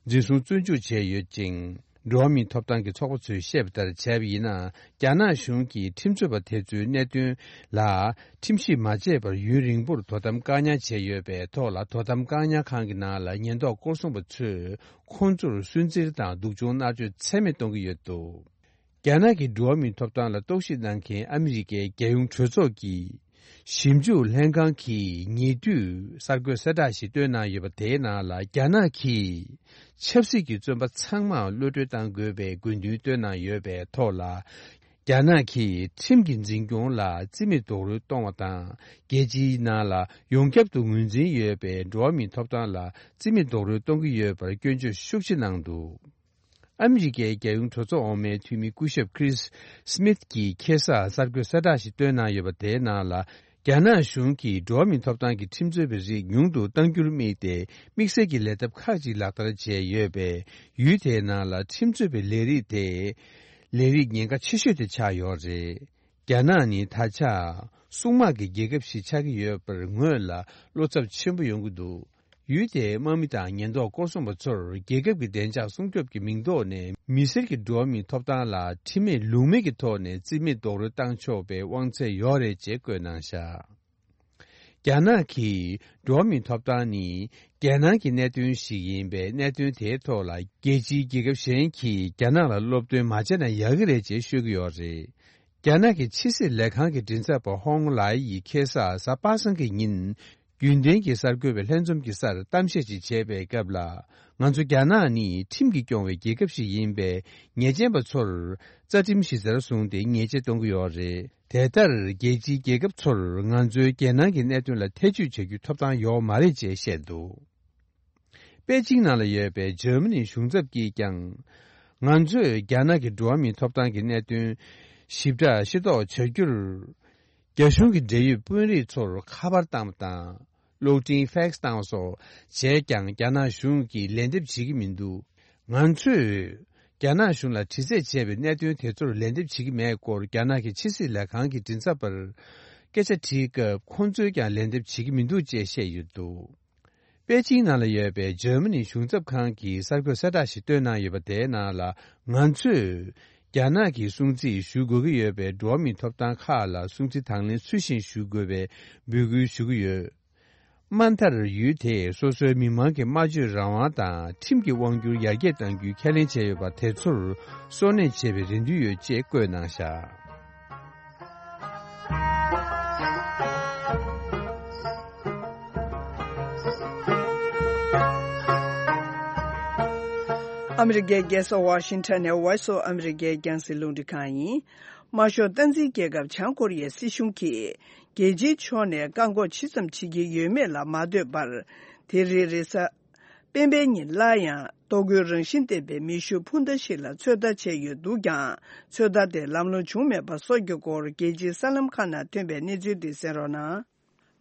འཛིན་བཟུང་བཙོན་འཇུག་བྱས་ཡོད་ཅིང་། འགྲོ་བ་མིའི་ཐོབ་ཐང་གི་ཚོགས་པ་ཚོས་བཤད་པ་ལྟར་བྱས་པ་ཡིན་ན། རྒྱ་ནག་གཞུང་གིས་ཁྲིམས་རྩོད་པ་དེ་ཚོའི་གནད་དོན་ལ་ཁྲིམས་ཞིབ་མ་བྱས་པར་ཡུན་རིང་པོར་དོ་དམ་བཀག་ཉར་བྱས་ཡོད་པའི་ཐོག་ལ། དོ་དམ་བཀག་ཉར་ཁང་གི་ནང་ལ་ཉེན་རྟོག་སྐོར་སྲུང་པ་ཚོས་ཁོང་ཚོར་སུན་གཙེར་དང་སྡུག་སྦྱོང་མནར་གཅོད་ཚད་མེད་གཏོང་གི་ཡོད་འདུག་རྒྱ་ནག་གི་འགྲོ་བ་མིའི་ཐོབ་ཐང་ལ་རྟོག་ཞིབ་གནང་མཁན་ཨ་མི་རི་ཀའི་རྒྱལ་ཡོངས་གྲོས་ཚོགས་ཀྱི་ཞིབ་འཇུག་ལྷན་ཁང་གིས་ཉེ་དུས་གསར་འགོད་གསལ་བསྒྲགས་ཤིག་བཏོན་གནང་ཡོད་པ། དེའི་ནང་ལ་རྒྱ་ནག་གིས་ཆབ་སྲིད་ཀྱི་བཙོན་པ་ཚང་མར་གློད་གྲོལ་གཏང་དགོས་པའི་དགོས་འདུན་བཏོན་གནང་ཡོད་པའི་ཐོག་ལ། རྒྱ་ནག་གིས་ཁྲིམས་ཀྱི་འཛིན་སྐྱོང་ལ་རྩིས་མེད་རྡོག་རོལ་གཏོང་བ་དང་། རྒྱལ་སྤྱིའི་ནང་ལ་ཡོངས་ཁྱབ་ཏུ་ངོས་འཛིན་ཡོད་པའི་འགྲོ་བ་མིའི་ཐོབ་ཐང་ལ་རྩིས་མེད་རྡོག་རོལ་གཏོང་གི་ཡོད་པར་སྐྱོན་བརྗོད་ཤུགས་ཆེ་གནང་འདུག་ཨ་མི་རི་ཀའི་རྒྱལ་ཡོངས་གྲོས་ཚོགས་འོག་མའི་འཐུས་མི་སྐུ་ཞབས་Chris Smith གྱིས་ཁ་སང་གསར་འགོད་གསལ་བསྒྲགས་ཤིག་བཏོན་གནང་ཡོད་པ། དེའི་ནང་ལ། རྒྱ་ནག་གཞུང་གིས་འགྲོ་བ་མིའི་ཐོབ་ཐང་གི་ཁྲིམས་རྩོད་པའི་རིགས་ཉུང་དུ་གཏང་རྒྱུར་དམིགས་ཏེ། དམིགས་བསལ་གྱི་ལས་ཐབས་ཁག་ཅིག་ལག་བསྟར་བྱས་ཡོད་པས། ཡུལ་དེའི་ནང་ལ་ཁྲིམས་རྩོད་པའི་ལས་རིགས་དེ། ལས་རིགས་ཉེན་ཁ་ཆེ་ཤོས་དེ་ཆགས་ཡོད་རེད། རྒྱ་ནག་ནི་ད་ཆ། སྲུང་དམག་གི་རྒྱལ་ཁབ་ཞིག་ཆགས་ཀྱི་ཡོད་པར་ངོས་ལ་བློ་འཚབ་ཆེན་པོ་ཡོང་གི་འདུག་ཡུལ་དེའི་དམག་མི་དང་ཉེན་རྟོག་སྐོར་སྲུང་པ་ཚོར་རྒྱལ་ཁབ་ཀྱི་བདེ་འཇགས་སྲུང་སྐྱོབ་ཀྱི་མིང་ཐོག་ནས་མི་སེར་གྱི་འགྲོ་བ་མིའི་ཐོབ་ཐང་ལ་ཁྲིམས་མེད་ལུགས་མེད་ཀྱི་ཐོག་ནས་རྩིས་མེད་རྡོག་རོལ་བཏང་ཆོག་པའི་དབང་ཚད་ཡོད་རེད་ཅེས་བཀོད་གནང་བཞག་རྒྱ་ནག་གིས་འགྲོ་བ་མིའི་ཐོབ་ཐང་ནི་རྒྱལ་ནང་གི་གནད་དོན་ཞིག་ཡིན་པས། གནད་དོན་དེའི་ཐོག་ལ་རྒྱལ་སྤྱིའི་རྒྱལ་ཁབ་གཞན་གྱིས་རྒྱ་ནག་ལ་སློབ་སྟོན་མ་བྱས་ན་ཡག་གི་རེད་ཅེས་ཤོད་ཀྱི་ཡོད་རེད། རྒྱ་ནག་གི་ཕྱི་སྲིད་ལས་ཁང་གི་མགྲིན་ཚབ་པ་ཧོང་ལའེ་ཡིས་ཁ་སང་གཟའ་པ་སངས་ཀྱི་ཉིན། རྒྱུན་ལྡན་གྱི་གསར་འགོད་པའི་ལྷན་འཛོམས་ཀྱི་སར་གཏམ་བཤད་ཅིག་བྱས་པའི་སྐབས་ལ། ང་ཚོ་རྒྱ་ནག་ནི་ཁྲིམས་ཀྱིས་སྐྱོང་བའི་རྒྱལ་ཁབ་ཞིག་ཡིན་པས། ཉེས་ཅན་པ་ཚོར་རྩ་ཁྲིམས་གཞི་རྩར་བཟུང་སྟེ་ཉེས་ཆད་གཏོང་གི་ཡོད་རེད། དེ་ལྟར་རྒྱལ་སྤྱིའི་རྒྱལ་ཁབ་ཚོར་ང་ཚོའི་རྒྱལ་ནང་གི་གནད་དོན་ལ་ཐེ་བྱུས་བྱ་རྒྱུའི་ཐོབ་ཐང་ཡོད་མ་རེད་ཅེས་བཤད་འདུག་པེ་ཅིང་ནང་ལ་ཡོད་པའི་འཇར་མ་ནིའི་གཞུང་ཚབ་ཀྱིས་ཀྱང་། ང་ཚོས་རྒྱ་ནག་གི་འགྲོ་བ་མིའི་ཐོབ་ཐང་གི་གནད་དོན་ཞིབ་ཕྲ་ཤེས་རྟོགས་བྱ་རྒྱུར། རྒྱ་གཞུང་གི་འབྲེལ་ཡོད་དཔོན་རིགས་ཚོར་ཁ་པར་བཏང་བ་དང་། གློག་འཕྲིན་ཕེག་སི་བཏང་བ་སོགས་བྱས་ཀྱང་རྒྱ་ནག་གཞུང་གིས་ལན་འདེབས་བྱེད་ཀྱི་མི་འདུག་ང་ཚོས་རྒྱ་ནག་གཞུང་ལ་དྲི་རྩད་བྱས་པའི་གནད་དོན་དེ་ཚོར་ལན་འདེབས་བྱེད་ཀྱི་མེད་སྐོར་རྒྱ་ནག་གི་ཕྱི་སྲིད་ལས་ཁང་གི་མགྲིན་ཚབ་པར་སྐད་ཆ་དྲིས་སྐབས་ཁོང་ཚོས་ཀྱང་ལན་འདེབས་བྱེད་ཀྱི་མི་འདུག་ཅེས་བཤད་ཡོད་འདུག་པེ་ཅིང་ནང་ལ་ཡོད་པའི་འཇར་མ་ནི་གཞུང་ཚབ་ཁང་གིས་གསར་འགོད་གསལ་བསྒྲགས་ཤིག་བཏོན་གནང་ཡོད་པ་དེའི་ནང་ལ། ང་ཚོས་རྒྱ་ནག་གི་སྲུང་བརྩི་ཞུ་དགོས་ཀྱི་ཡོད་པའི་འགྲོ་བ་མིའི་ཐོབ་ཐང་ཁག་ལ་སྲུང་བརྩི་དང་ལེན་ཚུལ་བཞིན་ཞུ་དགོས་པའི་འབོད་སྐུལ་ཞུ་གི་ཡོད། དམའ་མཐར་ཡུལ་དེས་སོ་སོའི་མི་མང་གི་སྨྲ་བརྗོད་རང་དབང་དང་ཁྲིམས་ཀྱི་དབང་སྒྱུར་ཡར་རྒྱས་གཏང་རྒྱུའི་ཁས་ལེན་བྱས་ཡོད་པ་དེ་ཚོར་སོར་གནས་བྱེད་པའི་རེ་འདུན་ཡོད་ཅེས་བཀོད་གནང་བཞག་ཨ་མི་རི་ཀའི་རྒྱལ་ས་ཝ་ཤིང་ཊོན་ནས་Voice of America་རྒྱང་སྲིང་རླུང་འཕྲིན་ཁང་ཡིན། དམར་ཤོག་སྟངས་འཛིན་རྒྱལ་ཁབ་བྱང་ཀོ་རི་ཡའི་སྲིད་གཞུང་གིས་རྒྱལ་སྤྱིའི་ཕྱོགས་ནས་བཀག་འགོག་ཇི་ཙམ་བྱེད་ཀྱི་ཡོད་མེད་ལ་མ་ལྟོས་པར། དེ་རིང་རེས་གཟའ་སྤེན་པའི་ཉིན་སླར་ཡང་ལྟོ་གོས་རང་བཞིན་ལྡན་པའི་མེ་ཤུགས་འཕུར་མདའ་ཞིག་ལ་ཚོད་ལྟ་བྱས་ཡོད་འདུག་ཀྱང་། ཚོད་ལྟ་དེ་ལམ་ལྷོང་བྱུང་མེད་པ་སོགས་ཀྱི་སྐོར་རྒྱལ་སྤྱིའི་གསར་ལམ་ཁག་ནང་ཐོན་པའི་གནས་ཚུལ་འདི་གསན་རོགས་གནང་།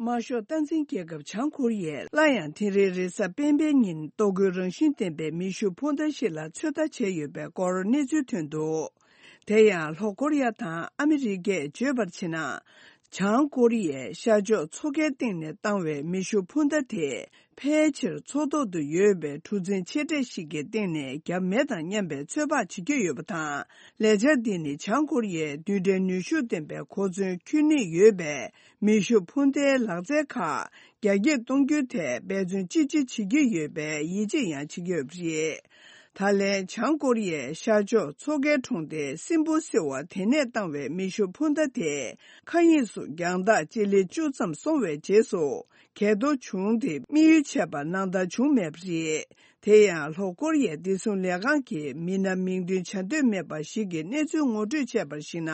དམར་ཤོག་སྟངས་འཛིན་རྒྱལ་ཁབ་བྱང་ཀོ་རི་ཡས་སླར་ཡང་དེ་རིང་རེས་གཟའ་སྤེན་པའི་ཉིན་ལྟོ་གོས་རང་བཞིན་ལྡན་པའི་མེ་ཤུགས་འཕུར་མདའ་ཞིག་ལ་ཚོད་ལྟ་བྱས་ཡོད་པའི་སྐོར་གནས་ཚུལ་ཐོན་འདུག་དེ་ཡང་ལྷོ་ཀོ་རི་ཡ་དང་ཨ་མི་རི་ཀས་བརྗོད་པར་བྱས་ན། བྱང་ཀོ་རི་ཡས་ཤར་ཕྱོགས་མཚོ་ཁའི་སྟེང་ནས་བཏང་བའི་མེ་ཤུགས་འཕུར་མདའ་དེ་ཕལ་ཆེར་མཚོ་ཐོག་ཏུ་ཡོད་པའི་གྲུ་གཟིངས་ཆེ་གྲས་ཤིག་གི་སྟེང་ནས་བརྒྱབ་མེད་དམ་སྙམ་པའི་ཚོད་དཔག་བྱེད་ཀྱི་ཡོད་པ་དང་། ལས་འཆར་འདི་ནི་བྱང་ཀོ་རི་ཡས་རྡུལ་ཕྲན་ནུས་ཤུགས་ལྡན་པའི་གོ་མཚོན་འཁྱེར་ནུས་ཡོད་པའི་མེ་ཤུགས་འཕུར་མདའི་ལག་རྩལ་ཁག་རྒྱ་སྐྱེད་གཏོང་རྒྱུའི་ཐད་འབད་བརྩོན་ཅི་ཆེ་བྱེད་ཀྱི་ཡོད་པའི་ཡིད་ཆེས་ཡང་བྱེད་ཀྱི་ཡོད་པ་རེད། ད་ལན་བྱང་ཀོ་རི་ཡས་ཤར་ཕྱོགས་མཚོ་ཁའི་གྲོང་སྡེ་སིམ་བྷོ་སི་ཝ་དེ་ནས་བཏང་བའི་མེ་ཤུགས་འཕུར་མདའ་དེ་མཁའ་དབྱིངས་སུ་རྒྱང་ཐག་སྤྱི་ལེ་བཅུ་ཙམ་སོང་བའི་རྗེས་སུ། གས་གཏོར་བྱུང་སྟེ་དམིགས་ཡུལ་བྱས་པ་ནང་ལྟར་བྱུང་མེད་པ་རེད། དེ་ཡང་ལྷོ་ཀོ་རི་ཡའི་བདེ་སྲུང་ལས་ཁང་གི་མི་སྣ་མིང་འདོན་བྱ་འདོད་མེད་པ་ཞིག་གིས་གནས་ཚུལ་ངོ་སྤྲོད་བྱས་པར་གཞིགས་ན།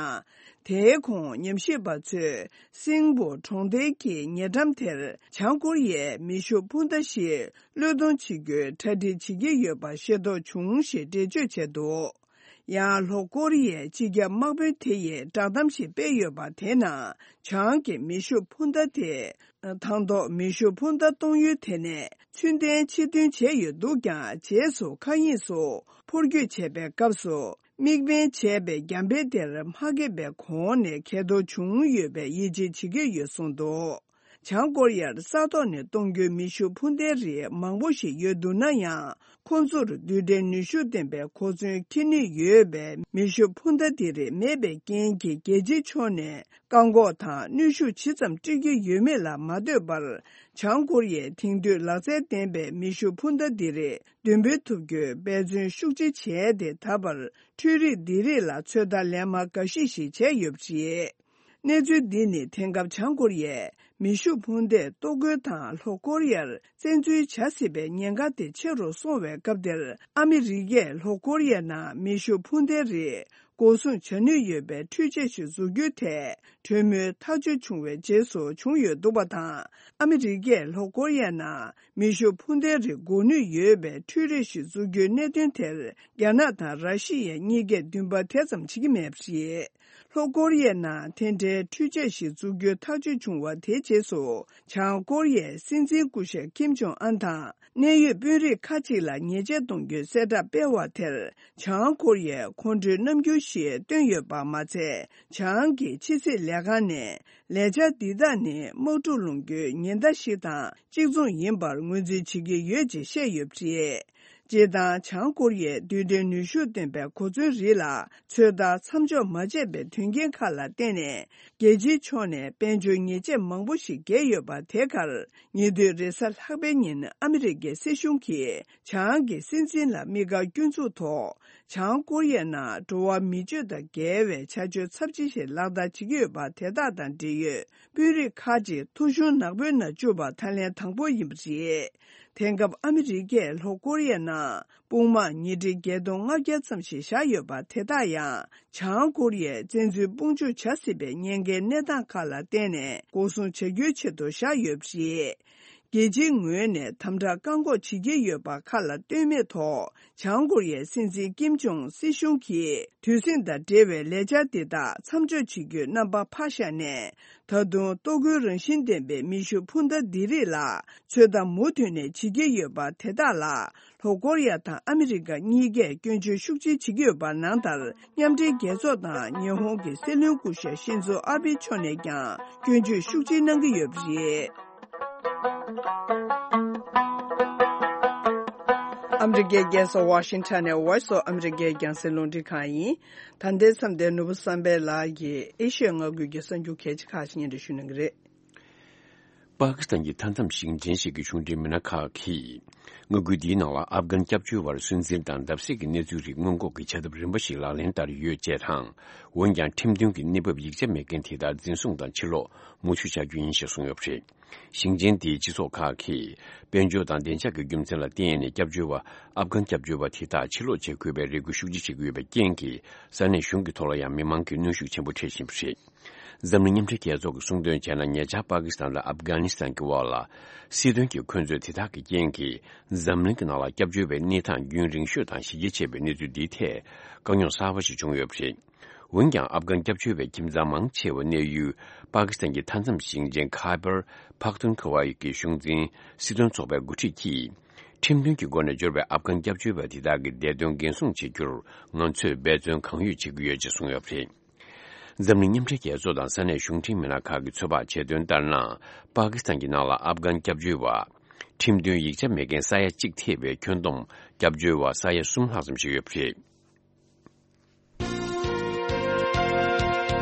དེའི་གོང་ཉམས་ཞིབ་པ་ཚོས་སིང་པོ་གྲོང་རྡལ་གྱི་ཉེ་འགྲམ་དེར་བྱང་ཀོ་རི་ཡས་མེ་ཤུགས་འཕུར་མདའ་ཞིག་བློས་གཏོང་བྱེད་རྒྱུའི་གྲ་སྒྲིག་བྱེད་ཀྱི་ཡོད་པ་ཤེས་རྟོགས་བྱུང་ཞེས་འགྲེལ་བརྗོད་བྱས་འདུག་ཡང་ལྷོ་ཀོ་རི་ཡའི་སྤྱི་ཁྱབ་དམག་དཔོན་དེ་ཡིས་བསྒྲགས་གཏམ་ཞིག་སྤེལ་ཡོད་པ་དེའི་ནང་། བྱང་གི་མེ་ཤུགས་འཕུར་མདའ་དེ་དང་ཐོག་མེ་ཤུགས་འཕུར་མདའ་གཏོང་ཡུལ་དེ་ནས་ཚུར་འཐེན་ཕྱིར་འཐེན་བྱས་ཡོད་འདུག་ཀྱང་། རྗེས་སུ་མཁའ་དབྱིངས་སུ་འཕུར་སྐྱོད་བྱས་པའི་སྐབས་སུ། དམིགས་འབེན་བྱས་པའི་རྒྱང་འཕེན་དེར་མ་འགེབས་པའི་གོང་ནས་གས་གཏོར་བྱུང་ཡོད་པའི་ཡིད་ཆེས་བྱེད་ཀྱི་ཡོད་གསུངས་འདུག་བྱང་ཀོ་རི་ཡར་ས་ཐོག་ནས་གཏོང་རྒྱུའི་མེ་ཤུགས་འཕུར་མདའི་རིགས་མང་པོ་ཞིག་ཡོད་འདུག་ན་ཡང་། ཁོ་ཚོར་རྡུལ་ཕྲན་ནུས་ཤུགས་ལྡན་པའི་གོ་མཚོན་འཁྱེར་ནུས་ཡོད་པའི་མེ་ཤུགས་འཕུར་མདའ་འདི་རིགས་མེད་པའི་རྐྱེན་གྱིས། རྒྱལ་སྤྱིའི་ཕྱོགས་ནས་བཀག་འགོག་དང་གནོན་ཤུགས་ཇི་ཙམ་སྤྲོད་ཀྱི་ཡོད་མེད་ལ་མ་ལྟོས་པར། བྱང་ཀོ་རི་ཡས་དེང་དུས་ལག་རྩལ་ལྡན་པའི་མེ་ཤུགས་འཕུར་མདའ་འདི་རིགས་འདོན་སྤེལ་ཐུབ་རྒྱུའི་འབད་བརྩོན་ཤུགས་ཆེ་བྱས་ཏེ། ད་བར་འཕྲུལ་རིག་འདི་རིགས་ལ་ཚོད་ལྟ་ལན་མང་འགའ་ཞིག་ཞིག་བྱས་ཡོད་པ་རེད། གནས་ཚུལ་འདི་ནི་དེང་སྐབས་བྱང་ཀོ་རི་ཡས་མེ་ཤུགས་འཕུར་མདས་ལྟོ་གོས་དང་ལྷོ་ཀོ་རི་ཡར་བཙན་འཛུལ་བྱ་སྲིད་པའི་ཉེན་ཁ་དེ་ཆེ་རུ་སོང་བའི་སྐབས་འདིར། ཨ་མི་རི་ཀས་ལྷོ་ཀོ་རི་ཡའི་ནང་མེ་ཤུགས་འཕུར་མདའི་རིགས་འགོག་སྲུང་བྱ་ནུས་ཡོད་པའི་འཕྲུལ་ཆས་ཤིག་འཛུགས་རྒྱུའི་ཐད་གྲོས་མོལ་ཐག་གཅོད་བྱུང་བའི་རྗེས་སུ་བྱུང་ཡོད་འདུག་པ་དང་། ཨ་མི་རི་ཀས་ལྷོ་ཀོ་རི་ཡའི་ནང་མེ་ཤུགས་འཕུར་མདའི་རིགས་འགོག་ནུས་ཡོད་པའི་འཕྲུལ་རིགས་ཤིག་འཛུགས་རྒྱུའི་གནད་དོན་དེར། རྒྱ་ནག་དང་ར་ཤི་ཡ་གཉིས་ཀས་འདུན་པ་དེ་ཙམ་བྱེད་ཀྱི་མེད་པ་རེད། ལྷོ་ཀོ་རི་ཡའི་ནང་དེ་འདྲའི་འཕྲུལ་ཆས་ཤིག་འཛུགས་རྒྱུའི་ཐག་གཅོད་བྱུང་བ་དེའི་རྗེས་སུ། བྱང་ཀོ་རི་ཡའི་སྲིད་འཛིན་སྐུ་ཞབས་ཀིམ་ཇོང་ཨན་དང་གནད་ཡོད་དཔོན་རིགས་ཁག་ཅིག་ལ་ཉེས་ཆད་གཏོང་རྒྱུའི་གསལ་བསྒྲགས་སྤེལ་བ་དེར། བྱང་ཀོ་རི་ཡས་ཁོང་ཁྲོའི་རྣམ་འགྱུར་ཞིག་བཏོན་ཡོད་པ་མ་ཚད། བྱང་གི་ཕྱི་སྲིད་ལས་ཁང་ནས་ལས་འཆར་འདི་དག་ནི་དམག་འཁྲུག་སློང་རྒྱུའི་ཉེན་བརྡ་ཞིག་དང་གཅིག་མཚུངས་ཡིན་པར་ངོས་འཛིན་བྱེད་ཀྱི་ཡོད་ཅེས་བཤད་ཡོད་པ་རེད། སྤྱིར་བཏང་། བྱང་ཀོ་རི་ཡས་རྡུལ་ཕྲན་ནུས་ཤུགས་ལྡན་པའི་གོ་མཚོན་རིགས་ལ་ཚོད་ལྟ་མཚམས་འཇོག་མ་བྱས་པའི་དོན་རྐྱེན་ཁག་ལ་བརྟེན་ནས། རྒྱལ་སྤྱིའི་ཕྱོགས་ནས་དཔལ་འབྱོར་ཉེས་ཆད་མང་པོ་ཞིག་བཀལ་ཡོད་པ། དེ་གར་ཉེ་དུས་རེས་གཟའ་ལྷག་པའི་ཉིན་ཨ་མི་རི་ཀའི་སྲིད་གཞུང་གིས་བྱང་གི་སྲིད་འཛིན་ལ་དམིགས་བཀར་སྐྱོན་འཛུགས་ཐོག་བྱང་ཀོ་རི་ཡའི་ནང་འགྲོ་བ་མི་སྤྱོད་དང་འགལ་བའི་བྱ་སྤྱོད་ཚབས་ཆེ་ཞིག་ལག་བསྟར་བྱེད་ཀྱི་ཡོད་པ། དེ་དག་དང་འབྲེལ་ཡོད་དཔོན་རིགས་ཁག་ཅིག་ཐོ་གཞུང་ནག་པོའི་ནང་བཅུག་པ་ད་ལན་དང་པོ་ཡིན་པ་རེད། དེང་སྐབས་ཨ་མི་རི་ཀས་ལྷོ་ཀོ་རི་ཡའི་ནང་དཔུང་དམག་ཉིས་ཁྲི་བརྒྱད་སྟོང་ལྔ་བརྒྱ་ཙམ་ཞིག་བཞག་ཡོད་པ། དེ་དག་ཡང་བྱང་ཀོ་རི་ཡས་བཙན་འཛུལ་དཔུང་འཇུག་བྱ་སྲིད་པའི་ཉེན་ཁའི་གནས་སྟངས་ཁག་ལ་བརྟེན་ནས་འགོག་སྲུང་བྱ་རྒྱུའི་ཆེད་དུ་བཞག་ཡོད་པ་རེད། རྒྱལ་སྤྱིའི་ངོས་ནས་དམ་དྲག་བཀག་འགོག་བྱེད་ཀྱི་ཡོད་པ་ཁ་ལ་སྟོན་མེད་ཐོག་བྱང་ཀོ་རི་ཡའི་སྲིད་འཛིན་ཀིམ་ཇོང་སྲིད་གཞུང་གིས་དུས་ཟིང་དང་འབྲེལ་བའི་ལས་འཆར་འདི་དག་མཚམས་འཇོག་བྱེད་རྒྱུའི་རྣམ་པ་ཕར་བཞག་ནས། ད་དུང་ལྟོ་གོས་རང་བཞིན་ལྡན་པའི་མེ་ཤུགས་འཕུར་མདའ་འདི་རིགས་ལ་ཚོད་ལྟ་མུ་མཐུད་ནས་བྱེད་ཀྱི་ཡོད་པ་དེ་དག་ལ། ལྷོ་ཀོ་རི་ཡ་དང་ཨ་མི་རི་ཀ་གཉིས་ཀས་སྐྱོན་བརྗོད་ཤུགས་ཆེ་བྱེད་ཀྱི་ཡོད་པ་ནང་ལྟར། མཉམ་འབྲེལ་རྒྱལ་ཚོགས་དང་ཉི་ཧོང་གི་སྲིད་བློན་སྐུ་ཞབས་ཤིན་ཛོ་ཨ་བྷེ་མཆོག་ནས་ཀྱང་སྐྱོན་བརྗོད་ཤུགས་ཆེ་གནང་གི་ཡོད་པ་རེད། ཨ་མི་རི་ཀའི་རྒྱལ་ས་ཝ་ཤིང་ཊོན་ནས་Voice of America རྒྱང་སྲིང་རླུང་འཕྲིན་ཁང་ཡིན། ད་ལྟའི་མཚམས་དེར་ནོར་བུ་བསམ་འཕེལ་ལགས་ཀྱིས་ཨེ་ཤི་ཡའི་མངའ་ཁུལ་གྱི་གསར་འགྱུར་གལ་ཆེ་ཁག་ཅིག་སྙན་སྒྲོན་ཞུ་གནང་གི་རེད། པ་ཀི་སི་ཐན་གྱི་མཐའ་མཚམས་ཞིང་ཆེན་ཞིག་གི་གཞུང་འབྲེལ་མི་སྣ་ཁག་གིས། མངའ་ཁུལ་འདིའི་ནང་ལ་ཨབ་གྷན་སྐྱབས་བཅོལ་བར་སུན་གཙེར་དང་བརྡབ་གསིག་གི་གནས་ཚུལ་རིགས་སྔོན་འགོག་གི་བྱ་ཐབས་རིམ་པ་ཞིག་ལག་ལེན་བསྟར་ཡོད་ཅེས་དང་། འོན་ཀྱང་ཁྲིམས་མཐུན་གྱི་གནས་བབ་ཡིག་ཆ་མེད་མཁན་དེ་དག་འཛིན་བཟུང་དང་ཕྱིར་ལོག་མུ་མཐུད་བྱ་རྒྱུ་ཡིན་ཞེས་གསུངས་ཡོད་པ་རེད། ཞིང་ཆེན་དེའི་སྤྱི་ཚོགས་ཁག་གིས་དཔལ་འབྱོར་དང་བདེ་འཇགས་ཀྱི་རྒྱུ་མཚན་ལ་བརྟེན་ནས་སྐྱབས་བཅོལ་བ་ཨབ་གྷན་སྐྱབས་བཅོལ་བ་དེ་དག་ཕྱིར་ལོག་བྱེད་དགོས་པའི་རེ་སྐུལ་ཤུགས་ཆེ་བྱེད་ཀྱི་ཡོད་པའི་རྐྱེན་གྱིས། ས་གནས་གཞུང་གི་ཐོག་ལ་ཡང་མི་མང་གིས་གནོན་ཤུགས་ཆེན་པོ་འཕྲད་བཞིན་པ་རེད། འཛམ་གླིང་མཉམ་འབྲེལ་རྒྱལ་ཚོགས་ཀྱིས་གསུངས་དོན་བྱས་ན། ཉེ་ཆར་པ་ཀི་སི་ཐན་དང་ཨབ་གྷ་ནི་སི་ཐན་གྱི་དབར་ལ་སྲིད་དོན་གྱི་འཁོན་རྩོད་དེ་དག་གི་རྐྱེན་གྱིས། འཛམ་གླིང་གི་ནང་ལ་སྐྱབས་བཅོལ་བའི་གནས་སྟངས་རྒྱུན་རིང་ཤོས་དང་ཞི་རྒྱས་ཆེ་བའི་གནས་ཚུལ་འདིའི་ཐད་དཀའ་རྙོག་གསར་པ་ཞིག་བྱུང་ཡོད་པ་རེད། འོན་ཀྱང་ཨབ་གྷན་སྐྱབས་བཅོལ་བའི་ཁྱིམ་ཚང་མང་ཆེ་བ་གནས་ཡུལ་པ་ཀི་སི་ཐན་གྱི་མཐའ་མཚམས་ཞིང་ཆེན་ཁ་བར་ཕག་ཐུན་ཁ་ཝ་ཡི་གི་གཞུང་འཛིན་སྲིད་དོན་ཚོགས་པའི་འགོ་ཁྲིད་ཀྱིས། ཁྲིམས་མཐུན་གྱི་སྒོ་ནས་འབྱོར་བའི་ཨབ་གྷན་སྐྱབས་བཅོལ་བ་དེ་དག་གི་བདེ་དོན་འགན་སྲུང་བྱེད་རྒྱུར་ང་ཚོས་འབད་བརྩོན་གང་ཡོད་བྱེད་ཀྱི་ཡོད་ཅེས་གསུངས་ཡོད་པ་རེད། འཛམ་གླིང་མཉམ་འབྲེལ་རྒྱལ་ཚོགས་དང་ས་གནས་གཞུང་འབྲེལ་མི་སྣ་ཁག་གིས་ཚོད་དཔག་བྱས་དོན་ལྟར་ན། པ་ཀི་སི་ཐན་གྱི་ནང་ལ་ཨབ་གྷན་སྐྱབས་བཅོལ་བ། ཁྲིམས་མཐུན་ཡིག་ཆ་མེད་མཁན་ས་ཡ་གཅིག་ཐེ་བའི་ཁྱོན་བསྡོམས་སྐྱབས་བཅོལ་བ་ས་ཡ་གསུམ་ལྷག་ཙམ་ཞིག་ཡོད་པ་རེད།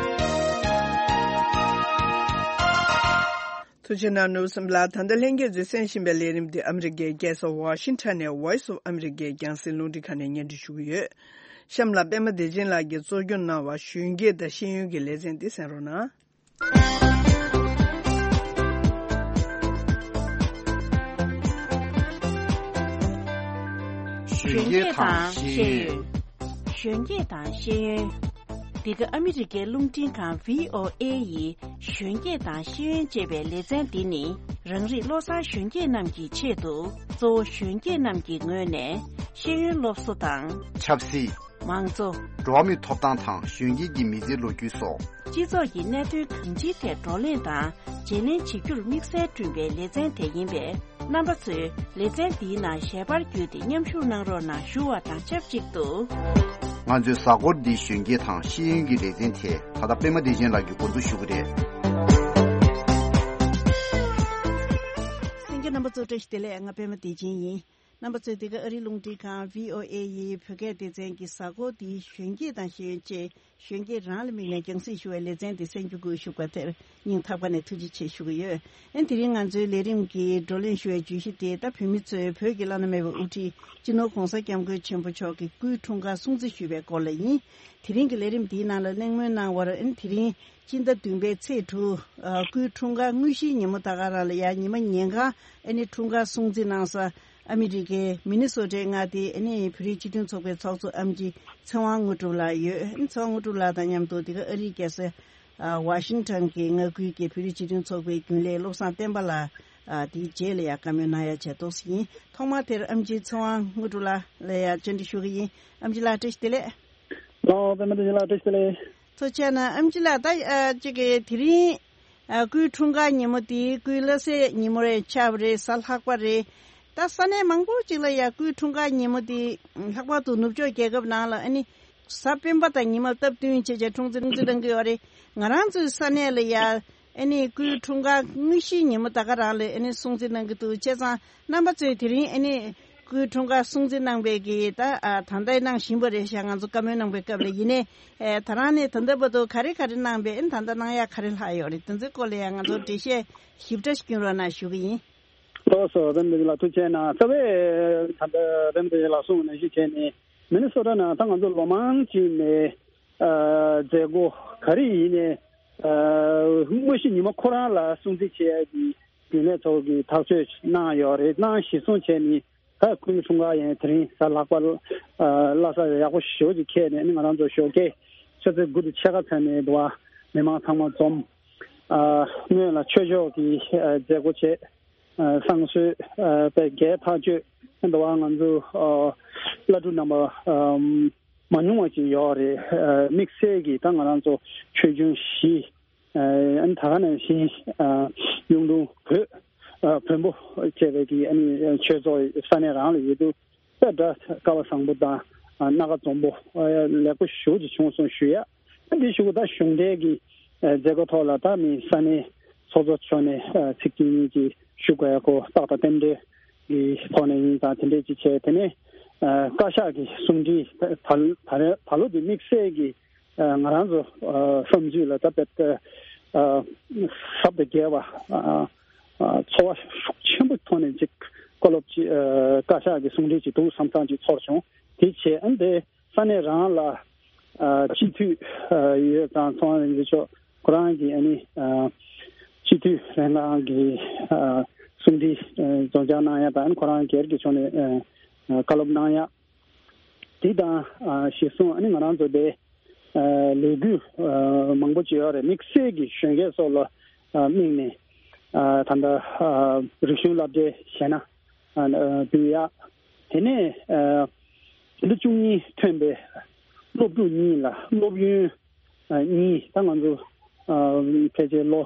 ཐུགས་རྗེ་གནང་། ནོར་བུ་བསམ་འཕེལ་ལགས། ད་ལྟ་ལྷན་རྒྱས་ཚོས་གསན་བཞིན་པའི་ལས་རིམ་འདི་ཨ་མི་རི་ཀའི་རྒྱལ་ས་ཝ་ཤིང་ཊོན་ནས་Voice of America རྒྱང་སྲིང་རླུང་འཕྲིན་ཁང་ནས་སྙན་སྒྲོན་ཞུ་གི་ཡོད། གཤམ་ལ་པད་མ་བདེ་ཆེན་ལགས་ཀྱིས་གཙོ་སྐྱོང་གནང་བ་གཞོན་སྐྱེས་དང་ཤེས་ཡོན་གྱི་ལེ་ཚན་འདི་གསན་རོགས་གནང་། གཞོན་སྐྱེས་དང་ཤེས་ཡོན། གཞོན་སྐྱེས་དང་ཤེས་ཡོན། འདི་ག་ཨ་མི་རི་ཀའི་རླུང་འཕྲིན་ཁང་V O A ཡི་གཞོན་སྐྱེས་དང་ཤེས་ཡོན་ཅེས་པའི་ལེ་ཚན་འདི་ནི། རང་རིགས་བློ་བཟང་གཞོན་སྐྱེས་རྣམས་ཀྱི་ཆེད་དུ། གཙོ་བོ་གཞོན་སྐྱེས་རྣམས་ཀྱི་ངོས་ནས་ཤེས་ཡོན་སློབ་གསོ་དང་། ཆབ་སྲིད། མང་གཙོ། འགྲོ་བ་མིའི་ཐོབ་ཐང་དང་གཞོན་སྐྱེས་ཀྱི་མི་ཚེའི་ལོ་རྒྱུས་སོགས། སྤྱི་ཚོགས་ཀྱི་གནད་དོན་གང་ཅིའི་ཐད་བགྲོ་གླེང་དང་བརྗེ་ལེན་བྱེད་རྒྱུར་དམིགས་བསལ་བསྐྲུན་པའི་ལེ་ཚན་དེ་ཡིན་པས། རྣམ་པ་ཚོས་ལེ་ཚན་འདིའི་ནང་ཞལ་པར་བརྒྱུད་དེ་མཉམ་ཞུགས་གནང་རོགས་གནང་ཞུ་བ་དང་ཆབས་ཅིག་ཏུ། ང་ཚོའི་གཟའ་འཁོར་འདིའི་གཞོན་སྐྱེས་དང་ཤེས་ཡོན་གྱི་ལེ་ཚན་དེ་ད་ལྟ་པད་མ་བདེ་ཆེན་ལགས་ཀྱིས་འགོ་འཛུགས་ཞུ་གི་རེད། གསན་མཁན་རྣམ་པ་ཚོ་བཀྲ་ཤིས་བདེ་ལེགས། ང་པད་མ་བདེ་ཆེན་ཡིན། རྣམ་པ་ཚོས་འདི་ག་ཨ་རིའི་རླུང་འཕྲིན་ཁང་V O A ཡི་བོད་སྐད་སྡེ་ཚན་གྱི་གཟའ་འཁོར་འདིའི་གཞོན་སྐྱེས་དང་ཤེས་ཡོན་ཅེས་གཞོན་སྐྱེས་རང་ལ་དམིགས་ནས་རྒྱང་སྲིང་ཞུ་བའི་ལེ་ཚན་འདི་གསན་རྒྱུ་བཀོད་ཞུགས་པ་དེར་སྙིང་ཐག་པ་ནས་ཐུགས་རྗེ་ཆེ་ཞུ་གི་ཡོད། ཨན་དེ་རིང་ང་ཚོའི་ལས་རིམ་གྱི་བགྲོ་གླེང་ཞུ་བའི་བརྗོད་གཞི་དེ་ད་བོད་མི་ཚོས་བོད་ཀྱི་བླ་ན་མེད་པའི་དབུ་ཁྲིད་སྤྱི་ནོར་༸གོང་ས་༸སྐྱབས་མགོན་ཆེན་པོ་མཆོག་གི་སྐུའི་འཁྲུངས་སྐར་སྲུང་བརྩི་ཞུ་བའི་སྐོར་ལ་ཡིན། དེ་རིང་གི་ལས་རིམ་འདིའི་ནང་ལ་གླེང་མོལ་གནང་བར་ཨན་དེ་རིང་སྤྱི་ཟླ་བདུན་པའི་ཚེས་དྲུག་ཨ་སྐུའི་འཁྲུངས་སྐར་དངོས་གཞིའི་ཉིན་མོ་ད་ག་རང་ལ་ཡ་ཉི་མ་ཉིན་གང་ཨ་ནི་འཁྲུངས་སྐར་སྲུང་བརྩི་གནང་ས། ཨ་མི་རི་ཀའི་མི་ནི་སོ་ཊའི་མངའ་སྡེའི་ཨ་ནི་བོད་རིགས་སྤྱི་མཐུན་ཚོགས་པའི་ཚོགས་གཙོ་ཨེམ་ཆི་ཚེ་དབང་དངོས་གྲུབ་ལགས་ཡོད། ཨ་ནི་ཚེ་དབང་དངོས་གྲུབ་ལགས་དང་མཉམ་དུ་འདི་ག་ཨ་རིའི་རྒྱལ་ས་ཨ་ཝ་ཤིང་ཊོན་གྱི་མངའ་ཁུལ་གྱི་བོད་རིགས་སྤྱི་མཐུན་ཚོགས་པའི་རྒྱུན་ལས་བློ་བཟང་བསྟན་པ་ལགས་ཨ་དེའི་རྗེས་ལ་ཡང་བཀའ་མོལ་གནང་ཡ་བྱས་ཏོག་ཙམ་ཡིན། ཐོག་མར་དེར་ཨེམ་ཆི་ཚེ་དབང་དངོས་གྲུབ་ལགས་ལ་ཡང་བཅར་འདྲི་ཞུ་གི་ཡིན། ཨེམ་ཆི་ལགས་བཀྲ་ཤིས་བདེ་ལེགས། ལགས་པད་མ་བདེ་ཆེན་ལགས་བཀྲ་ཤིས་བདེ་ལེགས། ཐུགས་རྗེ་གནང་། ཨེམ་ཆི་ལགས་ད་ཨ་ཅིག་གི་དེ་རིང་ཨ་སྐུའི་འཁྲུངས་སྐར་ཉིན་མོ་དེ་སྐུའི་བླ་གཟའ་ཉིན་མོ་རེད་ཆགས་པ་རེད། གཟའ་ལྷག་པ་རེད། ད་ས་གནས་མང་པོ་ཅིག་ལ་ཡ་སྐུའི་འཁྲུངས་སྐར་ཉིན་མོ་དེ་ལྷག་པར་དུ་ནུབ་ཕྱོགས་རྒྱལ་ཁབ་ནང་ལ་ཨ་ནི་གཟའ་སྤེན་པ་དང་ཉི་མ་སྟབས་བསྟུན་བྱས་བྱས་འཁྲུངས་ཚེ་སྲུང་བརྩི་གནང་གི་ཡོད་རེད། ང་རང་ཚོའི་ས་གནས་ལ་ཡ་ཨ་ནི་སྐུའི་འཁྲུངས་སྐར་དངོས་གཞིའི་ཉིན་མོ་ད་ག་རང་ལ་ཨ་ནི་སྲུང་བརྩི་གནང་གི་འདུག་བྱས་ཙང་རྣམ་པ་ཚོས་དེ་རིང་ཨ་ནི་སྐུའི་འཁྲུངས་སྐར་སྲུང་བརྩི་གནང་བའི་གི་ད་ཨ་ད་ལྟ་གནང་བཞིན་པ་རེད་ཤག་ང་ཚོ་བཀའ་མོལ་གནང་བའི་སྐབས་ལ་ཡིན་ནའི་ཨེ་ད་རང་ནས་ད་ལྟ་བར་དུ་ག་རེ་ག་རེ་གནང་བས་ཨ་ནི་ད་ལྟ་གནང་ཡག་ག་རེ་ལྷག་ཡོད་རེད། དེ་ཚོའི་སྐོར་ལ་ཡང་ང་ཚོར་འགྲེལ་བཤད་ཞིབ་ཕྲ་ཞིག་སྐྱོན་རོགས་གནང་ཞུ་གི་ཡིན། ལགས་སོ། བེམ་དེ་ལ་ཐུགས་རྗེ་གནང་། རྩ་བའི་ད་ལྟ་བེམ་དེ་ལ་གསུངས་ནང་བཞིན་བྱས་ནས་མི་ནི་སོ་ཊ་ནང་ད་ང་ཚོ་ལོ་མང་ཅིག་ནས་ཨ་མཛད་སྒོ་ག་རེ་ཡིན་ནའི་ཨ་དངོས་གཞི་ཉིན་མོ་ཁོ་རང་ལ་སྲུང་བརྩི་བྱེད་ཡ་གི་རྒྱུན་ལས་ཚོ་གི་ཐག་གཅོད་གནང་ཡོད་རེད། གནང་གཞི་བཟུང་བྱས་ནས་ད་སྐུའི་འཁྲུངས་སྐར་ཡང་དེ་རིང་གཟའ་ལྷག་པ་ཨ་བླ་གཟའ་ཡག་པོ་ཞེ་པོ་ཅིག་འཁེལ་ནས་ཨ་ནི་ང་རང་ཚོ་ཞོགས་ཀས་ཆུ་ཚོད་དགུ་དང་ཕྱེད་ཀ་ཙམ་ནས་འདུག་བ་མི་མང་ཚང་མ་འཛོམས། ཨ་སྔོན་ལ་ཆོས་ཕྱོགས་ཀྱི་ཨ་མཛད་སྒོ་བྱས། བསང་གསོལ་དཔེ་རྒྱས་ཐག་ཆོད་འདུག་བ། ང་ཚོ་བླ་སྤྲུལ་རྣམ་པ་མ་ཉུང་བ་ཅིག་ཡོད་རེད། དམིགས་བསལ་གྱིས་ད་ང་རང་ཚོ་ཆོས་འབྱུང་བཞི། ཨ་ནི་ད་ག་ནང་བཞིན་གཡུང་དྲུང་བོད་བོན་པོ་བཅས་པའི་གི་ཨ་ནི་ཆོས་ཚོགས་ས་གནས་རང་ལ་ཡོད་དུས་དཔེ་འདྲ་སྐལ་བ་བཟང་པོ་དང་སྣ་ཁ་འཛོམས་པོ་ལེགས་པོ་ཞེ་པོ་ཅིག་བྱུང་སོང་ཞུ་ཡ། ཨ་འདི་ཞུ་གི་ད་གཞུང་འབྲེལ་གྱི་མཛད་སྒོ་ཐོག་ལ་ད་མི་ས་གནས་ཚོགས་གཙོ་མཆོག་ནས་ཚིག་གཅིག་གཉིས་ཀྱིས་ཞུ་དགོས་ཡ་ཁོ་རྟགས་དང་རྟེན་འབྲེལ་གྱི་ཐོག་ནས་ཡིན་ཙང་དེ་འདྲས་ཅིག་བྱས། དེ་ནས་བཀའ་ཤག་གི་གསུང་འཕྲིན་ད་ད་ད་ལོ་འདི་དམིགས་བསལ་གྱི་ང་རང་ཚོ་བསམ་ཚུལ་ལ་ད་དཔེ་ཟབ་ཏུ་རྒྱས་པ་ཚོར་བ་ཤུགས་ཆེན་པོ་ཐོག་ནས་ཅིག་བཀའ་སློབ་ཅིག་བཀའ་ཤག་གི་གསུང་འཕྲིན་ཅིག་འདུག་བསམ་བསམ་ཅིག་ཚོར་བྱུང་། དེ་བྱས་ཨ་ནི་དེ་ས་གནས་རང་ལ་སྤྱི་འཐུས་ཡོད་ཙང་ཚོང་རིག་འཛིན་ཆོག་ཁོ་རང་གི་ཨ་ནི་སྤྱི་འཐུས་ལྷན་ཁང་གི་གསུང་འཕྲིན་རྫོང་བསྐྱར་གནང་ཡ་དང་ཁོ་རང་སྒེར་གྱི་ཕྱོགས་ནས་བཀའ་སློབ་གནང་ཡ། དེ་དང་གཞི་བཟུང་ཨ་ནི་ང་རང་ཚོ་དེ་ལས་འགུལ་མང་པོ་ཅིག་ཡོད་རེད། དམིགས་བསལ་གྱི་གཞོན་སྐྱེས་སོགས་ལ་དམིགས་ནས་ད་ལྟ་རིག་གཞུང་སློབ་གྲྭའི་གཞས་སྣ་འབུལ་ཡག་དེ་ནས་ཕྱི་ཟླ་བཅུ་གཉིས་ཐོན་པའི་སློབ་ཕྲུག་གཉིས་ལ་སློབ་ཡོན་གཉིས། ད་ང་ཚོ་ཕལ་ཆེར་ལོ་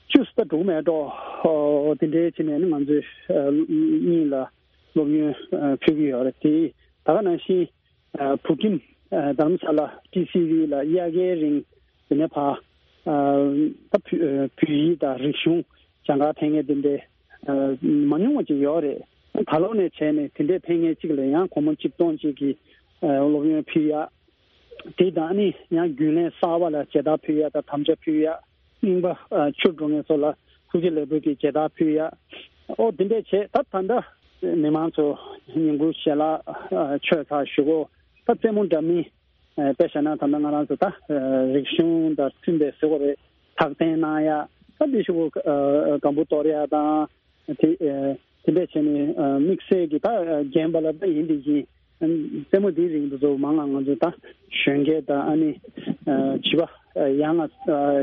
བཅུ་ཙམ་འགྲོ་མེད་འགྲོ་དེ་འདྲའི་ཕྱི་ནས་ནི་ང་ཚོས་གཉིས་ལ་སློབ་ཡོན་ཕུལ་གྱི་ཡོད་རེད། དེ་ད་ག་ནང་བཞིན་བུ་ཁྱིམ་དྷ་རམ་ས་ལ་ཊི་སི་ཝི་ལ་དབྱར་ཁའི་རིང་དེ་ནས་ཕར་ད་བོད་ཡིག་དང་རིག་གཞུང་སྦྱང་གར་ཕེབས་མཁན་དེ་འདྲའི་མ་ཉུང་བ་ཅིག་ཡོད་རེད། ད་ལོ་ནས་བྱས་ནས་དེ་འདྲའི་ཕེབས་མཁན་གཅིག་ལ་ཡང་སྒོར་མོ་གཅིག་སྟོང་གཅིག་གི་སློབ་ཡོན་ཕུལ་ཡག་དེ་དང་ནི་ཡང་རྒྱུན་ལས་གསར་པ་ལ་མཇལ་དར་ཕུལ་ཡག་དང་དམ་བཅའ་ཕུལ་ཡག་རྙིང་པ་ཨ་ཕྱིར་འགྲོ་མཁན་ཚོ་ལ་ཐུགས་རྗེ་ལེགས་འབུལ་གྱི་མཇལ་དར་ཕུལ་ཡ། ཨོ་དེ་འདྲས་བྱས། ད་ད་ལྟ་མི་མང་ཚོ་ཉིན་གུང་ཞལ་ལག་ཨ་མཆོད་ཚར་ཞུ་གོ། ད་རྩེད་མོ་འདྲ་མིན་ཨ་དཔེ་བཞག་ན་ད་ལྟ་ང་རང་ཚོ་ད་ཨ་རིག་གཞུང་དང་མཐུན་པའི་ཟེར་གོ་རེད། ཐག་འཐེན་གནང་ཡ། ད་འདི་ཞུ་གོ། ཨ་སྒམ་པོ་གཏོར་ཡ་དང་དེ་ཨ་དེ་འདྲས་བྱས་ནས་ཨ་དམིགས་བསལ་གྱི་ད་ཨ་རྒན་པ་ལ་ད་ཡིན་དེ་བཞིན། རྩེད་མོ་འདིའི་རིང་དུ་ཚོ་མང་ང་ང་ཚོ་ད་གཞོན་སྐྱེས་དང་ཨ་ནི་བྱིས་པ་ཡང་ང་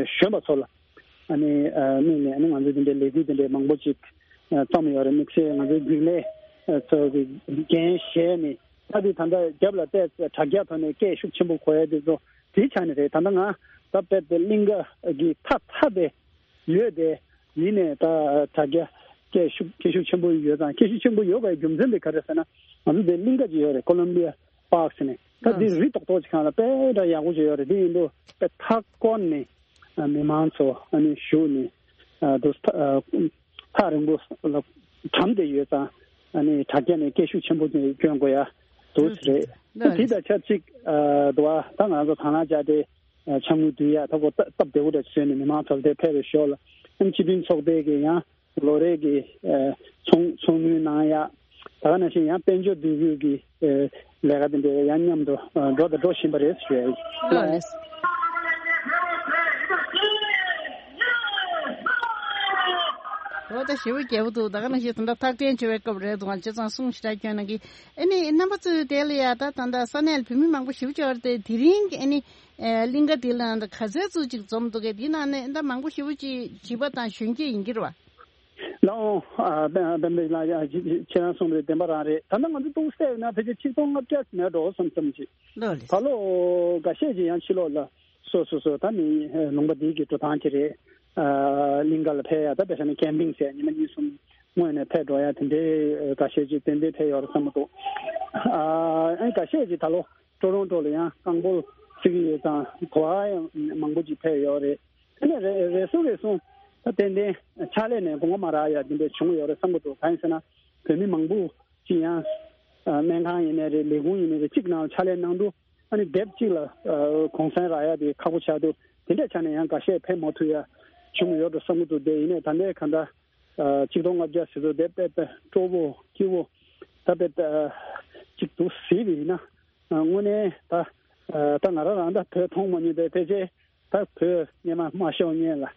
གཞོན་པ་ཚོ་ལ་ཨ་ནི་དམིགས་ནས་ཨ་ནི་ང་ཚོ་འདི་འདྲའི་ལས་འགུལ་འདི་འདྲའི་མང་པོ་ཅིག་བརྩམས་ཡོད་རེད། དམིགས་བསལ་ང་ཚོའི་རྒྱུན་ལས་ཚོ་གི་འགན་བཞེས་ནས་ད་དེ་ད་ལྟ་རྒྱབ་ལ་བལྟས་དྲ་རྒྱ་ཐོག་ནས་སྐད་ཤུགས་ཆེན་པོ་གོ་ཡ་དེ་ཚོ་དེའི་ཆ་ནས་རེད། ད་ལྟ་ང་ད་དཔེ་དེ་གླིང་ག་གི་ཐ་ཐ་དེ་ཡོད་དེ། ཡིན་ནས་ད་དྲ་རྒྱ་སྐད་ཤུགས་སྐད་ཤུགས་ཆེན་པོ་ཡོད་ཙང་། སྐད་ཤུགས་ཆེན་པོ་ཡོད་པའི་རྒྱུ་མཚན་དེ་ག་རེ་ཟེར་ན། ང་ཚོ་དེ་གླིང་ག་ཅིག་ཡོད་རེད། ཀོ་ལོམ་བི་ཡ་པཱག་ཟེར་ནས། ད་དེ་རི་ཏོག་ཏོག་ཅིག་སྒང་ལ་དཔེ་འདྲ་ཡག་པོ་ཅིག་ཡོད་རེད། དེ་ཡིན་དུས་དཔེ་མཐའ་བསྐོར་ནས་མི་མང་ཚོ་ཨ་ནི་བཞུགས་ནས་དུ་ཐག་རིང་པོ་ལ་གྲམ་བསྡད་ཡོད་ཙང་། ཨ་ནི་དྲ་རྒྱ་ནས་སྐད་ཤུགས་ཆེན་པོ་ཅིག་སྐྱོན་དགོས་ཡ་འདུག་ཟེར་རེད། ད་དེ་དང་ཆབས་ཅིག་འདུག་བ། ད་ང་ཚོ་དང་བླངས་བྱས་ཏེ། འཆམ་གོས་འདུལ་ཡ་ད་གོ་སྟབས་བདེ་བོ་འདྲ་བཟོས་ནས་མི་མང་ཚོ་དེ་ཕེབས་པའི་ཞོར་ལ་ཨ་ནི་སྤྱི་མཐུན་ཚོགས་པའི་གི་ཡང་ལོ་རེ་གི་ཚོགས་ཚོགས་དངུལ་གནང་ཡ། ད་ག་ནང་བཞིན་ཡང་དཔལ་འབྱོར་འདུ་འགོད་ཀྱི་ལས་ཀ་དེ་འདྲ་ཡང་མཉམ་དུ་འགྲོ་དང་འགྲོ་བཞིན་པ་རེད་ཞུ་ཡ་ཡིན། ལགས་ལགས། འོ་ད་ཞེ་པོ་རྒྱས་པོ་འདུག་ད་ག་ནང་བཞིན་ད་ལྟ་ཐག་འཐེན་བྱེད་པའི་སྐབས་རེད་འདུག་ང་བྱས་ཙང་གསུང་ཞེ་དྲག་སྐྱོན་གནང་གི། ཨ་ནི་རྣམ་པ་ཚོས་དེ་ལ་ཡ་ད་ད་ལྟ་ས་གནས་ལ་བོད་མི་མང་པོ་ཞེ་པོ་ཅིག་ཡོད་རེད་དེ། དེ་རིང་གི་ཨ་ནི། ཨེ་གླིང་ག་དེ་ལ་ད་ག་ཚད་ཙམ་ཅིག་འཛོམས་འདུག་གས། དེའི་ནང་ནས་ད་མང་པོ་ཞེ་པོ་ཅིག་བྱིས་པ་དང་གཞོན་སྐྱེས་ཡིན་གྱི་རེད་བ། ལགས་འོང་། ཨ་དཔལ་དཔལ་ལགས་ཡ་ཁྱེད་རང་གསུངས་པའི་བདེན་པ་རང་རེད། ད་ལྟ་ང་ཚོ་ཏོག་ཙམ་ཡིན་ན་ཕལ་ཆེར་ཆིག་སྟོང་ལྔ་བརྒྱ་མེད་འགྲོ་བསམ་བསམ་ཅིག་ལགས་ལགས། ད་ལོ་འགའ་ཤས་ཅིག་ཡང་ཕྱི་ལོགས་ལ་སོ་སོ་སོ་ད་ནི་ལུང་པ་འདི་གི་འགྲོ་སྟངས་ཅིག་རེད། ཨ་གླིང་ག་ལ་ཕེབས་ཡ་ད་དཔེ་བཞག་ན་ཀེམ་པིང་ཟེར་ཉི་མ་གཉིས་གསུམ་སྔོན་ནས་ཕེབས་འགྲོ་ཡ་དེ་འདྲའི་འགའ་ཤས་ཅིག་ཏན་ཏན་ཕེབས་ཡོད་རེད་བསམ་གྱི་འདུག་ཨ་ཨ་འགའ་ཤས་ཅིག་ད་ལོ། ཀྲོ་རོན་ཀྲོ་ལ་ཡང་རྐང་སྤོལ་བྱེད་ཀྱི་ཡོད་ཙང་གོ་བ་ཡང་མང་པོ་ཅིག་ཕེབས་ཡོད་རེད། དེ་ནས་རེ་རེ་ཟུང་རེ་ཟུང་ད་ཏན་ཏན་ཕྱག་ལས་ནས་དགོངས་པ་མ་རག་ཡ་དེ་འདྲ་བྱུང་ཡོད་རེད་བསམ་གྱི་འདུག་གང་ཡིན་ཟེར་ན་བོད་མི་མང་པོ་ཅིག་ཡང་སྨན་ཁང་ཡིན་ནའི་རེད། ལས་ཁུངས་ཡིན་ནའི་རེད། གཅིག་ནང་ཕྱག་ལས་གནང་དུས་ཨ་ནི་སྡེབ་གཅིག་ལ་གུང་སེང་རག་ཡ་དེ་ཁག་པོ་ཆགས་འདུག་དེ་འདྲ་ཆགས་ནས་ཡང་འགའ་ཤས་ཕེབས་མ་ཐུབ་ཡ་བྱུང་ཡོད་འགྲོ་བསམ་གྱི་འདུག་དེ་ཡིན་ནའི་ད་ལྟའི་གང་ལྟར་ཆིག་སྟོང་ལྔ་བརྒྱ་ཟེར་ཚོ་དེ་དཔེ་དཔེ་སྤྲོ་པོ་སྐྱིད་པོ་ད་དཔེ་གཅིག་འདུག་ཟེར་བ་ཡིན་ན། དངོས་གནས་ད་ད་ང་རང་རང་ད་བོད་མཐོང་མ་མྱོང་བས་ཕལ་ཆེར་ད་བོད་སྔོན་མ་མ་ཤོར་སྔོན་ལ་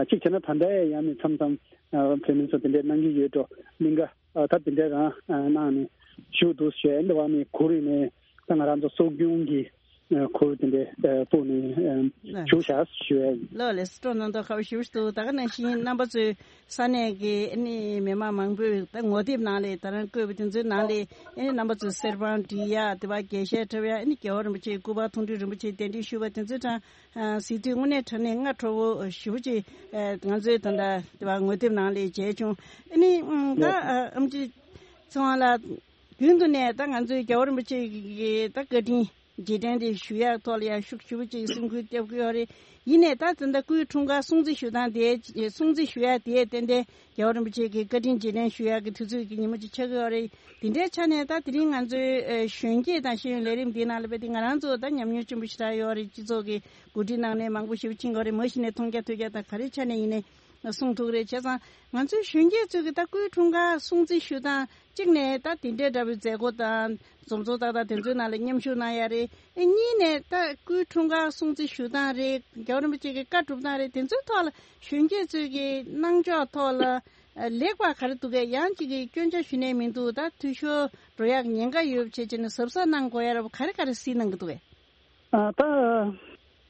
གཅིག་བྱས་ན་ད་ལྟ་ཡང་མི་མཚམས་མཚམས་བོད་མི་ཚོ་དེ་འདྲའི་གནང་གི་ཡོད་འགྲོ། གླིང་ག་ད་དེ་འདྲའི་རང་གནང་ནས་བཞུགས་འདུག་ཞེས་འདི་བ་ནས་གུ་རུ་ནས་ད་ང་རང་ཚོ་སྲོལ་རྒྱུན་གྱི་ ཨ་གུར་དེ་འདྲའི་ཨ་སྤོས་ནས་ཨ་ལགས། བཞུགས་བཞག་ཞུ་ཡ་ཡིན། ལགས་ལགས། སྤྲོ་སྣང་དང་ཁ་བ་ཞེ་པོ་ཞིག་འདུག་ད་ག་ནང་བཞིན་རྣམ་པ་ཚོས་ས་གནས་ཀྱི་ཨ་ནི་མི་མང་མང་པོས་ད་ངོ་དེབ་ནང་ལ་ད་རང་བཀོད་པ་དེ་ཚོའི་ནང་ལ་ཨ་ནི་རྣམ་པ་ཚོས་གསེར་པང་བསྒྲིགས་ཡ། དེ་བ་རྒྱས་བཤད་འཁྲབ་ཡ། ཨ་ནི་རྒྱལ་བ་རིན་པོ་ཆེའི་སྐུ་པར་མཐོང་གྲོལ་རིན་པོ་ཆེ་གདན་འདྲེན་ཞུས་པ་དེ་ཚོའི་གྲས་ཨ་གཟིགས་དུས་དངོས་གནས་དྲང་གནས་སྔ་དྲོ་བོ་ཞེ་པོ་ཅིག་ཨ་ང་ཚོའི་ད་ལྟ་དེ་བ་ངོ་དེབ་ནང་ལ་མཇལ་བྱུང་། ཨ་ནི་ཨ་ད་ཨ་ཨེམ་ཆི་ཚེ་དབང་ལགས། རྒྱུན་དུ་ནས་ད་ང་ཚོའི་རྒྱལ་བ་རིན་པོ་ཆེ་གི་ད་བཀའ་དྲིན་རྗེས་དྲན་དེ་ཞུ་ཡག་ཐོག་ལ་ཡང་ཤུགས་ཞེ་པོ་ཅིག་སེམས་ཁུར་བརྒྱབ་ཀྱི་ཡོད་རེད། ཡིན་ནའི་ད་ད་ལྟ་སྐུའི་འཁྲུངས་སྐར་སྲུང་བརྩི་ཞུ་སྟངས་དེ་སྲུང་བརྩི་ཞུ་ཡག་དེ་ཏན་ཏན་རྒྱལ་བ་རིན་པོ་ཆེ་གི་བཀའ་དྲིན་རྗེས་དྲན་ཞུ་ཡག་གི་དུས་ཚོད་ཀྱི་ཉིན་མོ་ཅིག་ཆགས་ཀྱི་ཡོད་རེད། དེ་འདྲའི་ཆ་ནས་ད་དེ་རིང་ང་ཚོའི་ཨ་གཞོན་སྐྱེས་དང་ཤེས་ཡོན་ལས་རིམ་འདིའི་ནང་ལ་རྦད་དེ་ང་རང་ཚོ་ད་ཉམས་མྱོང་ཆེན་པོ་ཞེ་དྲག་ཡོད་རེད། སྤྱི་ཚོགས་ཀྱི་འགོ་ཁྲིད་གནང་ནས་མང་པོ་ཞེ་པོ་ཕྱིན་ཡོད་རེད། མ་གཞི་ནས་མཐོང་རྒྱ་ཐོས་རྒྱ་དང་ག་རེ་ཆ་ནས་ཡིན་ནའི་གསུང་ཐུབ་རེད། བྱས་ཙང་ང་ཚོའི་གཞོན་སྐྱེས་ཚོས་ཀྱི་ད་སྐུའི་འཁྲུངས་སྐར་སྲུང་བརྩི་ཞུ་སྟངས་གཅིག་ནས་ད་དེ་འདྲའི་འདྲ་བའི་མཛད་སྒོ་དང་འཛོམས་ཚོགས་ཏག་ཏག་དེ་ཚོའི་ནང་ལ་མཉམ་ཞུགས་གནང་ཡ་རེད། ཨེ་གཉིས་ནས་ད་སྐུའི་འཁྲུངས་སྐར་སྲུང་བརྩི་ཞུ་སྟངས་རེད། རྒྱལ་བ་རིན་པོ་ཆེ་གི་བཀའ་སྒྲུབ་སྟངས་རེད། དེ་ཚོའི་ཐོག་ལ་གཞོན་སྐྱེས་ཚོས་ཀྱི་གནང་ཕྱོགས་ཐོག་ལ་ཨ་ལེགས་པ་ག་རེ་འདུག་གས། ཡང་གཅིག་གི་སྐྱོན་ཆ་ཞུ་ནས་མི་འདུག་ད་འཐུས་ཤོར་འགྲོ་ཡག་ཉེན་ཁ་ཡོད་པ་བྱས་བྱས་ནས་གཟབ་གཟབ་གནང་དགོས་ཡ་ར་བ་ག་རེ་ག་རེ་གཟིགས་གནང་གི་འདུག་གས། ཨ་ད་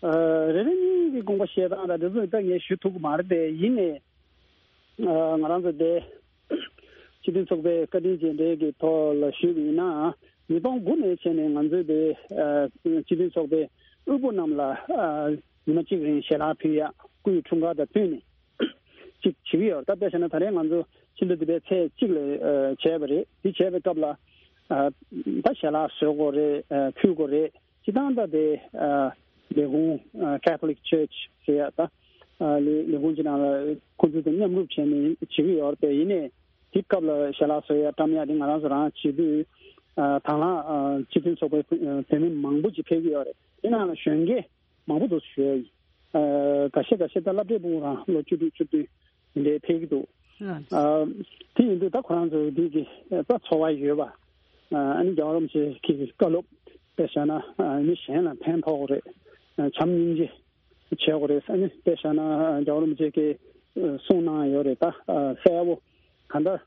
ཨ་རེ་རེ་གཉིས་ཀྱི་དགོངས་པ་བཞེས་སྟངས་དང་དེ་ཚོ་ད་ངས་ཞུ་ཐུབ་ཀྱི་མ་རེད་དེ། ཡིན་ནའི་ཨ་ང་རང་ཚོ་དེ་སྤྱི་མཐུན་ཚོགས་པའི་བཀའ་དྲིན་རྗེས་དྲན་གྱི་ཐོག་ལ་ཞུས་པ་ཡིན་ན། ཉིས་སྟོང་དགུ་ནས་བྱས་ནས་ང་ཚོས་དེ་ཨ་སྤྱི་མཐུན་ཚོགས་པའི་དབུལ་པོ་རྣམས་ལ་ཨ་ཉི་མ་གཅིག་རིང་ཞལ་ལག་ཕུལ་ཡག་སྐུའི་འཁྲུངས་སྐར་དང་བསྟུན་ནས་ཅིག་བྱེད་ཀྱི་ཡོད། ད་དཔེ་བཞག་ན་ད་རེས་ང་ཚོ་ཕྱི་ཟླ་བདུན་པའི་ཚེས་གཅིག་ལ་ཨ་བྱས་པ་རེད། དེ་བྱས་པའི་སྐབས་ལ་ཨ་ད་ཞལ་ལག་བཟོ་དགོས་རེད། ཨ་ཕུལ་དགོས་རེད། སྤྱིར་བཏང་ད་དེ་ཨ་ལས་ཁུངས་ཨ་Catholic Church ཟེར་ཡ་ད་ཨ་ལས་ལས་ཁུངས་ཅིག་ནང་ལ་ཁོང་ཚོ་དང་མཉམ་རུབ་བྱས་ནས་བྱེད་ཀྱི་ཡོད་རེད་པས། ཡིན་ནའི་དེ་སྐབས་ལ་ཞལ་ལག་བཟོ་ཡ་བཀྲམ་ཡ་དེ་ང་རང་ཚོ་རང་བྱེད་དུས་ཨ་དང་བླངས་ཨ་སྤྱི་མཐུན་ཚོགས་པའི་བུ་ཨ་བུད་མེད་མང་པོ་ཅིག་ཕེབས་ཀྱི་ཡོད་རེད། དེ་ནང་ལ་གཞོན་སྐྱེས་མང་པོ་འདུག་ཞུ་ཡ་ཡིན། ཨ་འགའ་ཤས་འགའ་ཤས་ད་སློབ་གྲྭའི་ཕྲུ་གུ་རང་ལོ་བཅུ་དྲུག་བཅུ་བདུན་དེ་འདྲའི་ཕེབས་ཀྱི་འདུག་ཨ་དེ་ཡིན་དུས་ད་ཁོ་རང་ཚོ་འདི་གི་ད་ཚོར་བ་ཡོད་པ། ཨ་ནི་རྒྱལ་བ་རིན་པོ་ཆེ་གི་བཀའ་སློབ་དཔེ་བཞག་ན་ཨ་མི་གཞན་ལ་ཕན་ཐོགས་རེད། ཨ་བྱམས་སྙིང་རྗེ་བྱེད་དགོས་རེད། ཨ་ནི་དཔེ་བཞག་ན་ཨ་རྒྱལ་བ་རིན་པོ་ཆེ་གིས་ཨ་གསུངས་གནང་ཡོད་རེད། ད་ཨ་གསལ་པོ་གང་ལྟར་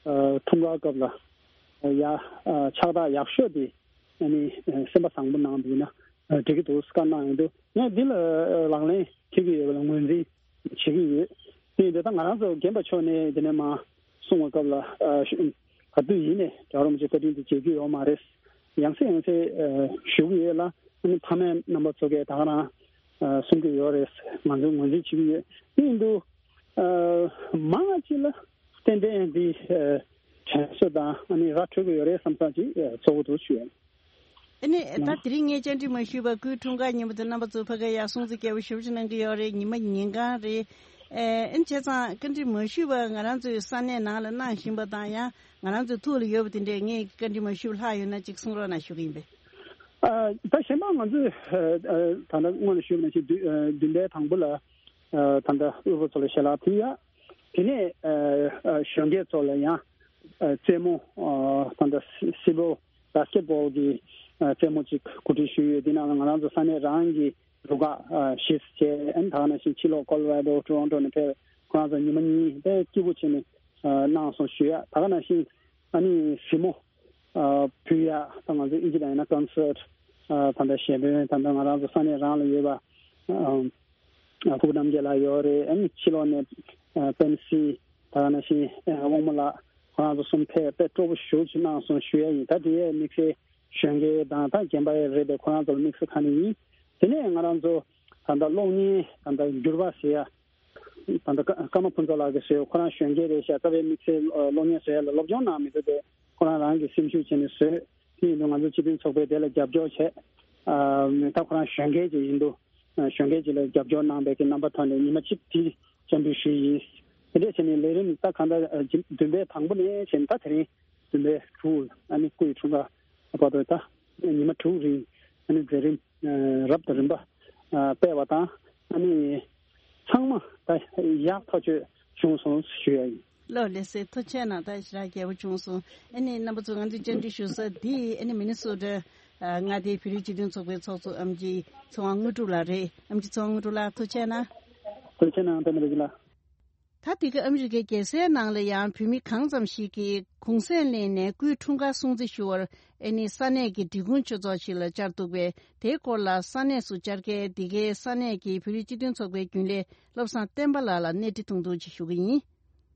ཨ་འཁྲུངས་སྐར་སྐབས་ལ་ཡ་ཨ་ཕྱག་རྟགས་ཡག་ཤོས་དེ་ཨ་ནི་ཨ་སེམས་པ་བཟང་པོ་གནང་འདུག་ན་ཨ་འགྲིག་གི་འདུག་བཀའ་གནང་ཡོད་འདུག་ངས་འདི་ལ་ཨ་ལག་ལེན་འཁེལ་གྱི་ཡོད་པ་ལ་ངོས་འཛིན་བྱེད་ཀྱི་ཡོད། དེ་ཡིན་དུས་ད་ང་རང་ཚོ་རྒན་པ་མཆོག་ནས་དེ་ནས་མར་གསུང་བའི་སྐབས་ལ་ཨ་ཞུ་ག་དུས་ཡིན་ནས་རྒྱལ་བ་རིན་པོ་ཆེ་བཀའ་དྲིན་དེ་བརྗེད་རྒྱུ་ཡོད་མ་རེད། ཡང་སེ་ཡང་སེ་ཨ་ཞུ་གི་ཡོད་ལ། ཨ་ནི་ཕ་མས་རྣམ་པ་ཚོ་གས་ད་ག་རང་ཨ་གསུང་གི་ཡོད་རེད། ང་ཚོས་ངོས་འཛིན་བྱེད་ཀྱི་ཡོད། དེ་ཡིན་དུས་ཨ་མང་ང་ཅིག་ལ་ཏན་ཏན་འདི་ཨ་དྲན་གསོ་དང་ཨ་ནི་ར་འཕྲོད་ཀྱི་ཡོད་རེད་བསམ་ས་ཅིག་ཨ་ཚོར་གྱི་འདུག་ཞུ་ཡ་ཡིན། ཨ་ནི་ད་དེ་རིང་ངས་བཅར་འདྲི་མ་ཞུས་པར་སྐུའི་འཁྲུངས་སྐར་ཉིན་མོ་དེ་རྣམ་པ་ཚོ་ཕ་གིར་ཡར་སྲུང་བརྩི་རྒྱས་པོ་ཞེ་པོ་ཅིག་གནང་གི་ཡོད་རེད། ཉི་མ་ཉིན་གང་རེད། ཨེ་ཨ་ནི་བྱས་ཙང་བཅར་འདྲི་མ་ཞུས་པར་ང་རང་ཚོའི་ས་གནས་ནང་ལ་གནང་བཞིན་པ་དང་། ཡང་ང་རང་ཚོའི་ཐུགས་ལ་ཡོད་པ་དེ་འདྲས་ངས་བཅར་འདྲི་མ་ཞུས་པ་ལྷག་ཡོད་ན་ཅིག་གསུང་རོགས་གནང་ཞུ་གི་ཡིན་པས། ཨ་ད་གཞན་པ་ང་ཚོས་ཨ་ཨ་ད་ལྟ་སྔོན་ལ་ཞུས་པ་ནང་བཞིན་བདུན་ཨ་བདུན་པའི་དང་པོ་ལ་ཨ་ད་ལྟ་དབུལ་པོ་ཚོ་ལ་ཞལ་ལག་ཕུལ་ཡ། དེ་ནས་ཨ་ཨ་གཞོན་སྐྱེས་ཚོ་ལ་ཡང་ཨ་རྩེད་མོ་ཨ་ད་ལྟ་སི་སི་བོ་བྷ་སི་ཀེ་ཊི་བྷོལ་གྱི་ཨ་རྩེད་མོ་ཅིག་གོ་སྒྲིག་ཞུས་ཡོད། དེ་ནང་ལ་ང་རང་ཚོ་ས་གནས་རང་གི་རུ་ཁག་ཨ་བཞི་བྱས། ཨ་ནི་ད་ག་ནང་བཞིན་ཕྱི་ལོགས་ཀོ་ལོ་ར་ཌོ་ཊོ་རོན་ཊོ་ནས་ཕེབས་ཁོ་རང་ཚོ་ཉི་མ་གཉིས་དཔེ་སྐྱིད་པོ་བྱས་ནས་ཨ་གནང་སོང་ཞུ་ཡ། ད་ག་ནང་བཞིན་ཨ་ནི་གཟིགས་མོ་ཨ་ཕུལ་ཡ། ད་ང་ཚོ་ཨིན་ཇི་ལ་ཡིན་ན་ཀོན་སར་ཊི་ཨ་ད་ལྟ་གཞས་འདོན་ད་ལྟ་ང་རང་ཚོ་ས་གནས་རང་ལ་ཡོད་པ་ཨ་ཕུ་བོ་རྣམ་རྒྱལ་ལགས་ཡོད་རེད། ཨ་ནི་ཕྱི་ལོགས་ནས་ཨ་པེན་སི་ད་ག་ནང་བཞིན་ཨ་དབང་མོ་ལགས་ཁོ་རང་ཚོ་གསུམ་ཕེབས་དཔེ་སྤྲོ་པོ་ཞེ་པོ་ཅིག་གནང་སོང་ཞུ་ཡ་ཡིན། ད་དེ་ཡས་དམིགས་བསལ་གཞོན་སྐྱེས་དང་ད་རྒན་པ་ཡས་རེད་པས། ཁོ་རང་ཚོ་ལ་དམིགས་བསལ་གང་ནས་ཡིན། དེ་ནས་ང་རང་ཚོ་ད་ལྟ་གློག་བརྙན་ད་ལྟ་འགྱུར་བ་ཟེར་ཡ། ད་ལྟ་ཀ་ཀརྨ་ཕུན་ཚོགས་ལགས་ཀྱིས་བཟོས། ཁོ་རང་གཞོན་སྐྱེས་རེད་ཤག་རྩ་བའི་དམིགས་བསལ་ཨ་གློག་བརྙན་བཟོ་ཡ་ལ་སློབ་སྦྱོང་གནང་མི་འདུག་སྟེ། ཁོ་རང་རང་གིས་སེམས་ཤུགས་བྱས་ནས་བཟོས། དེ་ཡིན་དུས་ང་ཚོ་སྤྱི་མཐུན་ཚོགས་པས་དེ་ལ་རྒྱབ་སྐྱོར་བྱས། ཨ་ད་ཁོ་རང་གཞོན་སྐྱེས་ཅིག་ཡིན་དུས་ཨ་གཞོན་སྐྱེས་ཅིག་ལ་རྒྱབ་སྐྱོར་གནང་པའི་གི་རྣམ་པ་ཐོག་ནས་ཉི་མ་གཅིག་དེ་བཅར་འདྲི་ཞུས་ཡིན། དེ་འདྲས་བྱས་ནས་ལས་རིམ་ད་གང་ལྟར་ཨ་བདུན་པའི་དང་པོ་ནས་བྱས་ནས་ད་དེ་རིང་བདུན་པའི་དྲུག་ཨ་ནི་སྐུ་ཡི་འཁྲུངས་སྐར་བར་དུ་ད་ཉི་མ་དྲུག་རིང་ཨ་ནི་མཛད་རིམ་ཨ་རབ་དང་རིམ་པ་ཨ་སྤེལ་བ་དང་། ཨ་ནི་ཚང་མ་ད་ཡག་ཐག་ཆོད་བྱུང་སོང་ཞུ་ཡ་ཡིན། ལགས་ལགས་སེ། ཐུགས་རྗེ་གནང་། ད་ཞེ་དྲག་རྒྱས་པོ་བྱུང་སོང་། ཨ་ནི་རྣམ་པ་ཚོ་ང་ཚོའི་བཅར་འདྲི་ཞུ་ས་འདི་ཨ་ནི་མི་ནི་སོ་ཊ་ཨ་མངའ་སྡེའི་བོད་རིགས་སྤྱི་མཐུན་ཚོགས་པའི་ཚོགས་གཙོ་ཨེམ་ཆི་ཚེ་དབང་དངོས་གྲུབ་ལགས་རེད། ཨེམ་ཆི་ཚེ་དབང་དངོས་གྲུབ་ལགས་ཐུགས་རྗེ་གནང་། ཐུགས་རྗེ་གནང་། པད་མ་རིག་ལགས། ད་འདི་ག་ཨ་མི་རི་ཀའི་རྒྱལ་སའི་ནང་ལ་ཡང་བོད་མི་གང་ཙམ་ཞིག་གིས་གུང་སེང་ལེན་ནས་སྐུའི་འཁྲུངས་སྐར་སྲུང་བརྩི་ཞུ་བར་ཨེ་ནི་ས་གནས་ཀྱི་འབྲི་གུང་ཆོས་ཚོགས་ཤིག་ལ་བཅར་འདུག་པས། དེའི་སྐོར་ལ་ས་གནས་སུ་བཅར་མཁན་འདི་གའི་ས་གནས་ཀྱི་བོད་རིགས་སྤྱི་མཐུན་ཚོགས་པའི་རྒྱུན་ལས་བློ་བཟང་བསྟན་པ་ལགས་ལ་གནས་འདྲི་ཐུང་ཐུང་ཅིག་ཞུ་གི་ཡིན།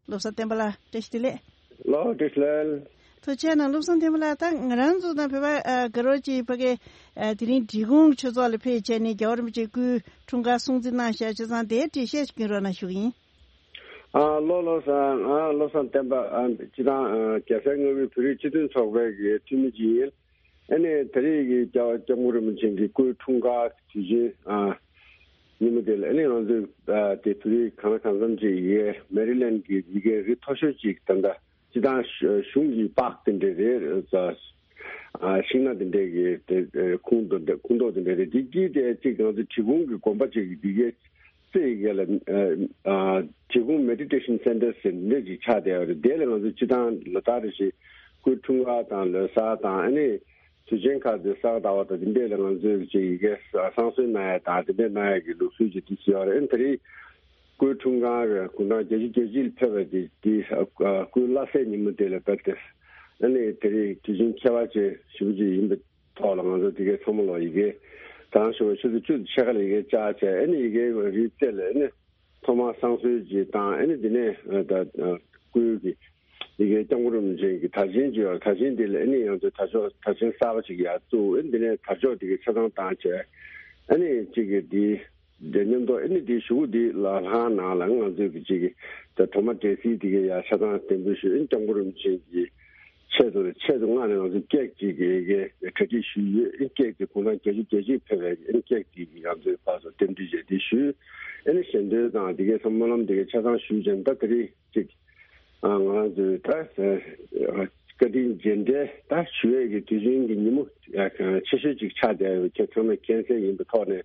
བློ་བཟང་བསྟན་པ་ལགས། བཀྲ་ཤིས་བདེ་ལེགས། ལགས། བཀྲ་ཤིས་བདེ་ལེགས། ཐུགས་རྗེ་གནང་། བློ་བཟང་བསྟན་པ་ལགས། ད་ང་རང་ཚོ་དང་བོད་པ་ཨ་དགའ་རབ་ཅིག་ཕ་གི་ཨ་དེ་རིང་འབྲི་གུང་ཆོས་ཚོགས་ལ་ཕེབས་བྱས་ནས་རྒྱལ་བ་རིན་པོ་ཆེའི་སྐུའི་འཁྲུངས་སྐར་སྲུང་བརྩི་གནང་བཞག་བྱས་ཙང་། དེའི་འགྲེལ་བཤད་ཅིག་སྐྱོན་རོགས་གནང་ཞུ་གི་ཡིན། ཨ་ལགས། བློ་བཟང་། ཨ་བློ་བཟང་བསྟན་པ། ཨ་སྤྱི་བཏང་ཨ་རྒྱལ་སའི་མངའ་ཁུལ་བོད་རིགས་སྤྱི་མཐུན་ཚོགས་པའི་གི་འཐུས་མི་ཅིག་ཡིན། ཨ་ནི་ད་རེས་ཀྱི་རྒྱལ་བ་སྐྱབས་མགོན་རིན་པོ་ཆེ་གི་སྐུའི་འཁྲུངས་སྐར་དུས་ཆེན་ཨ་ཉིན་མོ་དེ་ལ། ཨ་ནི་ང་ཚོས་ཨ་དེ་བོད་རིགས་གང་ལ་གང་འཚམ་ཅིག་ཡི་གེ་མེ་རི་ལེན་གྱི་ཡི་གེ་རིགས་མཐོ་ཤོས་ཅིག་ད་ལྟ་སྤྱི་བཏང་གཞུང་གི་པགས་དེ་འདྲ་རེད། ཨ་ཤིང་ནགས་དེ་འདྲའི་གི་དེ་ཨ་ཁུངས་དེ་འདྲ། ཁུངས་གཏོགས་དེ་འདྲ་རེད། དེ་དཀྱིལ་དེ་གཅིག་ང་ཚོ་འབྲི་གུང་གི་དགོན་པ་ཅིག་གི་ཡི་གེ་རྩེ་ཡི་གེ་ལ་ཨ་ཨ་འབྲི་གུང་མེ་ཌི་ཊེ་ཤན་སེན་ཊར་ཟེར་འདི་འདྲ་ཅིག་ཆགས་བསྡད་ཡོད་རེད། དེ་ལ་ང་ཚོ་སྤྱི་བཏང་ལོ་ལྟར་རེ་བཞིན་སྐུའི་འཁྲུངས་སྐར་དང་ལོ་གསར་དང་། ཨ་ནི་དུས་ཆེན་ཁག་དེ་གསར་དར་བ་དང་དེ་འདྲས་ལ་ང་ཚོས་ཅིག་ཡི་གེ་བསང་གསོལ་གནང་ཡ་དང་དེ་འདྲས་གནང་ཡ་གི་ལུགས་སྲོལ་ཅིག་དེ་ཡོད་རེད། ཨ་ནི་ད་རེས་སྐུའི་འཁྲུངས་སྐར་གུང་ཐང་བརྒྱད་ཅུ་གྱ་གཅིག་ལ་ཕེབས་པ་དེ་དེ་ཨ་སྐུའི་བླ་གཟའ་ཉིན་མོ་དེ་ལ་ཕེབས་ཏེ། ཨ་ནི་དེ་རིང་དུས་ཆེན་ཁྱད་པར་ཅན་ཞེ་པོ་ཅིག་ཡིན་པའི་ཐོག་ལ་ང་ཚོ་དེ་གའི་ཚང་མ་ལོག་ཡི་གེ་ད་རང་ཞོགས་པ་ཆུ་ཚོད་བཅུ་དང་ཕྱེད་ཀ་ལ་ཡི་གེ་བཅར་བྱས། ཨ་ནི་ཡི་གེ་རིགས་རྩེ་ལ་ཨ་ནི་ཐོག་མར་བསང་གསོལ་ཅིག་བཏང་། ཨ་ནི་དེ་ནས་ཨ་ད་ཨ་སྐུའི་གི་ཡི་གེ་སྐྱབས་མགོན་རིན་པོ་ཆེ་གི་དར་ཆེན་ཅིག་ཡོད། དར་ཆེན་དེ་ལ་ཨ་ནི་ཡང་ཚོ་དར་ལྕོག་དར་ཆེན་གསར་པ་ཅིག་ཡར་བཙུགས། ཨ་ནི་དེ་ནས་དར་ལྕོག་དེ་གའི་ཆ་ཚང་བཏང་བྱས། ཨ་ནི་གཅིག་གི་དེ་དེ་མཉམ་དུ་ཨ་ནི་དེའི་གཞུག་གུ་དེ་ལ་ལྷང་ནང་ལ་ང་ཚོས་ཀྱི་གཅིག་གི་ད་གྲོ་མ་འབྲས་སིལ་དེ་གའི་ཡར་ཆ་ཚང་འདེགས་འབུལ་ཞུས། ཨ་ནི་སྐྱབས་མགོན་རིན་པོ་ཆེ་གི་ཆེད་དུ་ཆེད་དུ་མངགས་ནས་ང་ཚོས་ཀེག་ཅིག་གི་གི་གྲ་སྒྲིག་ཞུས་ཡོད། ཨ་ནི་ཀེག་དེ་གུང་ཐང་བརྒྱད་ཅུ་གྱ་གཅིག་ཕེབས་པའི་ཨ་ནི་ཀེག་དེ་གི་ང་ཚོས་ཕར་ཚུར་རྟེན་འབྲེལ་བྱས་དེ་ཞུས། ཨ་ནི་ཞལ་འདོན་དང་དེ་གའི་ཚང་སྨོན་ལམ་དེ་གའི་ཆ་ཚང་ཞུས་བྱས། ད་དེ་རིང་གཅིག་ཨ་ང་རང་ཚོའི་ད་ཨ་བཀའ་དྲིན་རྗེས་དྲན་ད་ཞུ་ཡས་ཀྱི་དུས་ཆེན་གྱི་ཉིན་མོ་ཨ་ཆེ་ཤོས་ཅིག་ཆགས་བསྡད་ཡོད་པ་ཁྱེད་ཚང་མས་མཁྱེན་གསལ་ཡིན་པའི་ཐོག་ནས།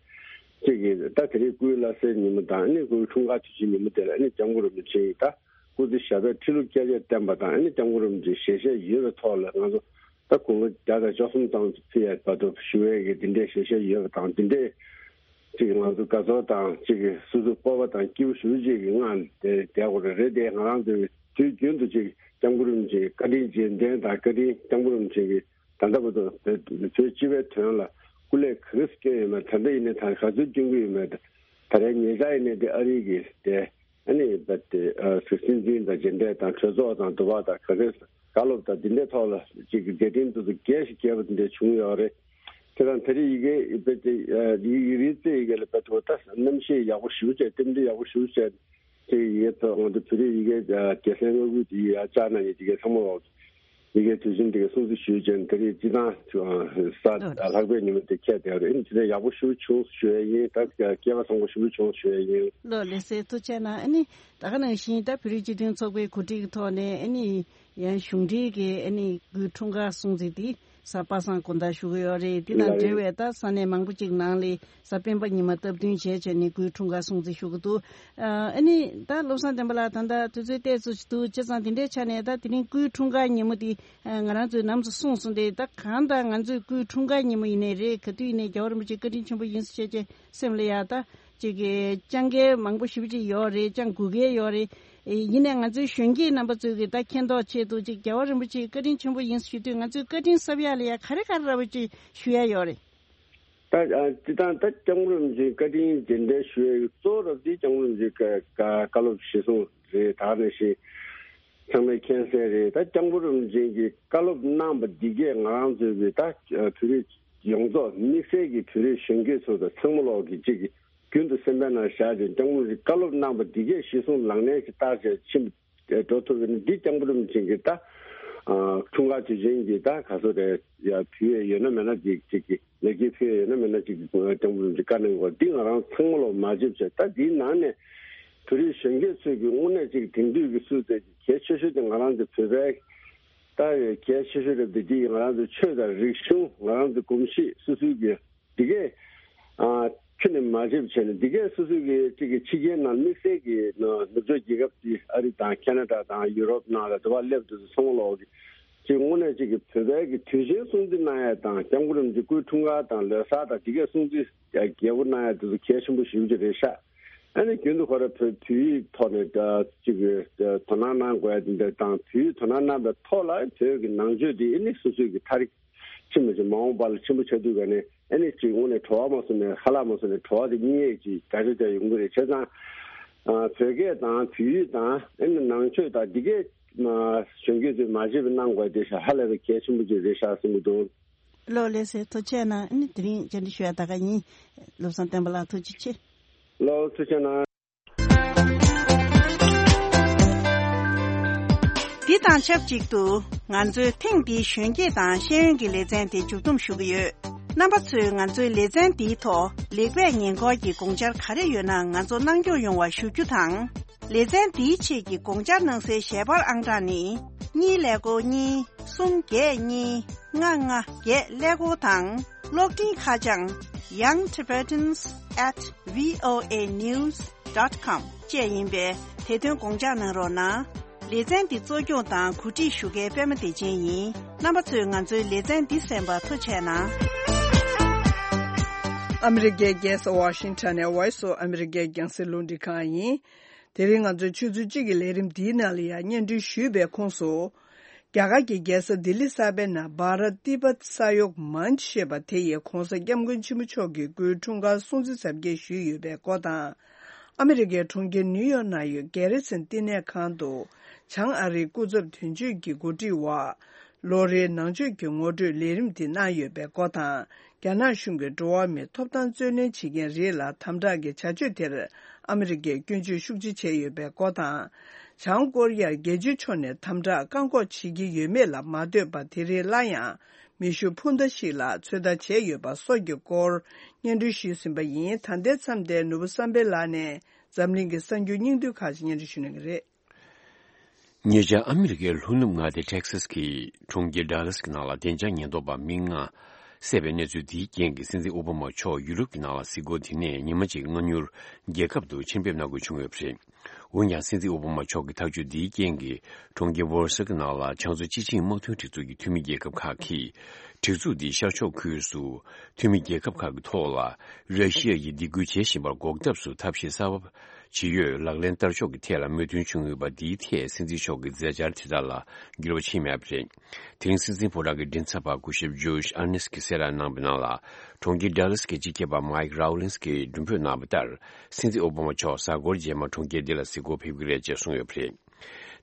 གཅིག་གིས་ད་དེ་རིང་སྐུའི་བླ་གཟའི་ཉིན་མོ་དང་། ཨ་ནི་སྐུའི་འཁྲུངས་སྐར་དུས་ཆེན་ཉིན་མོ་དེ་ལ་ཨ་ནི་སྐྱབས་མགོན་རིན་པོ་ཆེ་ཡི་ད་སྐུ་ཚེ་ཞབས་པད་ཁྲི་ལོ་བསྐལ་བརྒྱར་བརྟན་པ་དང་། ཨ་ནི་སྐྱབས་མགོན་རིན་པོ་ཆེའི་ཞལ་བཞེས་ཡོད་པའི་ཐོག་ལ་ང་ཚོ་ད་དགུང་ལོ་བརྒྱ་དང་བཅུ་གསུམ་ཙམ་ཕེབས་ཡས་བར་དུ་ཞུ་ཡས་ཀྱི་དེ་འདྲའི་ཞལ་བཞེས་ཡོད་པ་དང་། དེ་འདྲའི་གཅིག་ང་ཚོ་དགའ་ཚོར་དང་གཅིག་གི་སོ་སོ་སྤོབས་པ་དང་སྐྱིད་པོ་ཞེ་པོ་ཅིག་གི་ངང་དེ་བསྡད་དགོས་རེད། རེད་དེ་ང་རང་ཚོའི་དུས་རྒྱུན་དུ་གཅིག་སྐྱབས་མགོན་རིན་པོ་ཆེའི་བཀའ་དྲིན་རྗེས་དྲན་དང་། བཀའ་དྲིན་སྐྱབས་མགོན་རིན་པོ་ཆེ་གི་ད་ལྟ་བར་དུ་བོད་སྤྱི་པའི་དོན་ལ་སྐུ་ལས་ག་རེ་བསྐྱོན་ཡོད་མེད། ད་ལྟ་ཡིན་ནའི་ད་ག་ཚོད་སྐྱོན་གྱི་ཡོད་མེད། ད་རེས་ཉེ་ཆར་ཡིན་ནའི་དེ་ཨ་རི་གི་དེ་ཨ་ནི་བ་དེ་ཨ་སྲིད་འཛིན་དང་མཇལ་འཕྲད་དང་གྲོས་ཚོགས་དང་དུ་བ་དང་ག་གེ་བཀའ་སློབ་དང་འདི་འདྲའི་ཐོག་ལ་ཅིག་གི་མཛད་འཕྲིན་དེ་ཚོ་རྒྱས་ཤིག་རྒྱས་པ་དེ་འདྲ་བྱུང་ཡོད་རེད། དེ་དང་ད་རེས་ཡི་གེ་བེད་དེ་ཡི་རིག་རྩེ་ཡི་གེ་ལ་བེད་དེ་ད་རྣམ་ཤེས་ཡག་པོ་ཞེ་པོ་བྱས། རྟེན་འབྲེལ་ཡག་པོ་ཞེ་པོ་བྱས། དེ་ཡི་གེ་ཐོག་ང་ཚོ་བོད་རིགས་ཡི་གེ་རྒྱལ་སའི་མངའ་ཁུལ་དེ་ཡར་བཅར་གནང་མཁན་དེ་གའི་ཚང་མ་ལོག་ཡི་གེ་དུས་ཆེན་དེ་གའི་སྲུང་བརྩི་ཞུས་བྱས། དེ་རིང་སྤྱི་བཏང་ས་ལྷག་པའི་ཉིན་མོ་དེ་འཁེལ་བསྡད་རེད། ཨ་ནི་དེ་འདྲ་ཡག་པོ་ཞེ་པོ་བྱུང་ཞུ་ཡས་ཡིན། ད་སྐལ་པ་བཟང་པོ་ཞེ་པོ་བྱུང་ཞུ་ཡས་ཡིན། ལགས་ལགས་སེ། ཐུགས་རྗེ་གནང་། ཨ་ནི་ད་ག་ནང་བཞིན་ད་བོད་རིགས་སྤྱི་མཐུན་ཚོགས་པའི་གོ་སྒྲིག་གི་ཐོག་ནས་ཨ་ནི་ཡང་གཞུང་འབྲེལ་གྱི་ཨ་ནི་སྐུའི་འཁྲུངས་སྐར་སྲུང་བརྩི་དེ་གཟའ་པ་སངས་དགོང་དག་ཞུ་གི་ཡོད་རེད། དེ་དང་འབྲེལ་བའི་ད་ས་གནས་མང་པོ་ཅིག་ནང་ལ་གཟའ་སྤེན་པ་ཉི་མ་སྟབས་བསྟུན་བྱས་བྱས་ནས་སྐུའི་འཁྲུངས་སྐར་སྲུང་བརྩི་ཞུ་གི་འདུག་ཨ་ནི་ད་བློ་བཟང་བསྟན་པ་ལགས། ད་ལྟ་དུས་ཚོད་ཏོག་ཙམ་ཅིག་འདུག་བྱས་ཙང་དེ་འདྲའི་ཆ་ནས་ད་དེ་རིང་སྐུའི་འཁྲུངས་སྐར་ཉིན་མོ་དེ་ང་རང་ཚོས་ནམ་ཞིག་གསུངས་སོང་སྟེ། ད་གང་ལྟར་ང་ཚོས་སྐུའི་འཁྲུངས་སྐར་ཉིན་མོ་ཡིན་ནའི་རེད། ག་དུས་ཡིན་ནའི་རྒྱལ་བ་རིན་པོ་ཆེ་བཀའ་དྲིན་ཆེན་པོ་ཡིན་ཟེར་བྱས་བྱས་སེམས་ལ་ཡ་ད་ཅིག་གི་བཅང་མཁན་མང་པོ་ཞེ་པོ་ཅིག་ཡོད་རེད། བཅང་དགོས་མཁན་ཡོད་རེད། ཡིན་ནའི་ང་ཚོའི་གཞོན་སྐྱེས་རྣམ་པ་ཚོས་ཀྱི་ད་མཁྱེན་རྟོགས་ཆེད་དུ་ཅིག་རྒྱལ་བ་རིན་པོ་ཆེའི་བཀའ་དྲིན་ཆེན་པོ་ཡིན་ཞུ་དུས་ང་ཚོའི་བཀའ་དྲིན་གསབ་ཡག་ལ་ཡ་ག་རེ་ག་རེ་འདྲ་བོ་ཅིག་ཞུ་ཡ་ཡོད་རེད། ད་ཨ་སྤྱིར་བཏང་ད་སྐྱབས་མགོན་རིན་པོ་ཆེའི་བཀའ་དྲིན་རྗེས་དྲན་ཞུ་ཡ་གཙོ་བོ་ར་དེ་སྐྱབས་མགོན་རིན་པོ་ཆེའི་བཀའ་བཀའ་བཀའ་སློབ་གཞིར་བཟུང་རེད། ད་ག་ནང་བཞིན་ཚང་མས་མཁྱེན་གསལ་རེད། ད་སྐྱབས་མགོན་རིན་པོ་ཆེ་གིས་བཀའ་སློབ་གནང་བ་འདི་གས་ང་རང་ཚོའི་གི་ད་བོད་རིགས་ཡོངས་རྫོགས་དམིགས་བསལ་གྱི་བོད་རིགས་གཞོན་སྐྱེས་ཚོ་དང་ཚང་མ་ལོག་གི་གཅིག་གི་རྒྱུན་དུ་སེམས་པའི་ནང་བཞག་ཅིང་། སྐྱབས་མགོན་རིན་པོ་ཆེའི་བཀའ་སློབ་གནང་བ་འདི་གས་གཞིར་བཟུང་ལག་ལེན་ཞིག་བསྟར་བྱས་ཕྱིན་འགྲོ་ཐུབ་པ་ཡིན་ན། འདི་སྐྱབས་མགོན་རིན་པོ་ཆེ་གི་ད་ཨ་འཁྲུངས་སྐར་དུས་ཆེན་གྱི་ད་ག་ཚོད་རེད་ཡ་ཕུལ་ཡས་ཡོད་ན་མེད་ན་ཅིག་ཅིག་གི་ལེགས་སྐྱེས་ཕུལ་ཡས་ཡོད་ན་མེད་ན་ཅིག་གི་སྐྱབས་མགོན་རིན་པོ་ཆེ་བཀའ་གནང་དགོས། འདི་ང་རང་ཚང་མ་ལོག་མ་བརྗེད་བྱས། ད་འདིའི་ནང་ནས་བོད་རིགས་གཞོན་སྐྱེས་ཚོས་ཀྱི་དངོས་གནས་ཅིག་དེང་དུས་ཀྱི་སུ་དེ་གལ་ཆེ་ཤོས་དེ་ང་རང་ཚོ་བོད་པའི་ད་གལ་ཆེ་ཤོས་རེད་དེ། འདི་ང་རང་ཚོ་ཆོས་དང་རིག་གཞུང་། ང་རང་ཚོ་གོམས་གཤིས། སོ་སོའི་གི་འདི་གས་ཨ་ཁྱོན་ནས་མ་བརྗེད་བྱས་ནས། འདི་གས་སོ་སོའི་གི་ཅིག་གི་ཕྱི་རྒྱལ་ནང་དམིགས་བསལ་གྱི་ནུབ་ཕྱོགས་རྒྱལ་ཁབ་ཅིག་ཨ་རི་དང་ཁེ་ན་ཌ་དང་ཡུ་རོབ་ནང་ལ་དུ་བ་སླེབས་དུས་སུ་ཚང་མ་ལོག་གི་ཅིག་དངོས་གནས་ཅིག་གི་བོད་པའི་གི་དུས་ཆེན་སྲུང་བརྩི་གནང་ཡས་དང་། སྐྱབས་མགོན་རིན་པོ་ཆེའི་སྐུའི་འཁྲུངས་སྐར་དང་ལོ་གསར་དང་འདི་གས་སྲུང་བརྩི་རྒྱས་པོ་གནང་ཡས་དེ་ཚོ་གལ་ཆེན་པོ་ཞེ་པོ་ཅིག་རེད་ཤག་ཨ་ནི་རྒྱུན་དུ་ཁོ་ར་བོད་བོད་ཡིག་ཐོག་ནས་ཅིག་དོ་སྣང་གནང་དགོས་ཡ་དེ་འདྲ་དང་། བོད་ཡིག་དོ་སྣང་གནང་པའི་ཐོག་ལ་བོད་ཀྱི་ནང་ཆོས་དེ་ཨ་ནི་སོ་སོའི་གི་ཐ་རིག་ཆེན་པོ་ཞིག་མ་འོངས་པ་ལ་ཆེན་པོ་ཆགས་དུས་ག་ནས་ཨ་ནི་ཅིག་དངོས་གནས་བྲོ་བ་མ་སོང་ནས་ཧ་ལམ་མ་སོང་ནས་བྲོ་བ་དེ་རྙེད་ཡས་ཅིག་དགའ་ཆ་ཆ་ཡོང་གི་རེད། བྱས་ཙང་བོད་སྐད་དང་བོད་ཡིག་དང་ཨ་ནི་ནང་ཆོས་དང་འདི་གས་གཞོན་སྐྱེས་ཚོས་མ་བརྗེད་པ་གནང་དགོས་དེ་ཤ་ཧ་ལས་པའི་གལ་ཆེན་པོ་ཅིག་རེད་ཤག་བསམ་གྱི་འདུག། ལགས་ལགས་སེ། ཐུགས་རྗེ་གནང་། ཨ་ནི་དེ་རིང་བཅར་འདྲི་ཞུ་ཡ་ད་ག་ཡིན། བློ་བཟང་བསྟན་པ་ལགས་ཐུགས་རྗེ་ཆེ། ལགས་ཐུགས་རྗེ་གནང་། འདི་དང་ཆབས་ཅིག་ཏུ་ང་ཚོའི་ཐེངས་འདིའི་གཞོན་སྐྱེས་དང་ཤེས་ཡོན་གྱི་ལེ་ཚན་དེ་མཇུག་བསྡོམས་ཞུ་གི་ཡོད། རྣམ་པ་ཚོས་ང་ཚོའི་ལེ་ཚན་འདིའི་ཐོག་ལེགས་སྤེལ་ཉེ་འཁོར་གྱི་དགོངས་འཆར་ག་རེ་ཡོད་ན་ང་ཚོ་གནང་སྐྱོང་ཡོང་བ་ཞུ་རྒྱུ་དང་། ལེ་ཚན་འདིའི་ཆེད་ཀྱི་དགོངས་འཆར་གནང་སའི་ཞལ་པར་ཨང་གྲངས་ནི། གཉིས་ཀླད་ཀོར་གཉིས། གསུམ་བརྒྱད་གཉིས། ལྔ་ལྔ་བརྒྱད་ཀླད་ཀོར་དང་། གློག་འཕྲིན་ཁ་བྱང་young tibetans at voa news dot com བཅས་ཡིན་པས། དེ་དོན་དགོངས་འཇགས་གནང་རོགས་གནང་། ལེ་ཚན་འདི་གཙོ་སྐྱོང་དང་གོ་སྒྲིག་ཞུ་མཁན་པད་མ་བདེ་ཆེན་ཡིན། རྣམ་པ་ཚོས་ང་ཚོའི་ལེ་ཚན་འདི་གསན་པར་ཐུགས་རྗེ་གནང་། ཨ་མི་རི་ཀའི་རྒྱལ་ས་ཝ་ཤིང་ཊོན་ནས་Voice of America རྒྱང་སྲིང་རླུང་འཕྲིན་ཁང་ཡིན། དེ་རིང་ང་ཚོའི་ཆུ་ཚོད་གཅིག་གི་ལས་རིམ་འདིའི་ནང་ལ་ཡང་སྙན་སྒྲོན་ཞུས་པའི་ཁོངས་སུ། རྒྱ་གར་གྱི་རྒྱལ་ས་ལྡི་ལི་གསར་པའི་ནང་བྷ་ར་ཏི་པ་ས་ཡོག་མན་ཅི་ཞེས་པ་དེ་ཡི་༧གོང་ས་༧སྐྱབས་མགོན་ཆེན་པོ་མཆོག་གི་སྐུའི་འཁྲུངས་སྐར་སྲུང་བརྩི་གཟབ་རྒྱས་ཞུས་ཡོད་པའི་སྐོར་དང་། ཨ་མི་རི་ཀའི་གྲོང་ཁྱེར་ནིའུ་ཡོག་ནང་ཡོད་གྷེ་རི་སན་བསྟི་གནས་ཁང་དུ་བྱང་ཨ་རིའི་སྐུ་ཚབ་དོན་གཅོད་ཀྱི་འགོ་ཁྲིད་འོག་ལོ་རེའི་ནང་ཆོས་ཀྱི་ངོ་སྤྲོད་ལས་རིམ་དེ་གནང་ཡོད་པའི་སྐོར་དང་། རྒྱ་ནག་གཞུང་གིས་འགྲོ་བ་མིའི་ཐོབ་ཐང་རྩོད་ལེན་བྱེད་མཁན་རིགས་ལ་དམ་དྲག་གི་བྱ་སྤྱོད་དེར་ཨ་མི་རི་ཀས་སྐྱོན་བརྗོད་ཤུགས་ཆེ་བྱས་ཡོད་པའི་སྐོར་དང་། བྱང་ཀོ་རི་ཡར་རྒྱལ་སྤྱིའི་ཕྱོགས་ནས་དམ་དྲག་བཀག་འགོག་བྱེད་ཀྱི་ཡོད་མེད་ལ་མ་ལྟོས་པར་དེ་རིང་སླར་ཡང་མེ་ཤུགས་འཕུར་མདའ་ཞིག་ལ་ཚོད་ལྟ་བྱས་ཡོད་པ་སོགས་ཀྱི་སྐོར་སྙན་སྒྲོན་ཞུས་ཟིན་པ་ཡིན། ད་ལྟའི་མཚམས་དེར་ནོར་བུ་བསམ་འཕེལ་ལགས་ནས་འཛམ་གླིང་གི་གསར་འགྱུར་སྙིང་བསྡུས་ཁག་ཅིག་སྙན་སྒྲོན་ཞུ་གནང་གི་རེད། ཉེ་ཆར་ཨ་མི་རི་ཀའི་ལྷོ་ནུབ་མངའ་སྡེ་ཊེག་སཱས་ཀྱི་གྲོང་ཁྱེར་ཌ་ལཱས་ཀྱི་ནང་ལ་བདེ་འཇགས་ཉེན་རྟོག་པ་མི་ལྔ་བསད་པའི་གནས་ཚུལ་དེའི་རྐྱེན་གྱིས་སྲིད་འཛིན་ཨོ་བྷ་མ་མཆོག་ཡུ་རོབ་ཀྱི་ནང་ལ་གཟིགས་སྐོར་དེ་ནས་ཉི་མ་གཅིག་སྔ་སྣུར་རྒྱལ་ཁབ་ཏུ་ཕྱིར་ཕེབས་གནང་དགོས་བྱུང་ཡོད་པ་རེད། འོན་ཀྱང་སྲིད་འཛིན་ཨོ་བྷ་མ་མཆོག་གི་ཐག་གཅོད་འདིའི་རྐྱེན་གྱིས་གྲོང་ཁྱེར་ཝོར་སོ་ཀྱི་ནང་ལ་བྱང་མཚོ་སྤྱི་ཆིངས་དམག་དོན་སྒྲིག་འཛུགས་ཀྱི་འཐུས་མི་རྒྱལ་ཁབ་ཁག་གིས་སྒྲིག་འཛུགས་འདིའི་ཤར་ཕྱོགས་ཁུལ་སུ་འཐུས་མི་རྒྱལ་ཁབ་ཁག་གི་ཐོག་ལ་ར་ཤི་ཡ་ཡིས་སྡིགས་སྐུལ་བྱེད་བཞིན་པར་འགོག་ཐབས་སུ་ཐབས་ཤེས་གསར་པ་ཇི་ཡོད་ལག་ལེན་བསྟར་ཕྱོགས་ཀྱི་ཐད་ལ་མོས་མཐུན་བྱུང་ཡོད་པ་འདིའི་ཐད་སྲིད་འཛིན་མཆོག་གི་མཛད་འཆར་དེ་དག་ལ་འགྱུར་བ་ཕྱིན་མེད་པ་རེད། དེ་རིང་སྲིད་འཛིན་ཕོ་བྲང་གི་མགྲིན་ཚབ་པ་སྐུ་ཞབས་ཇོརྗ་ཨར་ནེས་ཀྱིས་གསལ་བསྒྲགས་གནང་པའི་ནང་ལ། གྲོང་ཁྱེར་ཌ་ལཱས་ཀྱི་སྤྱི་ཁྱབ་པ་མའིག་རའོ་ལིན་སི་ཀྱིས་མགྲོན་འབོད་གནང་བ་ལྟར། སྲིད་འཛིན་ཨོ་བྷ་མ་མཆོག་གཟའ་འཁོར་རྗེས་མ་གྲོང་ཁྱེར་འདི་ལ་གཟིགས་སྐོར་ཕེབས་ཀྱི་རེད་ཅེས་གསུངས་ཡོད་པ་རེད།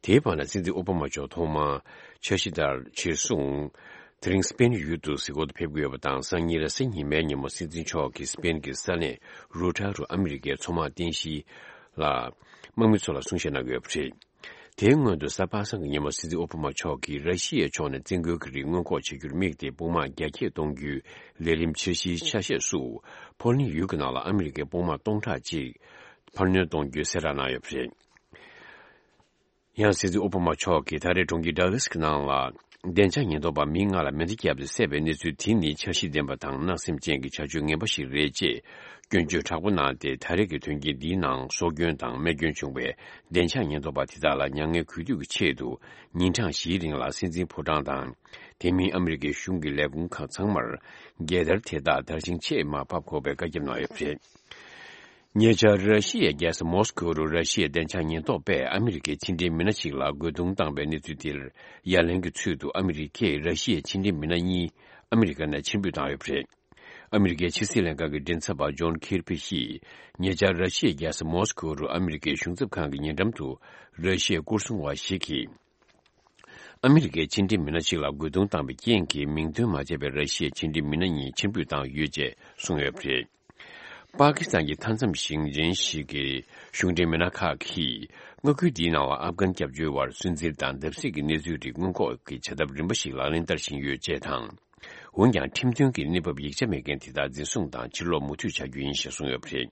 དེའི་བར་ན་སྲིད་འཛིན་ཨོ་བྷ་མ་མཆོག་ཐོག་མར་འཆར་གཞི་ལྟར་ཕྱིར་སོང་། དེ་རིང་སི་པེན་ཡུལ་དུ་གཟིགས་སྐོར་དུ་ཕེབས་ཀྱི་ཡོད་པ་དང་། སང་ཉིན་རེས་གཟའ་ཉི་མའི་ཉིན་མོ་སྲིད་འཛིན་མཆོག་གིས་སི་པེན་གྱི་ས་གནས་རུ་ཊ་རུ་ཨ་མི་རི་ཀའི་མཚོ་དམག་རྟེན་གཞི་ལ་དམག་མི་ཚོ་ལ་གསུང་བཤད་གནང་གི་ཡོད་པ་རེད། དེའི་སྔོན་དུ་གཟའ་པ་སངས་ཀྱི་ཉིན་མོ་སྲིད་འཛིན་ཨོ་བྷ་མ་མཆོག་གིས་ར་ཤི་ཡའི་ཕྱོགས་ནས་བཙན་རྒོལ་གྱི་རིགས་སྔོན་འགོག་བྱ་རྒྱུར་དམིགས་ཏེ་དཔུང་དམག་རྒྱ་སྐྱེད་གཏོང་རྒྱུའི་ལས་རིམ་འཆར་གཞིའི་ཆ་ཤས་སུ་ཕོ་ལན་ཡུལ་གྱི་ནང་ལ་ཨ་མི་རི་ཀའི་དཔུང་དམག་སྟོང་ཕྲག་གཅིག་འཕར་སྣོན་གཏོང་རྒྱུའི་གསལ་བསྒྲགས་གནང་ཡོད་པ་རེད། ཡང་སྲིད་འཛིན་ཨོ་བྷ་མ་མཆོག་གིས་ད་རེས་གྲོང་ཁྱེར་ཌག་ལཱས་ཀྱི་ནང་ལ་བདེ་འཇགས་ཉེན་རྟོག་པ་མི་ལྔ་ལ་མེ་མདའ་བརྒྱབ་སྟེ་བསད་པའི་གནས་ཚུལ་དེ་ནི་འཆར་གཞི་ལྡན་པ་དང་བརྣག་སེམས་ཅན་གྱི་བྱ་སྤྱོད་ངན་པ་ཞིག་རེད་ཅེས་སྐྱོན་བརྗོད་དྲག་པོ་གནང་སྟེ། ད་རེས་ཀྱི་དོན་རྐྱེན་འདིའི་ནང་སྲོག་སྐྱོན་དང་རྨས་སྐྱོན་བྱུང་བའི་བདེ་འཇགས་ཉེན་རྟོག་པ་དེ་དག་ལ་མྱ་ངན་གུས་འདུད་ཀྱི་ཆེད་དུ་ཉིན་གྲངས་བཞིའི་རིང་ལ་སྲིད་འཛིན་ཕོ་བྲང་དང་། དེ་མིན་ཨ་མི་རི་ཀའི་གཞུང་གི་ལས་ཁུངས་ཁག་ཚང་མར་རྒྱལ་དར་དེ་དག་དར་ཞིང་ཆེས་མར་ཕབ་དགོས་པའི་བཀའ་ཁྱབ་གནང་ཡོད་པ་རེད། ཉེ་ཆར་ར་ཤི་ཡའི་རྒྱལ་ས་མོ་སི་ཁོ་རུ་ར་ཤི་ཡའི་བདེ་འཇགས་ཉེན་རྟོག་པས་ཨ་མི་རི་ཀའི་ཕྱི་འབྲེལ་མི་སྣ་ཞིག་ལ་རྒོལ་རྡུང་བཏང་པའི་གནས་ཚུལ་དེར་ཡ་ལན་གྱི་ཚུལ་དུ་ཨ་མི་རི་ཀས་ར་ཤི་ཡའི་ཕྱི་འབྲེལ་མི་སྣ་གཉིས་ཨ་མི་རི་ཀ་ནས་ཕྱིར་འབུད་བཏང་ཡོད་པ་རེད། ཨ་མི་རི་ཀའི་ཕྱི་སྲིད་ལྷན་ཁང་གི་མགྲིན་ཚབ་པ་ཇོན་ཁིར་པི་ཡིས་ཉེ་ཆར་ར་ཤི་ཡའི་རྒྱལ་ས་མོ་སི་ཁོ་རུ་ཨ་མི་རི་ཀའི་གཞུང་ཚབ་ཁང་གི་ཉེ་འགྲམ་དུ་ར་ཤི་ཡའི་སྐོར་སྲུང་བ་ཞིག་གིས། ཨ་མི་རི་ཀའི་ཕྱི་འབྲེལ་མི་སྣ་ཞིག་ལ་རྒོལ་རྡུང་བཏང་བའི་རྐྱེན་གྱིས་མིང་འདོན་མ་བྱས་པའི་ར་ཤི་ཡའི་ཕྱི་འབྲེལ་མི་སྣ་གཉིས་ཕྱིར་འབུད་བཏང་ཡོད་ཅེས་གསུངས་ཡོད་པ་རེད། པ་ཀི་སི་ཐན་གྱི་མཐའ་མཚམས་ཞིང་ཆེན་ཞིག་གི་གཞུང་འབྲེལ་མི་སྣ་ཁག་གིས་མངའ་ཁུལ་འདིའི་ནང་ལ་ཨབ་གྷན་སྐྱབས་བཅོལ་བར་སུན་གཙེར་དང་བརྡབ་གསིག་གི་གནས་ཚུལ་རིགས་སྔོན་འགོག་གི་བྱ་ཐབས་རིམ་པ་ཞིག་ལག་ལེན་བསྟར་བཞིན་ཡོད་ཅེས་དང་། འོན་ཀྱང་ཁྲིམས་མཐུན་གྱི་གནས་བབ་ཡིག་ཆ་མེད་མཁན་དེ་དག་འཛིན་བཟུང་དང་ཕྱིར་ལོག་མུ་མཐུད་བྱ་རྒྱུ་ཡིན་ཞེས་གསུངས་ཡོད་པ་རེད།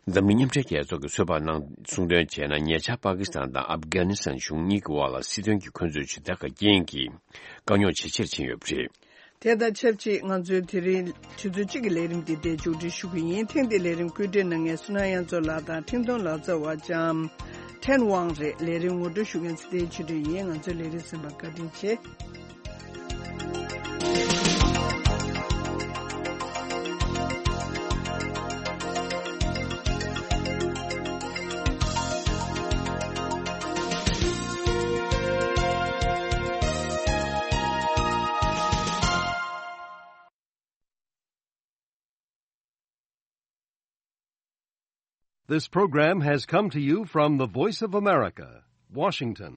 འཛམ་གླིང་མཉམ་འབྲེལ་རྒྱལ་ཚོགས་ཀྱིས་ཚོད་དཔག་གནང་གསུང་དོན་བྱས་ན། ཉེ་ཆར་པ་ཀི་སི་ཐན་དང་ཨབ་གྷ་ནི་སི་ཐན་གཞུང་གཉིས་ཀྱི་དབར་ལ་སྲིད་དོན་གྱི་འཁོན་རྩོད་ཇི་ལྟར་ག་རྐྱེན་གྱིས་དཀའ་རྙོག་ཇེ་ཆེར་ཕྱིན་ཡོད་པ་རེད། དེ་དང་ཆབས་ཅིག་ང་ཚོའི་དེ་རིང་ཆུ་ཚོད་གཅིག་གི་ལས་རིམ་འདི་འདིར་མཇུག་སྒྲིལ་ཞུ་གི་ཡིན། ཐེངས་འདིའི་ལས་རིམ་བཀོད་སྒྲིག་གནང་མཁན་བསོད་ནམས་དབྱངས་མཚོ་ལགས་དང་འཕྲིན་གཏོང་ལག་རྩལ་བ་ལྕམ་ཕྲན་ཝང་རེད། ལས་རིམ་ངོ་སྤྲོད་ཞུ་མཁན་ཚེ་བརྟན་ཆོས་སྒྲོན་ཡིན། ང་ཚོའི་ལས་རིམ་གསན་པར་བཀའ་དྲིན་ཆེ། This program has come to you from the Voice of America, Washington.